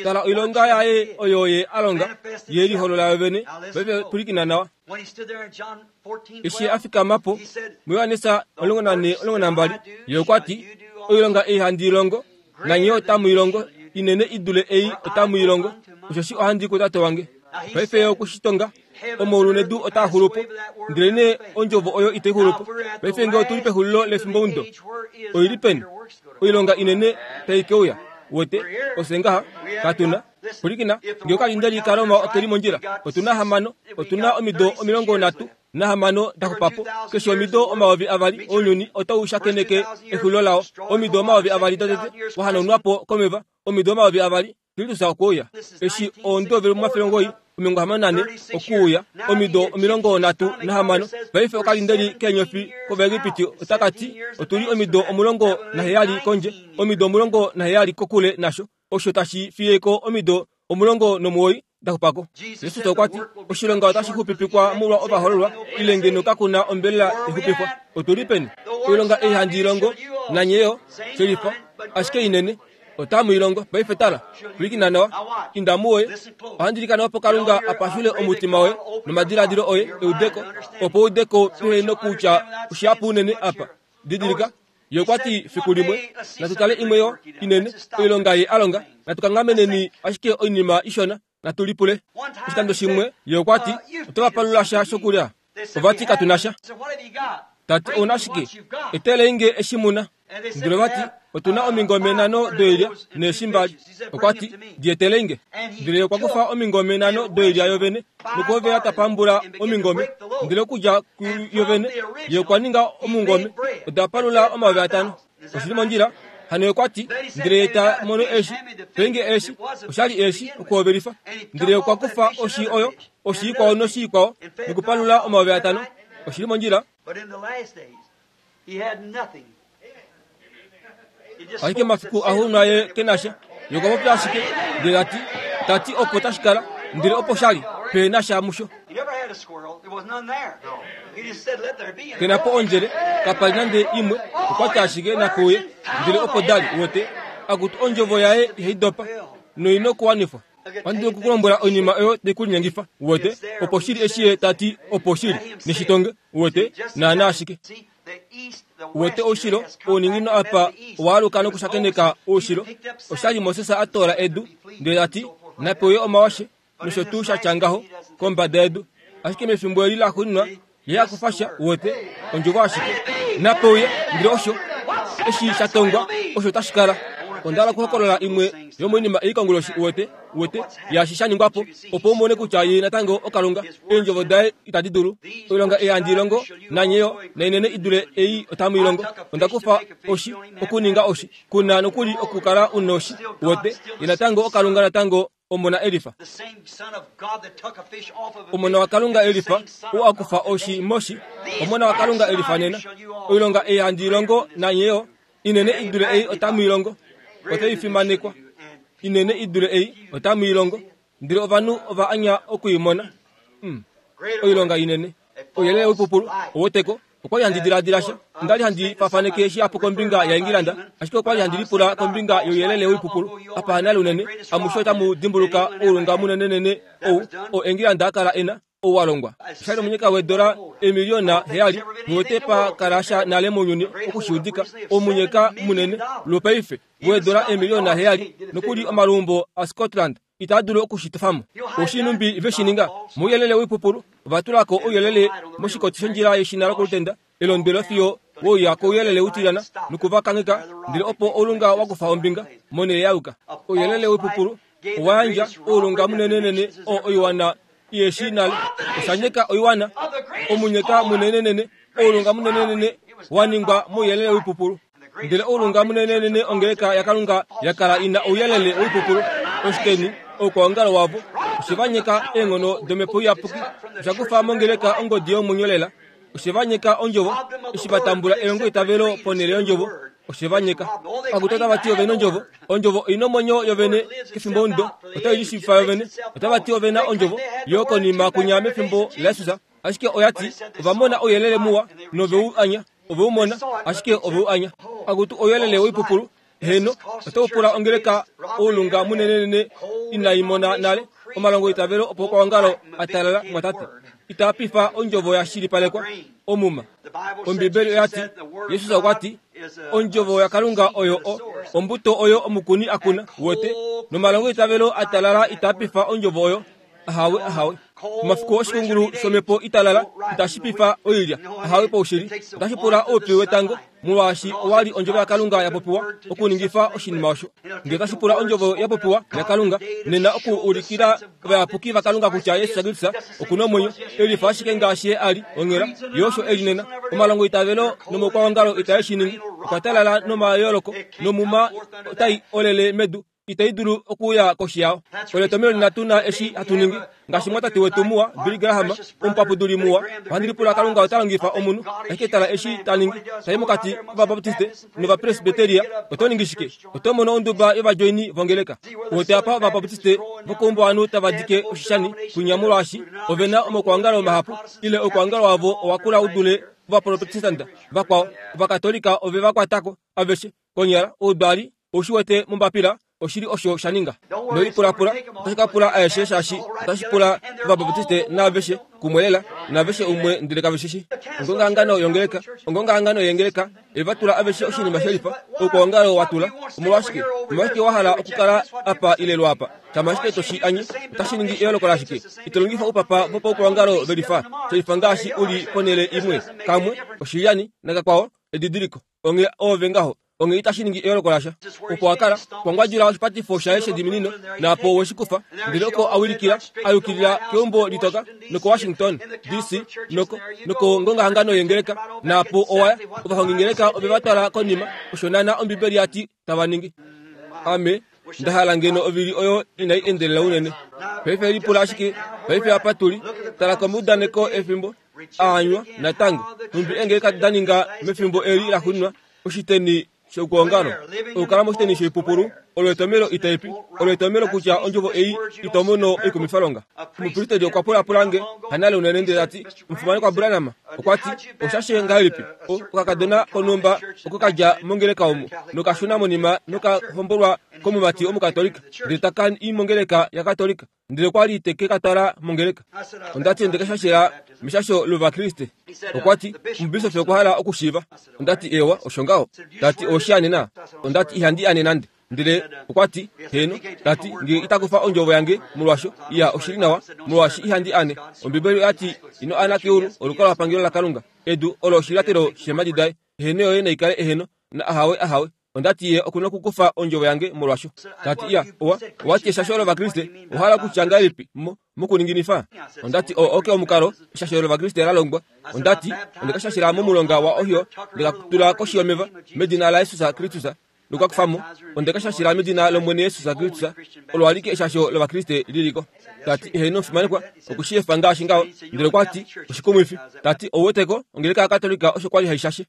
Tala oilonga yaye oyo ye a longa, ye liholola yovene. Paife pwilikina nawa. Eshi a fikama po muJohannes omulongo nane omulongo nambali, ye okwa ti, oilonga ei handi i longo, nanye otamu i longo, inene i dule ei otamu i longo, osheshi ohandi i kuTate wange. Paife ye okushitonga, omaulu nedu otaa xulu po, ndelenee ondjovo oyo itai xulu po. Paife ngee otuli pexulilo lefimbomudo, oi li peni? Oilonga inene tai ke uya. Wote, ofye ngaha, katu na. Pwilikina, ngee okalindeli kaRoma oke li mondjila, otu na hamano, otu na omido omilongo nhatu nahamano da xupa po. Keshe omido omayovi avali ounyuni otau shakeneke exulilo lao. Omido omayovi avali dotete wahanaunwa po komeva, omido omayovi avali Kristus okwe uya. Eshi oondove omafele omugoyi omilongo hamano nane okuuya, omido omilongo nhatu nahamano. Paife okalindeli keenyofi kOvaegipiti otaka ti, otu li omido omulongo naheyali kondje, omido omulongo naheyali kokule nasho, osho tashi fiye ko omido omulongo nomuwoi da xupako. Jesus okwa ti, oshilonga otashi xupipikwa molwa ovahololwa, ile ngeno kakuna ombelela exupifwa. Otu li peni? Oilonga ei handi i longo, nanye yo, shelifa, ashike inene, otamu i longo. Paife tala, pwilikina nawa, inda muwoye. Ohandi ilikana opo Kalunga a pashule omutima woye nomadiladilo oye eudeko, opo udeko pehe nokutya oshihapu unene apa. Didilika, ye okwa ti fiku limwe, natu tale imwe yo inene, oilonga ye a longa, natu kangameneni ashike oinima ishona, natu lipule. Oshikando shimwe, ye okwa ti, oto va palula sha shokulya. Ova ti katu na sha. Ta ti ouna shike? Etelei nge eshi muna. Ndele ova ti, otu na omingome nhano doilya neeshi mbali. Okwa ti, di etelei nge. Ndele okwa kufa omingome nhano doilya yovene, nokuhovela ta pambula omingome. Ndele okudja kuyovene, ye okwa ninga omungome, oda palula omayovi atano. Oshili mondjila. Hano okwa ti, ndele ye ta mono eeshi, penge eeshi, oshali eeshi, okuhovelifa. Ndele okwa kufa oshi oyo, oshi ikwao noshi ikwao, nokupalula omayovi atano. Oshili mondjila. Ashike mafiku axuuninwa ye ke na sha. Ye okwa popya ashike, ndele ta ti, ta ti opo tashi kala, ndele opo sha li, pe na sha musho. Ke na po ondjele, kapa li nande imwe, okwa ti ashike nakuuye, ndele opo da li, wote, akutu ondjovo yaye ihai dopa, noina okuwanifwa. Ohandi dulu okukulombwela oinima oyo tai ku linyengifa, wote, opo shili eshi ye ta ti opo shili, neshitonge, wote, naana ashike. Wote oushilo, ouninginino apa owaaluka nokushakeneka oushilo. Oshali Moses a toola edu, ndele ta ti, napewe omawashe, nosho tuu sha tya ngaho, kombada yedu. Ashike mefimbo eli laxuuninwa, ye a kufa sha, wote, ondjovo ashike. Napeuye, ndele osho, eshi sha tongwa, osho tashi kala. Onda hala okuhokolola imwe yomoinima ei konguloshi, uwete, uwete, yaashi sha ningwa po, opo u mone kutya ye natango oKalunga. Eendjovo daye itadi dulu. Oilonga ei handi i longo, nanye yo, nainene i dule ei otamu i longo. Onda kufa oshi, okuninga oshi. Ku na nokuli okukala u noshi, uwete. Ye natango oKalunga natango Omona Elifa. Omona waKalunga Elifa, ou a kufa oshi moshi. Omona waKalunga Elifa nena. Oilonga ei handi i longo, nanye yo, inene i dule ei otamu i longo. Otai fimanekwa. Inene i dule ei otamu i longo. Ndele ovanhu ova anya oku i mona. Mm. Oilonga inene. Ouyelele woipupulu, oweteko. Okwa li handi diladila sha. Onda li handi fafaneke shihapu kombinga yaEngilanda, ashike okwa li handi lipula kombinga youyelele woipupulu. Apa hanale unene, amushe otamu dimbuluka oulunga munenenene ou oo Engilanda a kala e na, ou wa longwa. Osha li omunyeka weedola eemiliyona heyali, muwete pa kala sha nale mounyuni oku shi udika, omunyeka munene lwopaife weedola eemiliyona heyali, nokuli omaluumbo aScotland itaa dulu oku shi tofa mo. Oshinumbi ve shi ninga mouyelele woipupulu, ova tula ko ouyelele moshikoti shondjila yeshina lokolutenda, elondwelo fiyo Wouya kouyelele utilyana nokuvakangeka ndele opo oulunga wakufa ombinga monhele yauka. Ouyelele woipupulu owa yandja oulunga munenenene oo oiwana iheshi nale. Oshanyeka oiwana omunyeka munenenene oulunga munenenene waningwa mouyelele woipupulu. Ndele oulunga munenenene ongeleka yaKalunga yakala ina ouyelele woipupulu oshiteni oukwaongalo wavo oshivanyeka eenghono domhepo iyapuki oshakufa mongeleka ongodi yomwenyo lela. Oshivanyeka ondjovo eshi vatambula elongo itavelo ponhele yondjovo oshivanyeka. Akutu otava ti ovena ondjovo, ondjovo oina omwenyo yovene kefimbo omudo otai lishiivifa yovene. Otava ti ovena ondjovo yo konima kunya mefimbo laJesus, ashike oya ti ovamona ouyelele muwa noveu anya, oveu mona ashike oveu anya. Akutu ouyelele woipupulu heno otau pula ongeleka oulunga munenenene inai mona nale omalongo itavelo opo kwaongalo atalala mwatate itapifa ondjovo ya shilipalekwa omuma. Ombibeli oya ti Jesus okwa ti ondjovo yaKalunga oyo o ombuto oyo omukuni akuna wote nomalongo itavelo atalala itapifa ondjovo oyo ahawe ahawe. Omafiku oshikungulu shomhepo italala itashipifa oilya ahawe paushili otashi pula oupyu wetango molwaashi owali ondjovo yaKalunga ya popiwa okuningifa oshinima osho. Ngele otashi pula ondjovo ya popiwa yaKalunga nena oku ulikila ovayapuki vaKalunga kutya Jesus Kristus okuna omwenyo elifa ashike ngaashi ye ali onghela ye osho eli nena. Omalongo itavelo nomaukwaongalo itae shi ningi okwa talala nomayooloko nomuma otai olele medu itai dulu okuuya koshi yao. Oletomelo linatu na eshi hatu ningi ngaashi mwatate wetu muwa Billy Graham omupapuduli muwa ohandi lipula Kalunga ota longifa omunhu ashike tala eshi ta ningi tai mokati kovabaptiste novapresbiteria oto ningi shike? Oto mono onduba yovadjoini vongeleka. Wote apa ovabaptiste vokoumbuwanhu tava dike oshishani kunya molwaashi ovena omaukwaongalo mahapu ile oukwaongalo wavo owakula u dule ovaprotestanta vakwao. Ovakatolika ove va kwatako aveshe konyala oudwali oushi wete mombapila oshili osho sha ninga. Noipulapula otashi ka pula aeshe shaashi otashi pula ovabaptiste naaveshe kumwe lela naaveshe umwe ndele kave shishi. Ongongahangano yongeleka ongongahangano yengeleka evatula aveshe oshinima shelifa oukwaongalo watula. Omolwashike? Omolwashike wa hala okukala apa ile lwapa? Shama ashike toshi anye otashi ningi eyooloko lashike? Ito longifa oupapa vopaukwaongalo velifa shelifa ngaashi uli ponhele imwe kamwe oshilyani nakakwao edidiliko onge oove ngaho onge itashi ningi eyooloko lasha. Opo akala kwangwadjula oshipatifo shaye shediminino naapo weshikufa ndele oko awilikila ayukilila keumbo litoka noko Washington D C noko noko ngongahangano yengeleka naapo owaya ovahongingeleka ove vatwala konima osho nana ombibeli yati tava ningi. Ame ndahala ngeno ovili oyo inai endelela unene. Paife lipula ashike paife apa tuli tala komuudaneko efimbo aanywa natango nhumbi engeleka daninga mefimbo eli laxuuninwa oshiteni shoukuongalo okukala moshiteni shoipupulu olo etomelo itaipi olo etomelo kutya ondjovo ei itomono oikumifalonga. Omupristeli okwa pulapula nge hanale unene ndele tati omufimanekwa Branham okwa ti oshashe ngahelipi okakadona konhumba oko kadja mongeleka omo nokashuna monima nokahombolwa komumati omukatolika ndele taka i mongeleka yakatolika ndele okwali teke katwala mongeleka. Ondati ndekashashela meshasho lovakriste. Okwa ti omubisofi okwa hala okushiiva. Ondati ewa osho ngaho. Tati oshi anena. Ondati ihandi ane nande. Ndele okwa ti heno. Tati nge itakufa ondjovo yange molwasho iya oshili nawa molwaashi ihandi ane. Ombibeli oyati ino ana keulu olukalwa pangelo laKalunga edu olo oshilyatelo shemadi daye. Eheno yoye naikale eheno na ahawe ahawe. Ondati ye okuna okukufa ondjovo yange molwasho. Tati iya owa owati eshasho lovakriste ohala kutya ngahelipi mo mokuninginifa. Ondati o oke omukalo eshasho lovakriste lalongwa. Ondati ondekashashila momulonga wa Ohio ndekatula koshi yomeva medina laJesus Kristus nokakufamo ondekashashila medina lOmwene Jesus Kristus olo alike eshasho lovakriste liliko. Tati eheno omufimanekwa okushiyefa ngaashi ngaho. Ndele okwa ti oshikumwifi. Tati ouweteko ongeleka yakatolika osho kwali haishashe.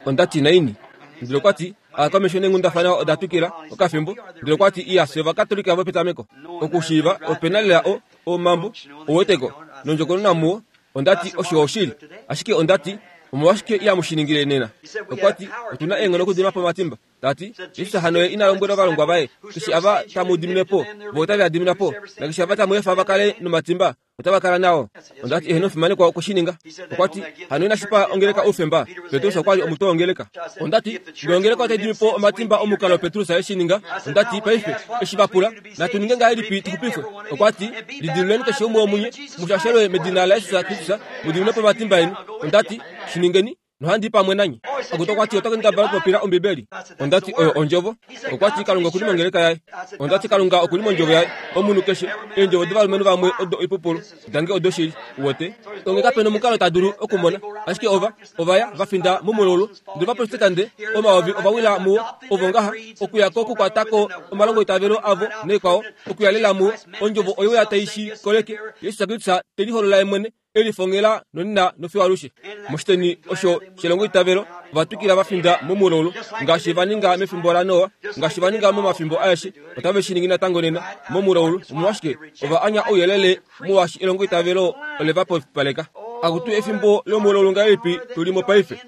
Ondati naini. Ndele okwa ti akomesho nenghundafana oda twikila okafimbo. Ndele okwa ti iya fye ovakatolika vopetameko okushiiva opena lela o omambo ouweteko nondjokonona muwo. Ondati osho oshili ashike ondati omolwashike ihamu shi ningile nena? Okwa ti otuna eenghono okudima po omatimba. Tati Jesus hano ye ina lombwela ovalongwa vaye keshe ava tamu dimine po vo otave a dimina po nakeshe ava tamu efa va kale nomatimba otava kala nao. Ondati eheno omufimanekwa okushininga. Okwa ti hano inashipa ongeleka oufemba. Petrus okwa li omutwe wongeleka. Ondati ngee ongeleka otai dimi po omatimba omukalo Petrus e shi ninga. Ondati paife eshi va pula natu ninge ngahelipi tuxupifwe? Okwa ti lidiluleni keshe umwe womunye mushashelwe medina laJesus Kristus mudimine po omatimba eni. Ondati shi ningeni Nohandi pamwe nanye. Akutu okwati ota kendabala okupopila Ombibeli. Ondati oyo ondjovo. Okwati Kalunga okuli mongeleka yaye. Ondati Kalunga okuli mondjovo yaye. Omunhu keshe eendjovo dovalumenhu vamwe odo oipupulu, dange odoshili. Uwete? Onge kapena omukalo ta dulu okumona. Ashike ova ovaya vafinda momululu. Ndele ovaprotestante omayovi ovawila muwo ovo ngaha okuya ko okukwatako omalongo itavelo avo neikwao okuya lela muwo. Ondjovo oyo ya tai shi koleke. Jesus Kristus te liholola ye mwene elifongela nonena nofiwalushe. Moshiteni osho shelongo itavelo ovatwikila vafinda momululu ngaashi va ninga mefimbo laNoa, ngaashi va ninga momafimbo aeshe, otave shi ningi natango nena momululu. Omolwashike ova anya ouyelele molwaashi elongo itavelo ole va popipaleka. Akutu efimbo lomululu ngahelipi tuli mo paife?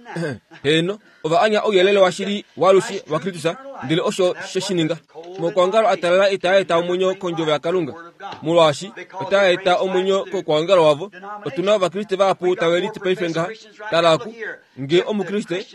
Heeno, ova anya ouyelele washili waalushe waKristus, ndele osho she shi ninga. Mokwaongalo a talala itaa eta omwenyo kondjovo yaKalunga, molwaashi otaa eta omwenyo kokwaongalo wavo. Otuna ovakriste vahapu tave liti paife ngaha. Tala oku, nge omukriste,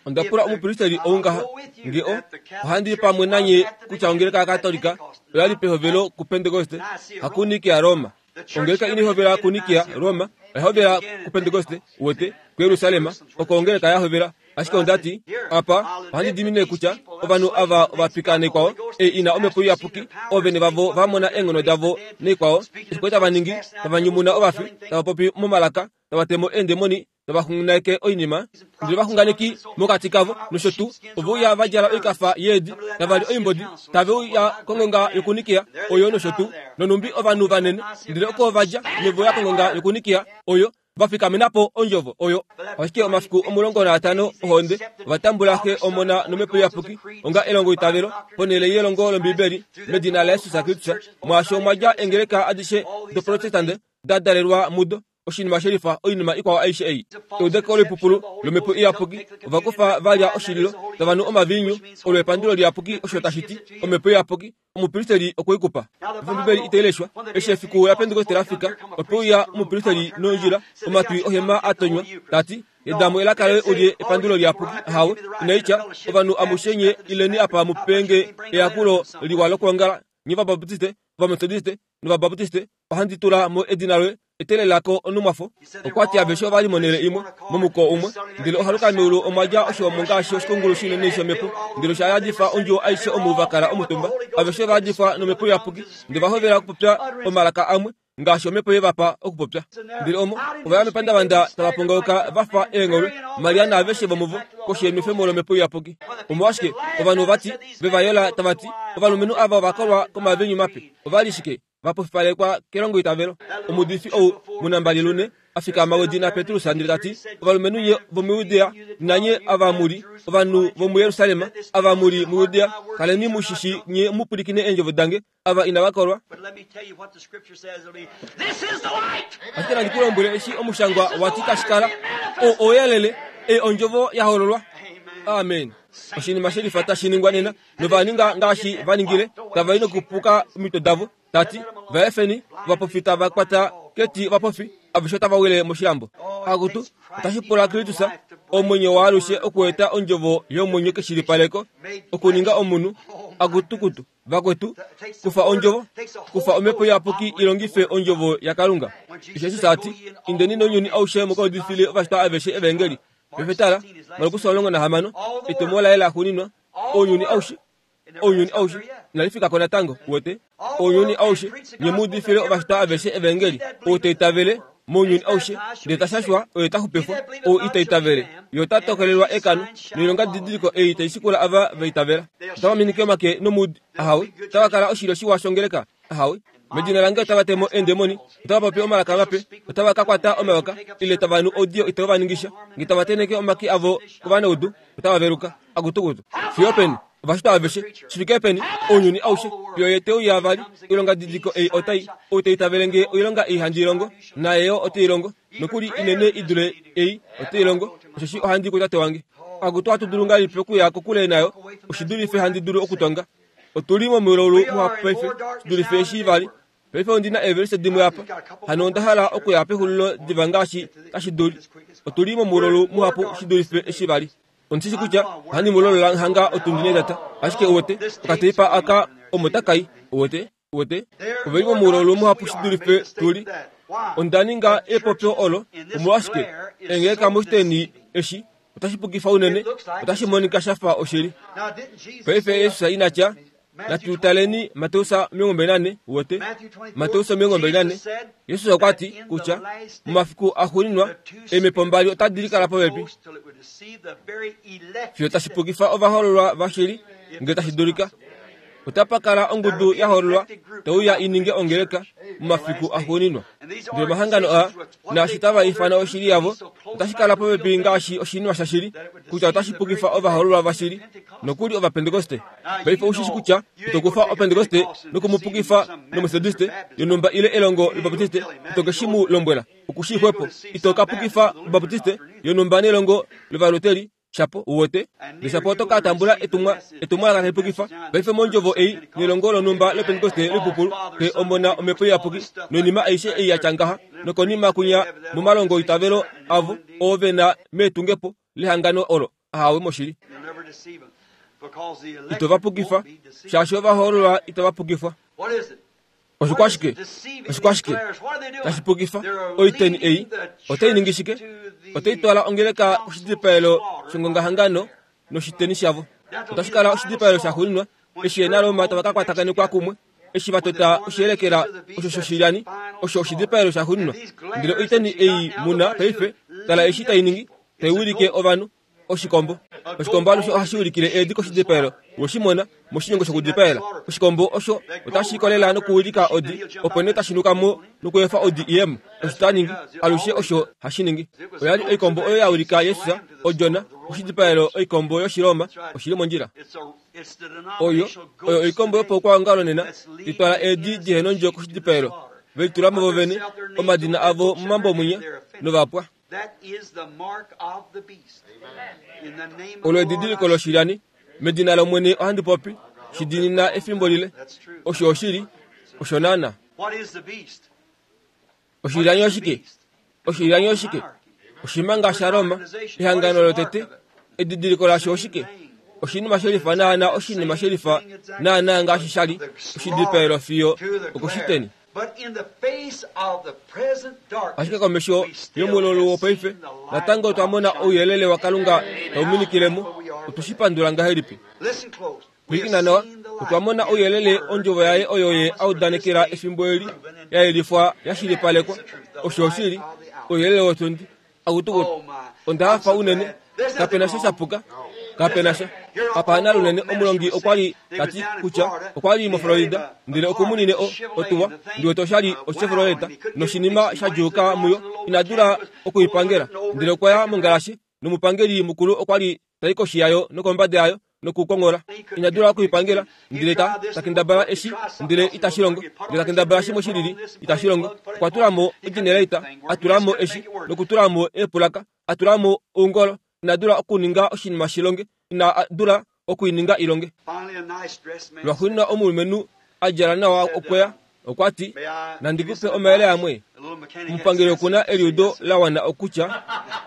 onda pula omupristeli ou ngaha, nge o ohandi pamwe nanye kutya ongeleka yaKatolika oya li pehovelo kuPentekoste, hakuNikia Roma. Ongeleka inai hovela kuNikia Roma, oya hovela kuPentekoste, uwete, kuJerusalem, oko ongeleka ya hovela. Ashike ondati apa ohandi dimine kutya ovanhu ava ovapika neikwao ei ina omhepo iyapuki, oovene vavo va mona eenghono davo neikwao, eshi kwali tava ningi, tava nyumuna ovafi, tava popi momalaka, tava temo eendemoni, tava xunganeke oinima, ndele ovaxunganeki mokati kavo nosho tuu ove uya va djala oikafa yeedi, tava li oimbodi, tave uya kongonga yokunikia oyo nosho tuu, nonumbi ovanhu vanene, ndele oko va dja nove uya kongonga yokunikia oyo vafikamena po ondjovo oyo. Ashike omafiku omulongo naatano ohonde ovatambula Xe, Omona nomhepo iyapuki onga elongo itavelo ponhele yelongo lOmbibeli medina laJesus Kristus. Mwaasho omwa dja eengeleka adishe doprotestante da dalelwa mudo. Oshinima shelifa oinima ikwao aishe ei. Eudeko loipupulu lomhepo iyapuki ovakufa valya oshililo tava nu omaviinyu olo epandulo liyapuki osho tashi ti omhepo iyapuki omupristeli okwe i kupa. Ombibeli itai leshwa. Eshi efiku laPentekoste lafika, ope uya omupristeli nondjila, omatwi ohema a tonywa, tati yedamo elaka loye ulye epandulo liyapuki. Ahawe, inaitya ovanhu amushe nye ileni apa mupenge eyakulo liwa lokwoongala, nye Ovabaptiste, Ovametodiste nOvabaptiste, ohandi tula mo edina loye etelelako onumwafo. Okwati aveshe ovali monhele imwe momuko umwe, ndele ohaluka meulu omwa dja oshihomo ngaashi oshikungulu shinene shomhepo, ndele osha yadifa ondjuwo aishe omu va kala omutumba. Aveshe ova yadifwa nomhepo iyapuki, ndele va hovela okupopya omalaka amwe ngaashi omhepo ye va pa okupopya. Ndele omo ova ya mepandavanda tava pongauka va fa eengholwe, Maria naaveshe vomuvo koshi yenwefemo lomhepo iyapuki. Omolwashike ovanhu ovati ve va yola tava ti ovalumenhu ava ova kolwa komaviinyu mape? Ova li shike? Vapofipalekwa kelongo itavelo. Omuudifi ou munambali lune a fikama wedina Petrus ndele tati ovalumenhu nye vomuJudea nanye ava muli ovanhu vomuJerusalem, ava muli muJudea, kaleni mushishi nye mupwilikine eendjovo dange, ava inava kolwa. Ashike nandi ku lombwele eshi omushangwa wati tashi kala o ouyelele, ei ondjovo ya hololwa. Amen. Oshinima shelifa tashi ningwa nena, nova ninga ngaashi va ningile, tava i nokupuka omitwe davo, tati vaefeni ovapofi tava kwata keti ovapofi, aveshe otava wile moshilambo. Akutu, otashi pula Kristus omwenyo waalushe okueta ondjovo yomwenyo keshilipaleko, okuninga omunhu. Akutukutu vakwetu, kufa ondjovo, kufa omhepo iyapuki ilongife ondjovo yaKalunga. Jesus ati indeni nounyuni aushe mukaudifile ovashitwa aveshe evangeli. Paife tala, Markus omulongo nahamano, etumo laye laxuuninwa, ounyuni aushe, ounyuni aushe, inali fikako natango, uwete? Ounyuni aushe, nye muudifile ovashitwa aveshe evangeli. Ou ta itavele mounyuni aushe, ndele ta shashwa, oye ta xupifwa. Ou ita itavele, ye ota tokolelwa ekano, noilonga didiliko ei tai shikula ava va itavela. Otava minike omake nomuudi, ahawe. Otava kala oshilyo shiwa shongeleka, ahawe. Medina lange otava temo eendemoni, otava popi omalaka mape, otava ka kwata omayoka, ile tava nu oudiyo itau va ningisha, nge tava tenheke omake avo kovanaudu, otava veluka. Akutukutu. Fiyo peni? Ovashitwa aveshe. Shifike peni? Ounyuni aushe. Fiyo ye te uya vali, oilonga didiliko ei otai, ou ta itavele nge oilonga ei handi longo, naye yo ote i longo, nokuli inene i dule ei ote i longo, osheshi ohandi kuTate wange. Akutu, ohatu dulu ngahelipi okuya kokule nayo? Oshi dulife handi dulu okutonga. Otuli momulaulu muhapu paife, shi dulife eshi vali. Paife ondi na eevelise dimwe apa, hano onda hala okuya pexulilo diva ngaashi tashi duli. Otuli momulaulu muhapu shi dulife eshi vali. Ondishi kutya ohandi mu lolola hanga otundi netata, ashike uwete, okateipa aka omo takai, uwete, uwete. Oveli momulaulu muhapu shi dulife tuli. Onda ninga epopyo olo omolwashike engeleka moshiteni eshi otashi pukifa unene, otashi monika shafa oshili. Paife Yesus ina tya natu taleni Mateus omilongo mbali nane wote Mateus omilongo mbali nane. Yesus okwa ti kutya momafiku axuuninwa eemhepo mbali otadi likala popepi fiyo tashi pukifa ovahoololwa vashili ngele tashi dulika. Otapa kala ongudu ya hoololwa tauya ininge ongeleka momafiku axuuninwa. Ndele omahangano aa naashi tava ifana oshili yavo otashi kala popepi ngaashi oshinima shashili kutya otashi pukifa ovahoololwa vashili nokuli ovapentekoste. Paife ushishi kutya ito kufa opentekoste nokumupukifa nomethodiste yonumba ile elongo lobaptiste ito ke shi mu lombwela okushixwepo. Ito ka pukifa obaptiste yonumba nelongo lovaluteri shapo uwote neshapo oto ka tambula etumwa etumwalaka tali pukifa. Paife mondjovo ei nelongo lonumba lopentekoste lipupulu ke omona omhepo iyapuki noinima aishe ei yatya ngaha nokonima kunya momalongo itavelo avo oo vena meetungepo lehangano olo ahawe moshili. Ito va pukifa shaashi ovahoololwa itava pukifwa. Oshikwashike oshikwashike tashi pukifa oiteni ei otai ningi shike? Otai twala ongeleka koshidipaelo shongongahangano noshiteni shavo. Otashi kala oshidipaelo shaxuuninwa eshi yena Roma tava ka kwatakanekwa kumwe eshi vatota oshiyelekela osho shoshilyani osho oshidipaelo shaxuuninwa. Ndele oiteni ei muna paife tala eshi tai ningi tai wilike ovanhu oshikombo. Oshikombo alushe ohashi ulikile eedi koshidipaelo woshimona moshinyongo shokudipaela. Oshikombo osho otashi kolela nokuwilika odi opo nee tashi nuka mo nokuefa odi iyemo. Osho ta ningi alushe osho hashi ningi. Oya li oikombo oyo ya wilika Yesus odjona oshidipaelo oikombo yoshiroma oshili mondjila. Oyo oyo oikombo yopaukwaongalo nena itwala eedi dihenondjo koshidipaelo veitulamo vovene omadina avo momambo mwinya novapwa. Olo edidiliko loshilyani medina lOmwene ohandi popi shidinina efimbo lile. Osho oshili osho naana. Oshilyani oshike? Oshilyani oshike? Oshimanga shaRoma ehangano lotete edidiliko lasho oshike? Oshinima shelifa naana oshinima shelifa naana ngaashi shali oshidipaelo fiyo okoshiteni. Ashike komesho yomululu wopaife natango twamona ouyelele waKalunga tauminikilemo. Otushipandula ngahelipi? Pwilikina nawa, otwamona ouyelele ondjovo yaye oyo ye audanekela efimbo eli yayelifwa yashilipalekwa. Osho oshili ouyelele wotundi akutukutu. Onda hafa unene kapena sha shapuka kapena sha apana lunene. Omulongi okwa li tati kutya okwa li moFlorida ndele okumunine otuwa ndiwete oshali oChevrolet noshinima sha djuuka muyo ina dula okuipangela. Ndele okwa ya mongalashe nomupangeli mukulu okwa li tai koshi yayo nokombada yayo nokukongola ina dula okuipangela. Ndele ta takendabala eshi ndele itashi longo ndele takendabala shimwe shilili itashi longo. Okwa tulamo ogenerator atulamo eshi nokutulamo eepulaka atulamo oungolo. Ina dula okuninga oshinima shilonge ina dula okuininga ilonge. Lwaxuuninwa omulumenhu a djala nawa okweya okwa ti nandikupe omayele amwe. Omupangeli okuna eliudo la wana okutya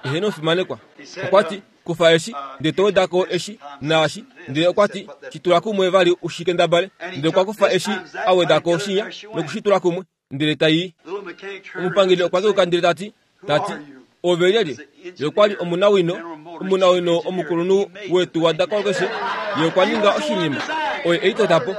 eheno fimanekwa. Okwa ti kufa eshi ndele to wedako eshi naashi ndele okwa ti shitula kumwe vali ushikendabale. Ndele okwa kufa eshi a wedako shinya nokushitula kumwe ndele tai. Omupangeli okwa keuka ndele tati tati ove lyelye? Ye okwa li omunawino omunawino omukulunhu wetu wa dakolokeshe. Ye okwa ninga oshinima oye eitota po.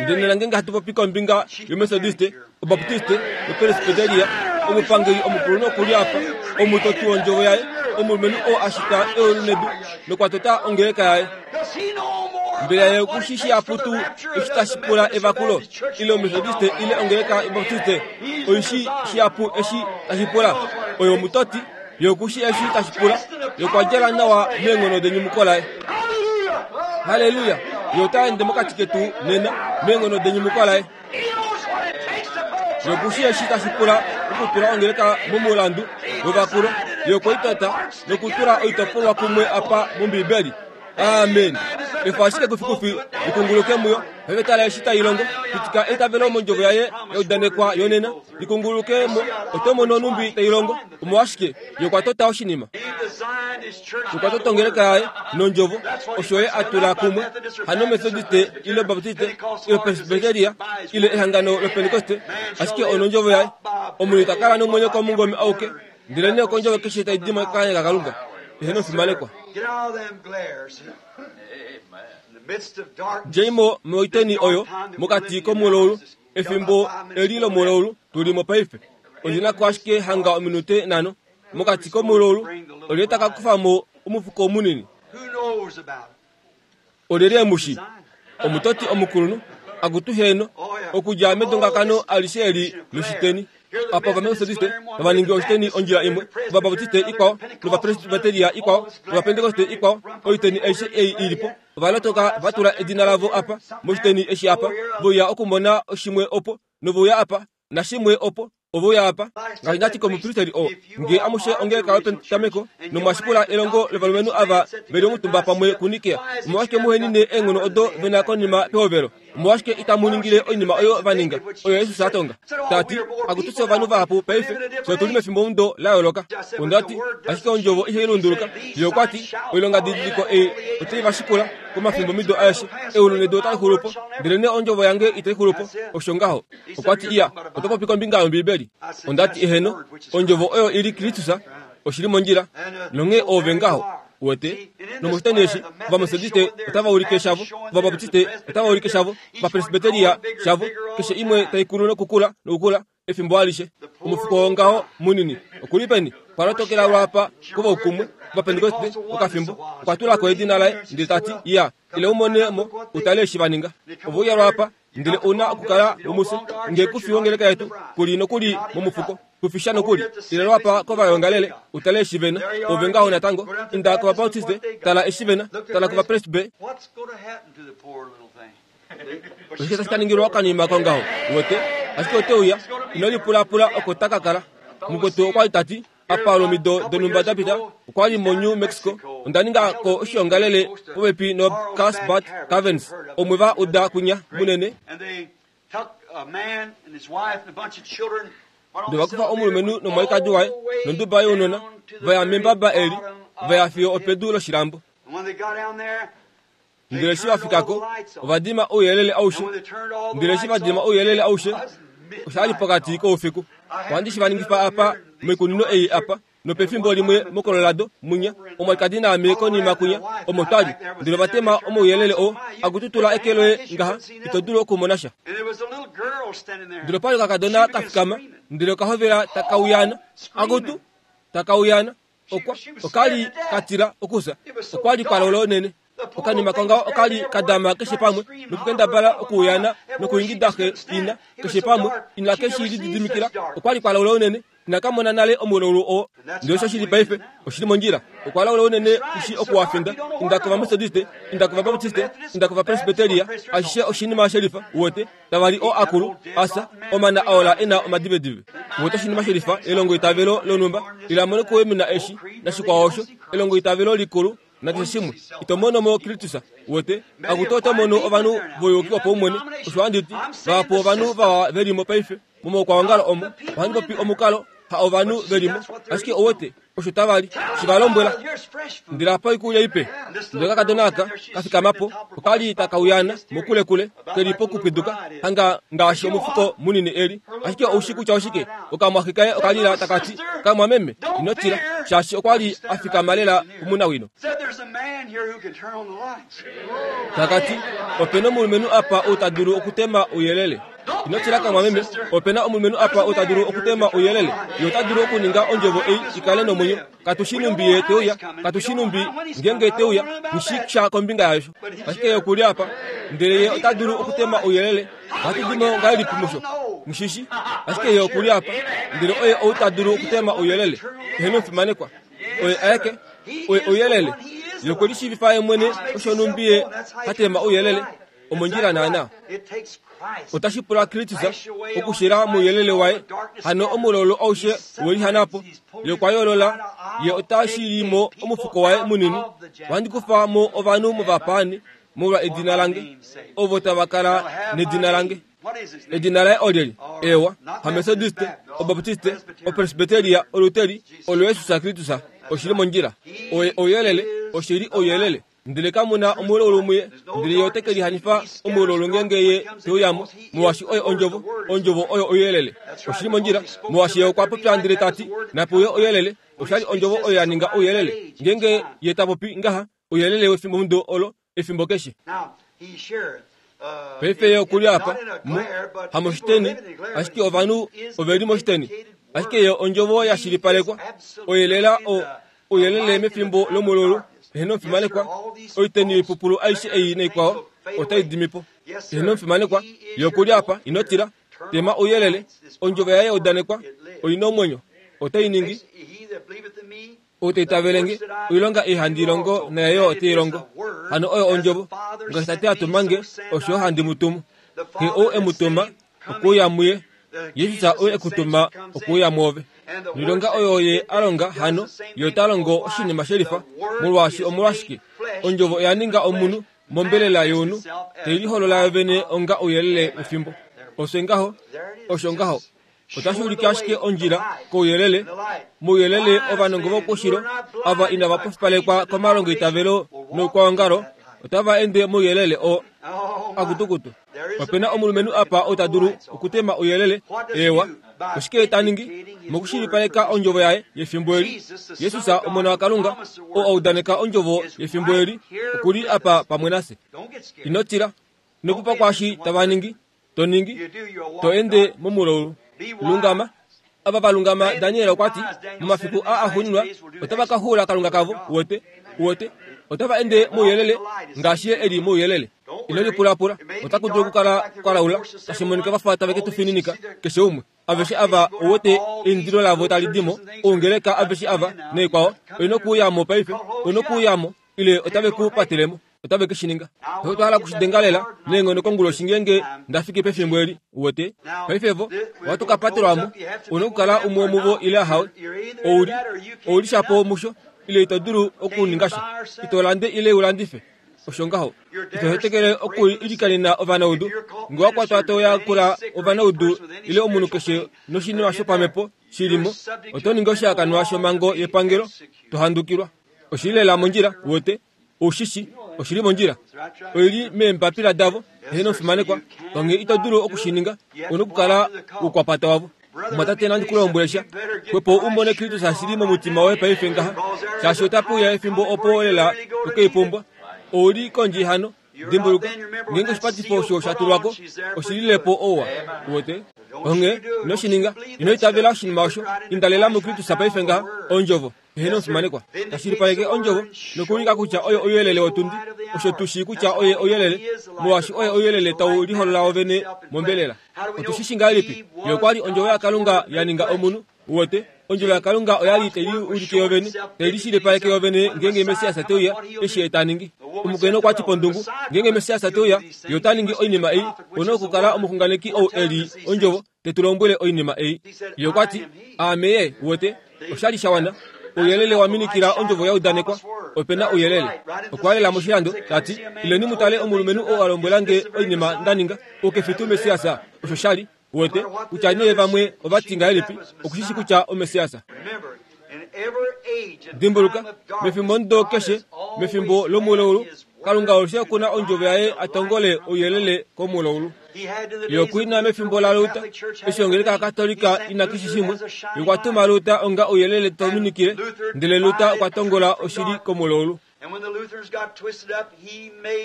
Ndele nena ngenge hatu popi kombinga yomethodiste obaptiste nopresbiteria omupangeli omukulunhu okuli apa omutoti wondjovo yaye omulumenhu oo ashita eulu nedu nokwa tota ongeleka yaye. Mbela ye okushishi aputu eshi tashi pula evakulo ile omethodiste ile ongeleka yobaptiste oishi shiapu eshi tashi pula oyo omutoti ye okushi eshi tashi pula ye okwa djala nawa meenghono denyumuko laye. Haleluya! Ye ota ende mokati ketu nena meenghono denyumuko laye. Ye okushi eshi tashi pula okutula ongeleka momulandu wevakulo. Ye okwaitota nokutula oitopolwa kumwe apa mOmbiibeli. Amen. Efa ashike kufikufi likunguluke muyo paife eshi tai longo pitika eitavelo mondjovo yaye yaudanekwa yonena likunguluke mo oto mono onumbi tai longo omolwashike ye okwa tota oshinima. Okwa tota ongeleka yaye nondjovo, osho ye a tula kumwe, hano Methodiste ile Baptiste ile Presbyteria ile ehangano loPentekoste, ashike onondjovo yaye. Omunhu ita kala nomwenyo komungome auke, ndelenee okondjovo keshe tai di mokanya kaKalunga. Eheno fimanekwa. Djeimo moiteni oyo mokati komulaulu, efimbo eli lomulaulu tuli mo paife. Oli na ko ashike hanga ominute nhano mokati komulaulu, olye taka kufa mo omufuko munini. Olyelye mushi omutoti omukulunhu akutu heno okudja medongakano alishe eli loshiteni. Apa Ovametodiste tava ningi oshiteni ondjila imwe, Ovabaptiste ikwao, nOvapresbyteria ikwao, nOvapentekoste ikwao, oiteni aishe ei ilipo. Ovalotoka vatula edina lavo apa moshiteni eshi apa, vouya okumona oshimwe opo, novouya apa, nashimwe opo, ovouya apa. Ngaashi ndati komupristeri oo, ngee amushe ongeleka yopetameko nomwashikula elongo lovalumenhu ava veli omutumba pamwe kuNikea, omolwashike muhenine eenghono odo vena konima pehovelo? Omolwashike itamu ningile oinima oyo va ninga, oyo Jesus a tonga? Tati, akutuse ovanhu vahapu paife, fye otuli mefimbomudo la yooloka. Ondati, ashike ondjovo ihai lunduluka. Ye okwa ti, oilongadidiliko ei otai va shikula komafimbomido aeshe. Eulu nedu otali xulu po, ndelenee ondjovo yange itai xulu po. Osho ngaho. Okwa ti, iya, oto popi kombinga yOmbibeli. Ondati, eheno, ondjovo oyo ili Kristus, oshili mondjila, nonghee ove ngaho. Uwete, nomoshiteni eshi, Ovametodiste otava ulike shavo, Ovabaptiste otava ulike shavo, Ovapresbyteria shavo, keshe imwe tai kulu nokukula nokukula efimbo alishe. Omufuko wongaho munini okuli peni? Okwa lotokela lwapa kovaukumwe Ovapentekoste okafimbo, okwa tula ko edina laye ndele tati, iya, ile umone mo utale eshi va ninga. Ovouya lwapa, ndele una okukala mumuse, nge kufi wongeleka yetu, kuli nokuli momufuko. Kufisha nokuli, ile lwapa kovayongalele, utale eshi vena, ove ngaho natango, inda kovabaptiste, tala eshi vena, tala kovapresbe. Oshike tashi ka ningilwa okanima kongaho, uwete, ashike ote uya, ino lipulapula oko taka kala. Mukwetu okwa li tati, apa olomido donhumba da pita, okwa li moNew Mexico, onda ninga ko oshiongalele popepi noCarlsbad Caverns, omwe va uda kunya munene. Ndele va kufa omulumenhu nomwalikadi waye nonduba younona, va ya membaba eli, va ya fiyo opedu loshilambo. Ndele eshi va fika ko, ova dima ouyelele aushe. Ndele eshi va dima ouyelele aushe, osha li pokati koufiku. Ohandi shi va ningifa apa moikunino ei apa, nopefimbo limwe moColorado munya, omwalikadi naame konima kunya, omo twali. Ndele ova tema omauyelele oo, akututula eke loye ngaha, ito dulu okumona sha. Ndele opa li okakadona ka fikama, ndele okahovela takauyana, akutu takauyana, okwa okali katila okusa, okwa li kwalola unene. Okanima kongaho okali kadama keshe pamwe, nokukendabala okuuyana nokuingida xe ina keshe pamwe, ina keshi lididimikila, okwa li kwalola unene. Inakamona nale omulaulu oo. Ndele osho shili paife, oshili mondjila. Okwa laula unene kushi okuwafinda. Inda kOvametodiste, inda kOvabaptiste, inda kOvapresbyteria, ashishe oshinima shelifa, uwete, tava li oo akulu, asa, omana aola e na omadivedive. Uwete oshinima shelifa, elongoitavelo lonhumba, ila mono kuwemina eshi, nashikwao osho, elongoitavelo likulu, nakeshe shimwe. Ito mono mo Kristus, uwete, akutu oto mono ovanhu voyuki wopaumwene. Osho handi ti, vahapu ovanhu vawa veli mo paife, momaukwaongalo omo, ohandi popi omukalo, ha ovanhu velimo, ashike owete, osho tava li, shi va lombwela. Ndele apa oikulya ipe. Ndele okakadona aka ka fikama po, okali takauyana mokulekule, keli pokupwiduka, hanga ngaashi omufuko munini eli. Ashike oushi kutya oshike, okamwaxe kaye okalila takati, kamwameme, ino tila, shaashi okwa li a fikama lela kumunawino. Takati, opena omulumenhu apa ou ta dulu okutema ouyelele. Ino tila kamwameme, opena omulumenhu apa ou ta dulu okutema ouyelele. Ye ota dulu okuninga ondjovo ei ikale nomwenyo. Katushi numbi ye te uya, katushi numbi ngenge te uya, nishi sha kombinga yasho. Ashike ye okuli apa, ndele ye ota dulu okutema ouyelele. Ohatu dimo ngahelipi musho? Mushishi, ashike ye okuli apa, ndele oye ou ta dulu okutema ouyelele. Eheno fimanekwa. Oye aeke, oye ouyelele. Ye okwe lishiivifa ye mwene osho numbi ye ha tema ouyelele. Omondjila naana. Otashi pula Kristus okushila mouyelele waye, hano omulaulu aushe welihana po. Ye okwa yoolola, ye ota shili mo omufuko waye munini. Ohandi kufa mo ovanhu movapaani molwa edina lange, ovo tava kala nedina lange. Edina laye olyeli? Ewa, haMethodiste, Obaptiste, Opresbyteria, Oluteri, olo Jesus Kristus. Oshili mondjila. Oye ouyelele, oshili ouyelele. Ndele kamuna omulaulu muye, ndele ye ote ke lihanifa omulaulu ngeenge ye te uyamo, molwaashi oye ondjovo, ondjovo oyo ouyelele. Oshili mondjila, molwaashi ye okwa popya ndele ta ti, nape uye ouyelele, oshali ondjovo oyo ya ninga ouyelele. Ngeenge ye ta popi ngaha, ouyelele wefimbomudo olo, efimbo keshe. Paife ye okuli apa, mu, hamoshiteni, ashike ovanhu ove li moshiteni. Ashike ye ondjovo ya shilipalekwa, oyelela o ouyelele mefimbo lomulaulu. Eheno omufimanekwa, oiteni yoipupulu aishe ei naikwao otai dimi po. Eheno omufimanekwa, ye okuli apa, ino tila. Tema ouyelele, ondjovo yaye ya udanekwa, oi na omwenyo, otai ningi. Ou ta itavele nge, oilonga ei handi longo naye yo ote i longo. Hano oyo ondjovo, ngaashi Tate a tuma nge, osho yo handi mu tumu. Xe ou e mu tuma, okuuya muye. Jesus ou e ku tuma, okuuya mwoove. Noilonga oyo ye a longa hano, ye ota longo oshinima shelifa, molwaashi omolwashike? Ondjovo oya ninga omunhu mombelela younhu, tai liholola yovene onga ouyelele wefimbo. Osho ngaho, osho ngaho. Otashi ulike ashike ondjila kouyelele. Mouyelele ovanongo vokoushilo, ava inava pofipalekwa komalongoitavelo noukwaongalo, otava ende mouyelele oo akutukutu. Ope na omulumenhu apa ou ta dulu okutema ouyelele. Eewa, oshike ta ningi? Mokushilipaleka ondjovo yaye yefimbo eli, Jesus, Omona waKalunga, oo a udaneka ondjovo yefimbo eli, oku li apa pamwe nafye. Ino tila. Ino pupa kwaashi tava ningi, to ningi, to ende momulaulu. Lungama. Ava va lungama, Daniel okwa ti, momafiku aa axuuninwa, otava ka xuula Kalunga kavo, uwete, uwete, otava ende mouyelele, ngaashi ye e li mouyelele. Ino lipulapula, otaku dulu okukala kwa laula, tashi monika va fa tave ke tu fininika, keshe umwe. Aveshe ava ouwete eindilo lavo tali di mo, oungeleka aveshe ava naikwao, oina okuuyamo paife, oina okuuyamo, ile otave ku patelemo. Otave ke shi ninga. Otwa hala okushidenga lela neenghono konguloshi ngeenge nda fiki pefimbo eli, uwete. Paife vo, ohatu ka patelwamo, ouna okukala umwe womuvo ile ahawe. Ouli, ouli shapo musho, ile ito dulu okuninga sha. Ito lande ile u landife. Osho ngaho. Ito hetekele okuilikanena ovanaudu. Nge wa kwatwa to yakula ovanaudu ile omunhu keshe noshinima shopamhepo shi li mo, oto ningi oshihakanwa shomhango yepangelo, to handukilwa. Oshili lela mondjila, uwete. Ushishi, oshili mondjila. Oili meembapila davo, eheno omufimanekwa. Onghee ito dulu okushininga, ouna okukala oukwapata wavo. Mwatate, nandi ku lombwele sha, xwepo u mone Kristus ashili momutima woye paife ngaha, shaashi otape uya efimbo opo lela to ke i pumbwa. Ouli kondje hano, dimbuluka, ngeenge oshipatifo osho sha tulwa ko, oshililepo ouwa, uwete. Onghee ino shi ninga, ino itavela oshinima osho, inda lela muKristus paife ngaha, ondjovo. Eheno omufimanekwa, tashilipaleke ondjovo nokuulika kutya oye ouyelele wotundi. Osho tu shii kutya oye ouyelele, molwaashi oye ouyelele tau liholola wovene mombelela. Otu shi shii ngahelipi? Ye okwa li ondjovo yaKalunga ya ninga omunhu, uwete. Ondjovo yaKalunga oya li tai liulike yovene, tai lishilipaleke yovene ngeenge Messias te uya, eshi ye ta ningi. Omukainhu okwa ti pondungu, ngeenge Messias te uya, ye ota ningi oinima ei, ouna okukala omuxunganeki ou e li ondjovo, te tu lombwele oinima ei. Ye okwa ti, Aame ye, uwete. Oshali sha wana. Ouyelele wa minikila ondjovo ya udanekwa. Ope na ouyelele. Okwa lela moshilando, ta ti, ileni mu tale omulumenhu ou a lombwela nge oinima nda ninga, ou ke fi tuu Messias? Osho sha li, uwete, kutya nee vamwe ova ti ngahelipi, okushishi kutya oMessias. Dimbuluka, mefimbo ndo keshe, mefimbo lomulaulu, Kalunga alushe oku na ondjovo yaye a tongole ouyelele komulaulu. Ye okwa ina mefimbo laLuther, eshi ongeleka yaKatolika ina keshe shimwe, ye okwa tuma Luther onga ouyelele tau minikile, ndele Luther okwa tongola oshili komulaulu.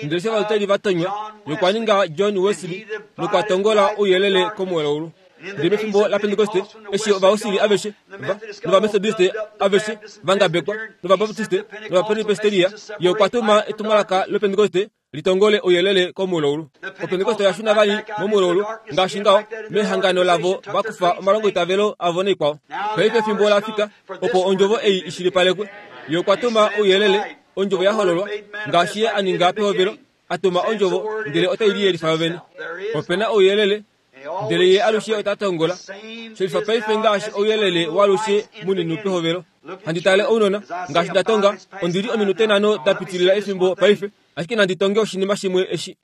Ndele eshi Ovaluteri va tonywa, ye okwa ninga John Wesley nokwa tongola ouyelele komulaulu. Ndele mefimbo laPentekoste, eshi Ovausili aveshe va, nOvametodiste aveshe va ngabekwa, nOvabaptiste nOvapresbiteria, ye okwa tuma etumwalaka lOpentekoste litongole ouyelele komulaulu. Opentekoste oya shuna vali momulaulu, ngaashi ngaho, mehangano lavo va kufa omalongoitavelo avo naikwao. Paife efimbo ola fika opo ondjovo ei i shilipalekwe. Ye okwa tuma ouyelele, ondjovo ya hololwa, ngaashi ye a ninga pehovelo, a tuma ondjovo ndele otai liyelifa yovene. Ope na ouyelele, ndele ye alushe ota tongola. Shelifa paife ngaashi ouyelele walushe munini pehovelo. Handi tale ounona, ngaashi nda tonga, ondi li ominute nhano da pitilila efimbo paife, ashike nandi tonge oshinima shimwe eshi.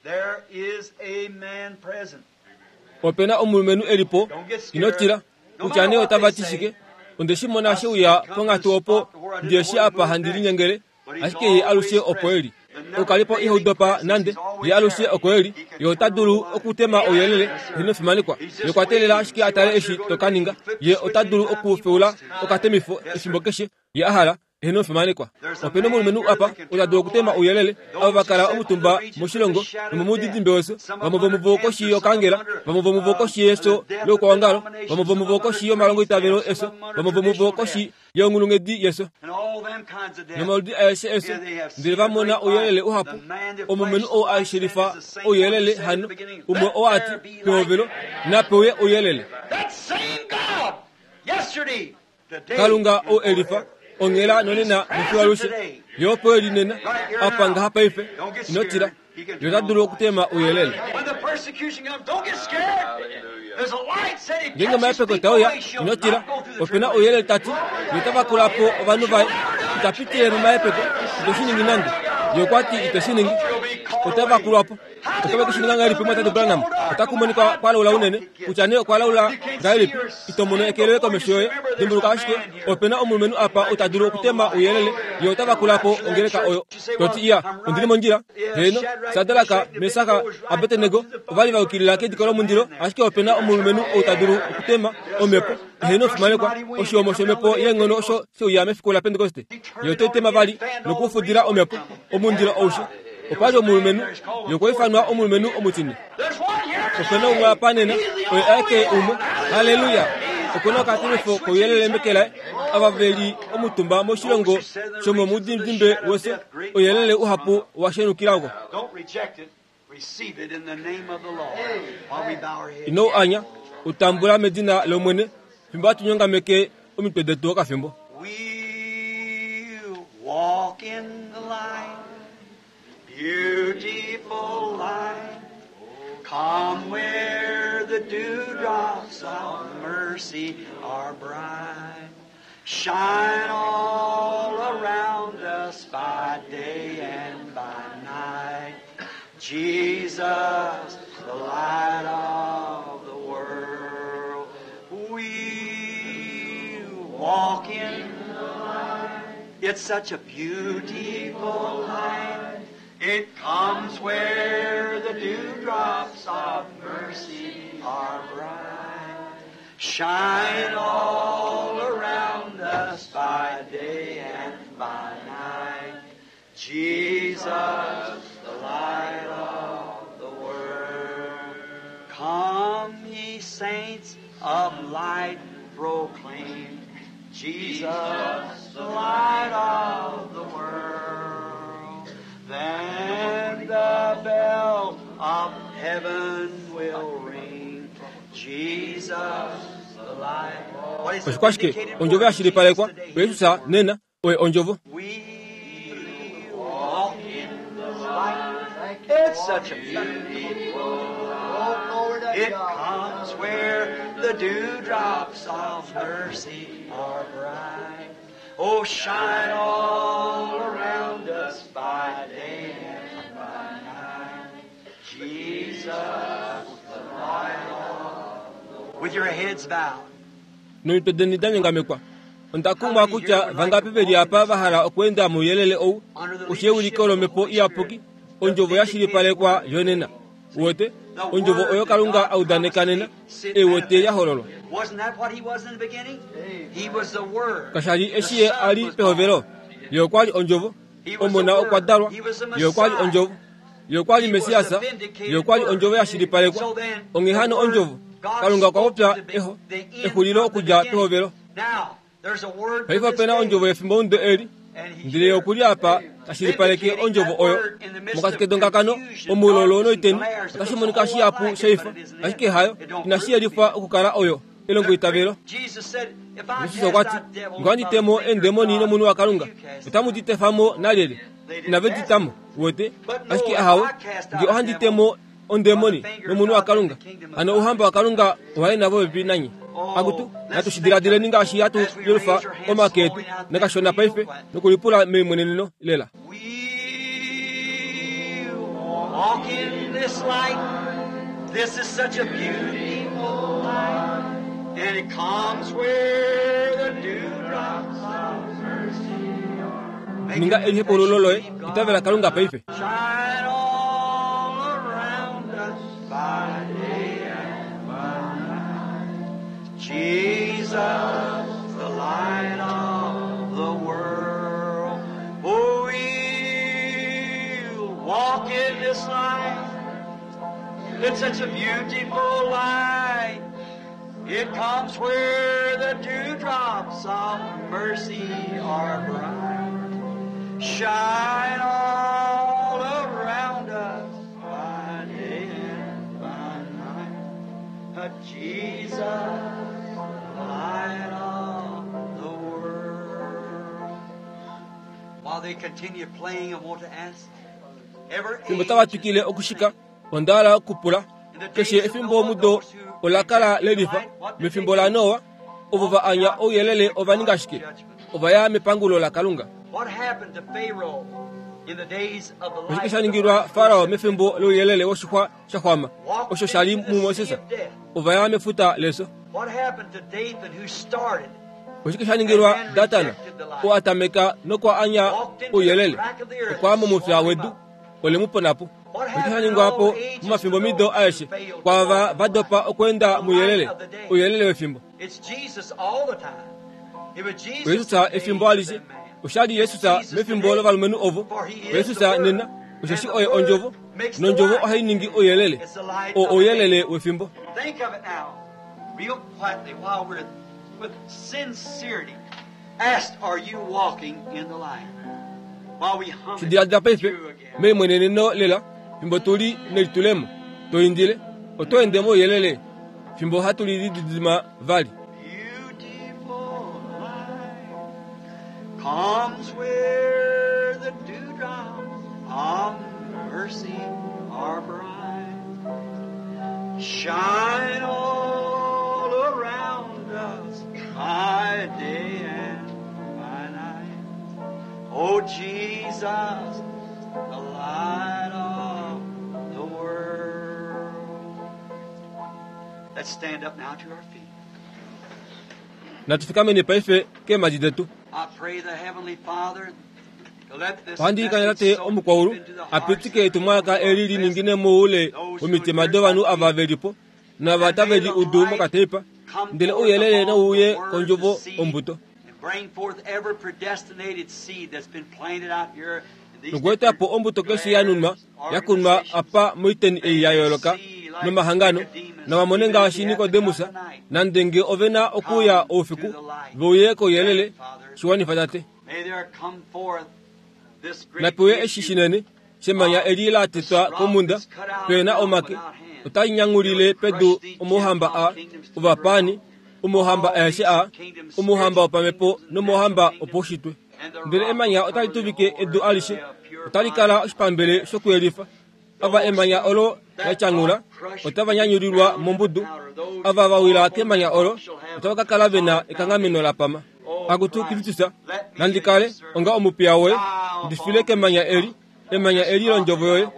Ope na omulumenhu e li po, ino tila, kutya nee otava ti shike, Onde shi mona she uya ponghatu opo ndiye shi apa handi linyengele, ashike ye alushe opo eli. Okalipo ihaudopa nande, ye alushe oko eli. Ye ota dulu okutema ouyelele, inofimanekwa. Ye okwa teelela ashike a tale eshi to ka ninga. Ye ota dulu okufeula okatemifo efimbo keshe ye a hala, inofimanekwa. Opena omulumenhu apa ota dulu okutema ouyelele, ava va kala omutumba moshilongo nomomudidimbe weso, vamwe vomuvo koshi yokangela, vamwe vomuvo koshi yeso loukwaongalo, vamwe vomuvo koshi yomalongoitavelo eso, vamwe vomuvo koshi yonghulunghedi yeso, nomaludi aeshe eso, ndele va mona ouyelele uhapu. Omulumenhu ou a shelifa ouyelele hano, umwe oo a ti pehovelo, napewe ouyelele. Kalunga ou elifa onghela nonena nofiwalushe, ye opo eli nena, apa ngaha paife, ino tila, ye ota dulu okutema ouyelele. Ngeenge omahepeko tauya, ino tila, opena ouyelele tati, ye ota vakula po ovanhu vaye, ita pitile momahepeko, ite shi ningi nande. Ye okwa ti ite shi ningi, ota vakulwa po. Otave ku shi ninga ngahelipi Mwatate Branham? Otaku monika kwa laula unene, kutya nee okwa laula ngahelipi, ito mono eke loye komesho yoye. Dimbuluka ashike, opena omulumenhu apa ota dulu okutema ouyelele, ye ota vakula po ongeleka oyo. Toti iya, ondili mondjila. Heeno, Sadraka, Mesaka, Abednego ova li va yukilila kediko lomundilo, ashike opena omulumenhu ou ta dulu okutema omhepo. Heeno, fimanekwa, oshihomo shomhepo yeenghono osho sheuya mefiku laPentekoste. Ye ote tema vali nokufudila omhepo omundilo aushe. Opa li omulumenhu, ye okwa ifanwa omulumenhu omutine. Opena umwe apa nena, oye aeke umwe. Haleluya! Okuna okatemifo kouyelele meke laye, ava ve li omutumba moshilongo shomomudidimbe weso, ouyelele uhapu wa shenukila ko. Ino u anya, u tambula medina lOmwene, fimbo hatu nyongameke omitwe detu okafimbo. We walk in the light, beautiful light. Come where the dewdrops of mercy are bright. Shine all around us by day and by night. Jesus, the light of the world. We walk in the light. It's such a beautiful light. It comes where the dewdrops of mercy are bright. Shine all around us by day and by night. Jesus, the light of the world. Come, ye saints of light, proclaim Jesus, the light of the world. Then the bell of heaven will ring. Jesus, the light. What is Oshikwashike, ondjovo ya shilipalekwa, Jesus nena, oye ondjovo. We walk in the light. It's such a beautiful light. It comes where the dewdrops of mercy are bright. Oh, shine all around us by day and by night. Jesus, the light of the world. With your heads bowed. Nomitwe deni da nyongamekwa. Onda kumwa kutya vangapi veli apa va hala okweenda mouyelele ou, oshieuliko lomhepo iyapuki, ondjovo ya shilipalekwa yonena. Uwete, ondjovo oyo Kalunga a udaneka nena, eiwete ya hololwa. Wasn't that what he was in the beginning? He was the Word. Kasha li eshi ye a li pehovelo, ye okwa li ondjovo, omona okwa dalwa, ye okwa li ondjovo, ye okwa li Mesiasa, ye okwa li ondjovo ya shilipalekwa. Onghee hano ondjovo, Kalunga okwa popya eho, exulilo okudja pehovelo. Now, there's a word for Paife this opena day. ondjovo yefimbo mudo eli, ndele ye okuli apa tashilipaleke ondjovo oyo. Mokati kedongakano, omuulolo noiteni, otashi monika shihapu sheifa, ashike hayo, inashi yelifwa okukala oyo elongo itavelo. Jesus said, if I Jesus okwa ti, cast out devils ngee ohandi by temo the finger of eendemoni God, nomunhu waKalunga, you cast otamu di tefa mo nalyelye? Inave di tamo, uwete? Ashike ahawe, ngee ohandi temo ondemoni nomunhu waKalunga, hano ouhamba waKalunga owa ena popepi nanye. Akutu, natu shi diladileni ngaashi hatu yelufa omake etu nakashona paife nokulipula meimweneneno lela. We walk in this light. This is such a beautiful light. And it comes where the the dewdrops of mercy are. Ninga elihepaululo loye, itavela Kalunga paife. Shine all around us by day and by night. Jesus, the light of the world. Oh, we'll walk in this light. It's such a beautiful light. It comes where the dewdrops of mercy are bright. Shine all around us by day and by night. Jesus, the light of the world. While they continue playing, I want to ask every Fimbo tava twikile okushika, onda hala okupula keshe efimbo omudo ola kala lelifa. Mefimbo laNoa, ovo va anya ouyelele ova ninga shike? Ova ya mepangulo laKalunga. What happened to Pharaoh in the days of the Oshike light sha ningilwa Farao mefimbo louyelele woshixwa sha xwama osho sha li muMoses? Ova ya mefuta leso. What happened to Dathan who started Oshike sha ningilwa Datana oo a tameka nokwa anya ouyelele okwa momufya wedu ole mu ponapo? Oshike sha ningwapo momafimbo mido aeshe kwaava va dopa okweenda mouyelele, ouyelele wefimbo? It's Jesus all the time. It was Jesus Jesus in the efimbo days alishe of that man. oshali Jesus mefimbo lovalumenhu ovo. Jesus nena osheshi oye ondjovo, nondjovo ohai ningi ouyelele, oo ouyelele wefimbo. Think of it now, real quietly, while we're with sincerity asked, are you walking in the light? While we hum it Shidiladila paife through again. meimweneneno lela fimbo tuli nelitulemo toindile oto ende mouyelele fimbo hatu lididima vali. Beautiful light comes where the dewdrops of mercy are bright. Shine all around us by day and by night. Oh Jesus, the light of the world. Let's stand up now to our feet. Natufikameni paife keemadi detu. I pray the Heavenly Father to let this Ohandi ikana message tate so omukwaulu deep into the hearts apitike etumwalaka eli liningine moule womitima dovanhu ava velipo nava tave li udu mokateipa, ndele ouyelele nouye kondjovo ombuto and bring forth every predestinated seed that's been planted out here in these nokuetapo ombuto keshe ya nunwa ya kunwa apa moiteni ei ya yooloka nomahangano, navamone ngaashi Nikodemus nande nge ove na okuuya oufiku veuye kouyelele. Shiwanifa tate. May there come forth this great Napewe eshi issue shinene shemanya eli la tetwa komunda pena omake otai nyangulile pedu omohamba a ovapani, omohamba aeshe a omohamba wopamepo nomohamba opoushitwe, ndele emanya otali tuvike edu alishe, otali kala oshipambele shokuyelifa. Ava emanya olo la tyangula otava nyanyulilwa mombudu, ava va wila kemanya olo otava ka kala vena ekanghameno la pama. Akutu Kristus, nandi kale onga omupiya woye, ndifile kemanya eli, emanya eli londjovo yoye.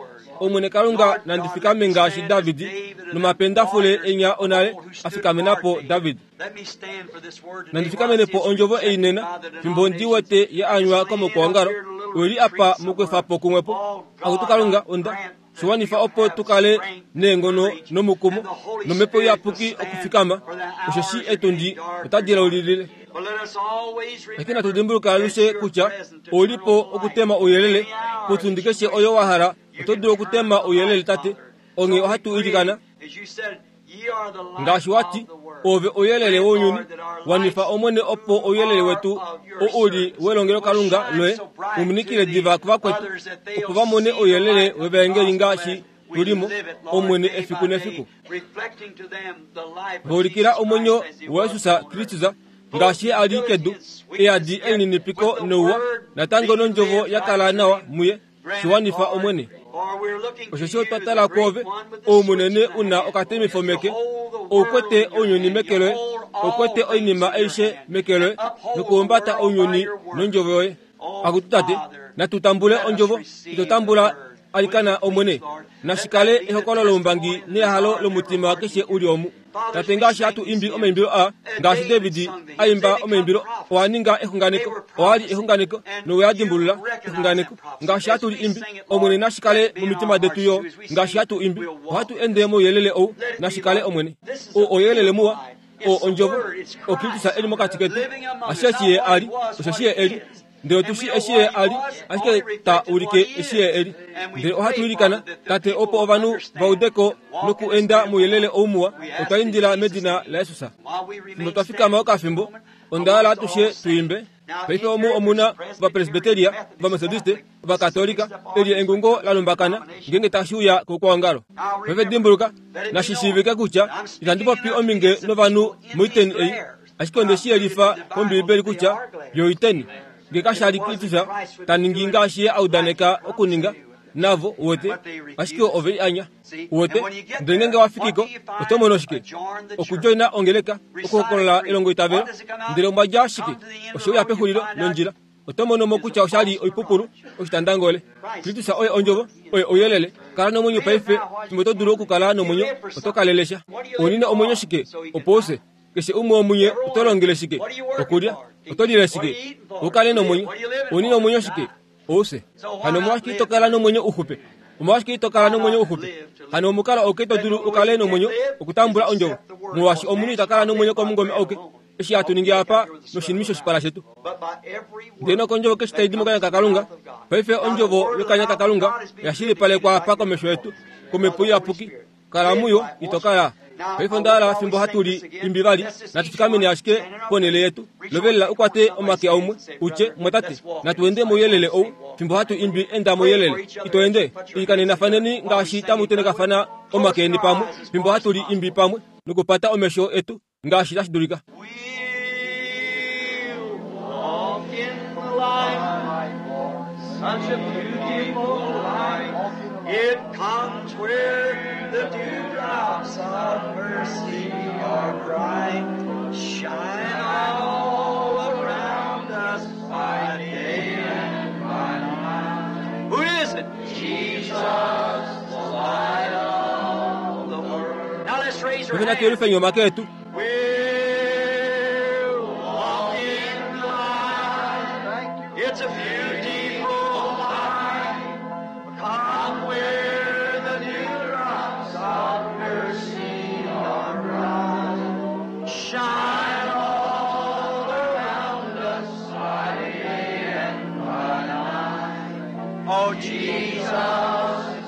Omwene Kalunga, nandi fikame ngaashi Davidi nomapendafule enya onale a fikamenapo David. Let me stand for this word today. Nandi fikamenepo ondjovo ei nena fimbo ndi wete ya anywa komokwoongalo oili apa mokwefapo kumwepo. Akutu Kalunga, onda shiwanifa opo tukale neengono nomukumo nomhepo iyapuki okufikama, osheshi etundi otadi laulilile. But let us always Lakini natudimbuluka alushe kutya oulipo okutema ouyelele potundi keshe oyo wa hala oto dulu okutema ouyelele tate. Onghee ohatu ilikana As you said, ye are the light ngaashi wati of the world. ove ouyelele wounyuni, wanifa omwene opo ouyelele wetu oo uli welongelokalunga loye umunikile diva kuvakwetu opo va mone ouyelele wevaengeli ngaashi tulimo omwene efiku nefiku. Vaulikila omwenyo waJesus Kristus ngaashi a li kedu eyadi elininipiko nouwa natango nondjovo ya kala nawa muye. Shiwanifa omwene. Osheshi otwa tala kwoove oumunene una okatemifo meke, oukwete ounyuni meke loye, oukwete oinima aishe meke loye, nokuhumbata ounyuni nondjovo yoye. Akutu tate, natu tambule ondjovo, ito tambula alikana omwene, nashikale ehokolo loumbangi nehalo lomutima keshe uli omu. Tate ngaashi hatu imbi omaimbilo a ngaashi David a imba omaimbilo owa ninga exunganeko owa li exunganeko nowe dimbulula exunganeko ngaashi hatu li imbi Omwene nashikale momitima detu yo ngaashi hatu imbi ohatu ende mouyelele ou nashikale Omwene o ouyelele muwa o ondjovo o Kristus eli mokati ketu asheshi ye ali osheshi ye eli ndele otushi eshi ye ali ashike ta ulike eshi ye eli ndele ohatu ilikana Tate opo ovanhu va udeko noku enda mouyelele ou muwa otwa indila medina la Jesus. Fimbo twa fikama okafimbo onda hala atushe tuimbe. Paife omu omuna ovapresbiteria, ovametodiste, ovakatolika eli engungo la lumbakana ngenge tashi uya koukwaongalo. Paife dimbuluka nashishiivike kutya itandi popi ominge novanhu moiteni ei ashike onde shi yelifa mOmbiibeli kutya yo oiteni nge kashali Kristus ta ningi ngaashi ye a udaneka okuninga navo uwete ashike ove i anya uwete. Ndele ngenge wa fikiko oto mono shike? Okudjoina ongeleka okuhokolola elongo itavelo ndele omwa dja shike? Osho pexulilo londjila oto mono mo kutya oshali oipupulu oshitandangole. Kristus oye ondjovo oye ouyelele. Kala nomwenyo paife fimbo to dulu okukala nomwenyo oto kalelesha. Onina omwenyo shike? Opo use keshe umwe womunye oto longele shike? Okulya oto lile shike? Ukale nomwenyo. Onina omwenyo shike? Ouse. Hano omolwashike ito kala nomwenyo uxupe? Omolwashike ito kala nomwenyo uxupe? Hano omukalo ouke to dulu ukale nomwenyo okutambula ondjovo molwaashi omunhu ita kala nomwenyo komungome ouke eshi hatu ningi apa noshinima shoshipala shetu. Ndele nokondjovo keshe tai di mokanya kaKalunga. Paife ondjovo yokanya kaKalunga yashilipalekwa apa komesho yetu komhepo iyapuki. Kala muyo ito kala. Paife onda hala fimbo hatu li imbi vali natu fikameni ashike ponele yetu. Lovelela ukwate omake aumwe utye mwatate natu ende mouyelele ou fimbo hatu imbi enda mouyelele ito ende ikanenafaneni ngaashi tamu tenekafana omake eni pamwe fimbo hatu li imbi pamwe nokupata omesho etu ngaashi tashi dulika. Such a beautiful light, it comes where the dewdrops of mercy are bright, shine all around us by day and by night. Who is it? Jesus, the light of the world. Now let's raise our hands. We'll walk in the light. It's a beautiful light. Come where the dewdrops of mercy are bright. Shine all around us by day and by night. Oh, Jesus,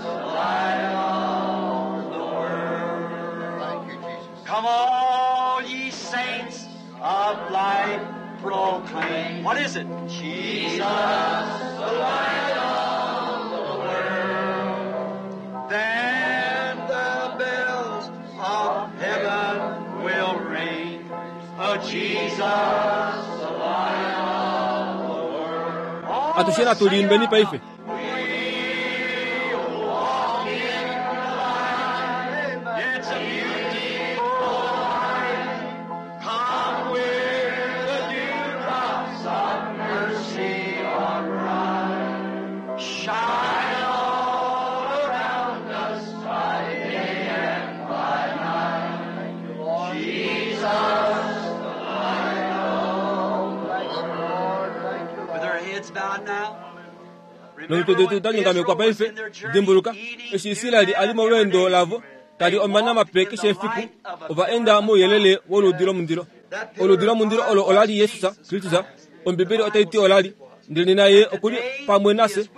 the light of the world. Thank you, Jesus. Come all ye saints of light, proclaim. What is it? Jesus, the light of the world. Then the bells of heaven will ring. Oh, Jesus, the light of the world. Atushe natu liimbeni paife. We walk in the light. It's a beautiful light. Come where the dewdrops of mercy are bright. Shine all around us by day and by night. Jesus, the light of the world. With our heads bowed now. Nomitwe detu da nyongamekwa paife dimbuluka eshi Israeli ali molweendo lavo tali omana mape keshe efiku ova enda mouyelele woludi lomundilo. Oludi lomundilo olo olali Jesus Kristus. Ombibeli otai ti olali ndele naye okuli pamwe nase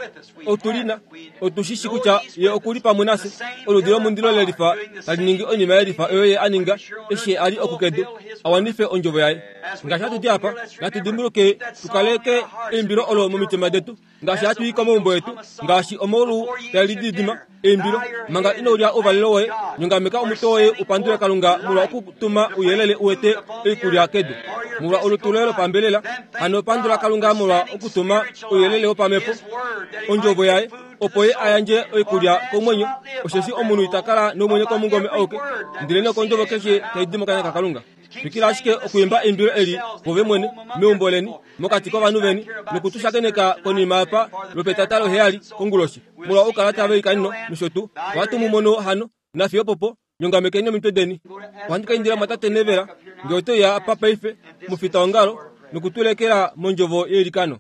otulina otushishi kutya ye okuli pamwe nase. Oludi lomundilo lelifa tali ningi oinima yelifa oyo ye aninga eshi ali okukedu awanife ondjovo yaye. Ngaashi hatu ti apa natu dimbuluke tukaleke eimbilo olo momitima detu ngaashi hatu i komaumbo etu ngaashi omaulu tali didima eimbilo manga ino lya ouvalelo woye nyongameka omutwe woye upandule Kalunga molwa okutuma ouyelele uwete oikulya kedu molwa olutu loye lopambelela. Hano pandula Kalunga molwa okutuma ouyelele wopamhepo ondjovo yaye opo ye ayandje oikulya komwenyo osheshi omunhu ita kala nomwenyo komungome auke ndele nokondjovo keshe tai di mokanya kaKalunga. Twikila ashike okuimba eimbilo eli vove mwene meumbo leni mokati kovanhu veni nokutushakeneka konima apa lwopetata loheyali konguloshi molwa okukala tava ikanino nosho tuu. Ohatu mu mono hano nafiyo popo Nyongamekeni omitwe deni. Ohandi ka indila mwatate Nevela ngee ote uya apa paife mufitaongalo nokutulekela mondjovo yeilikano.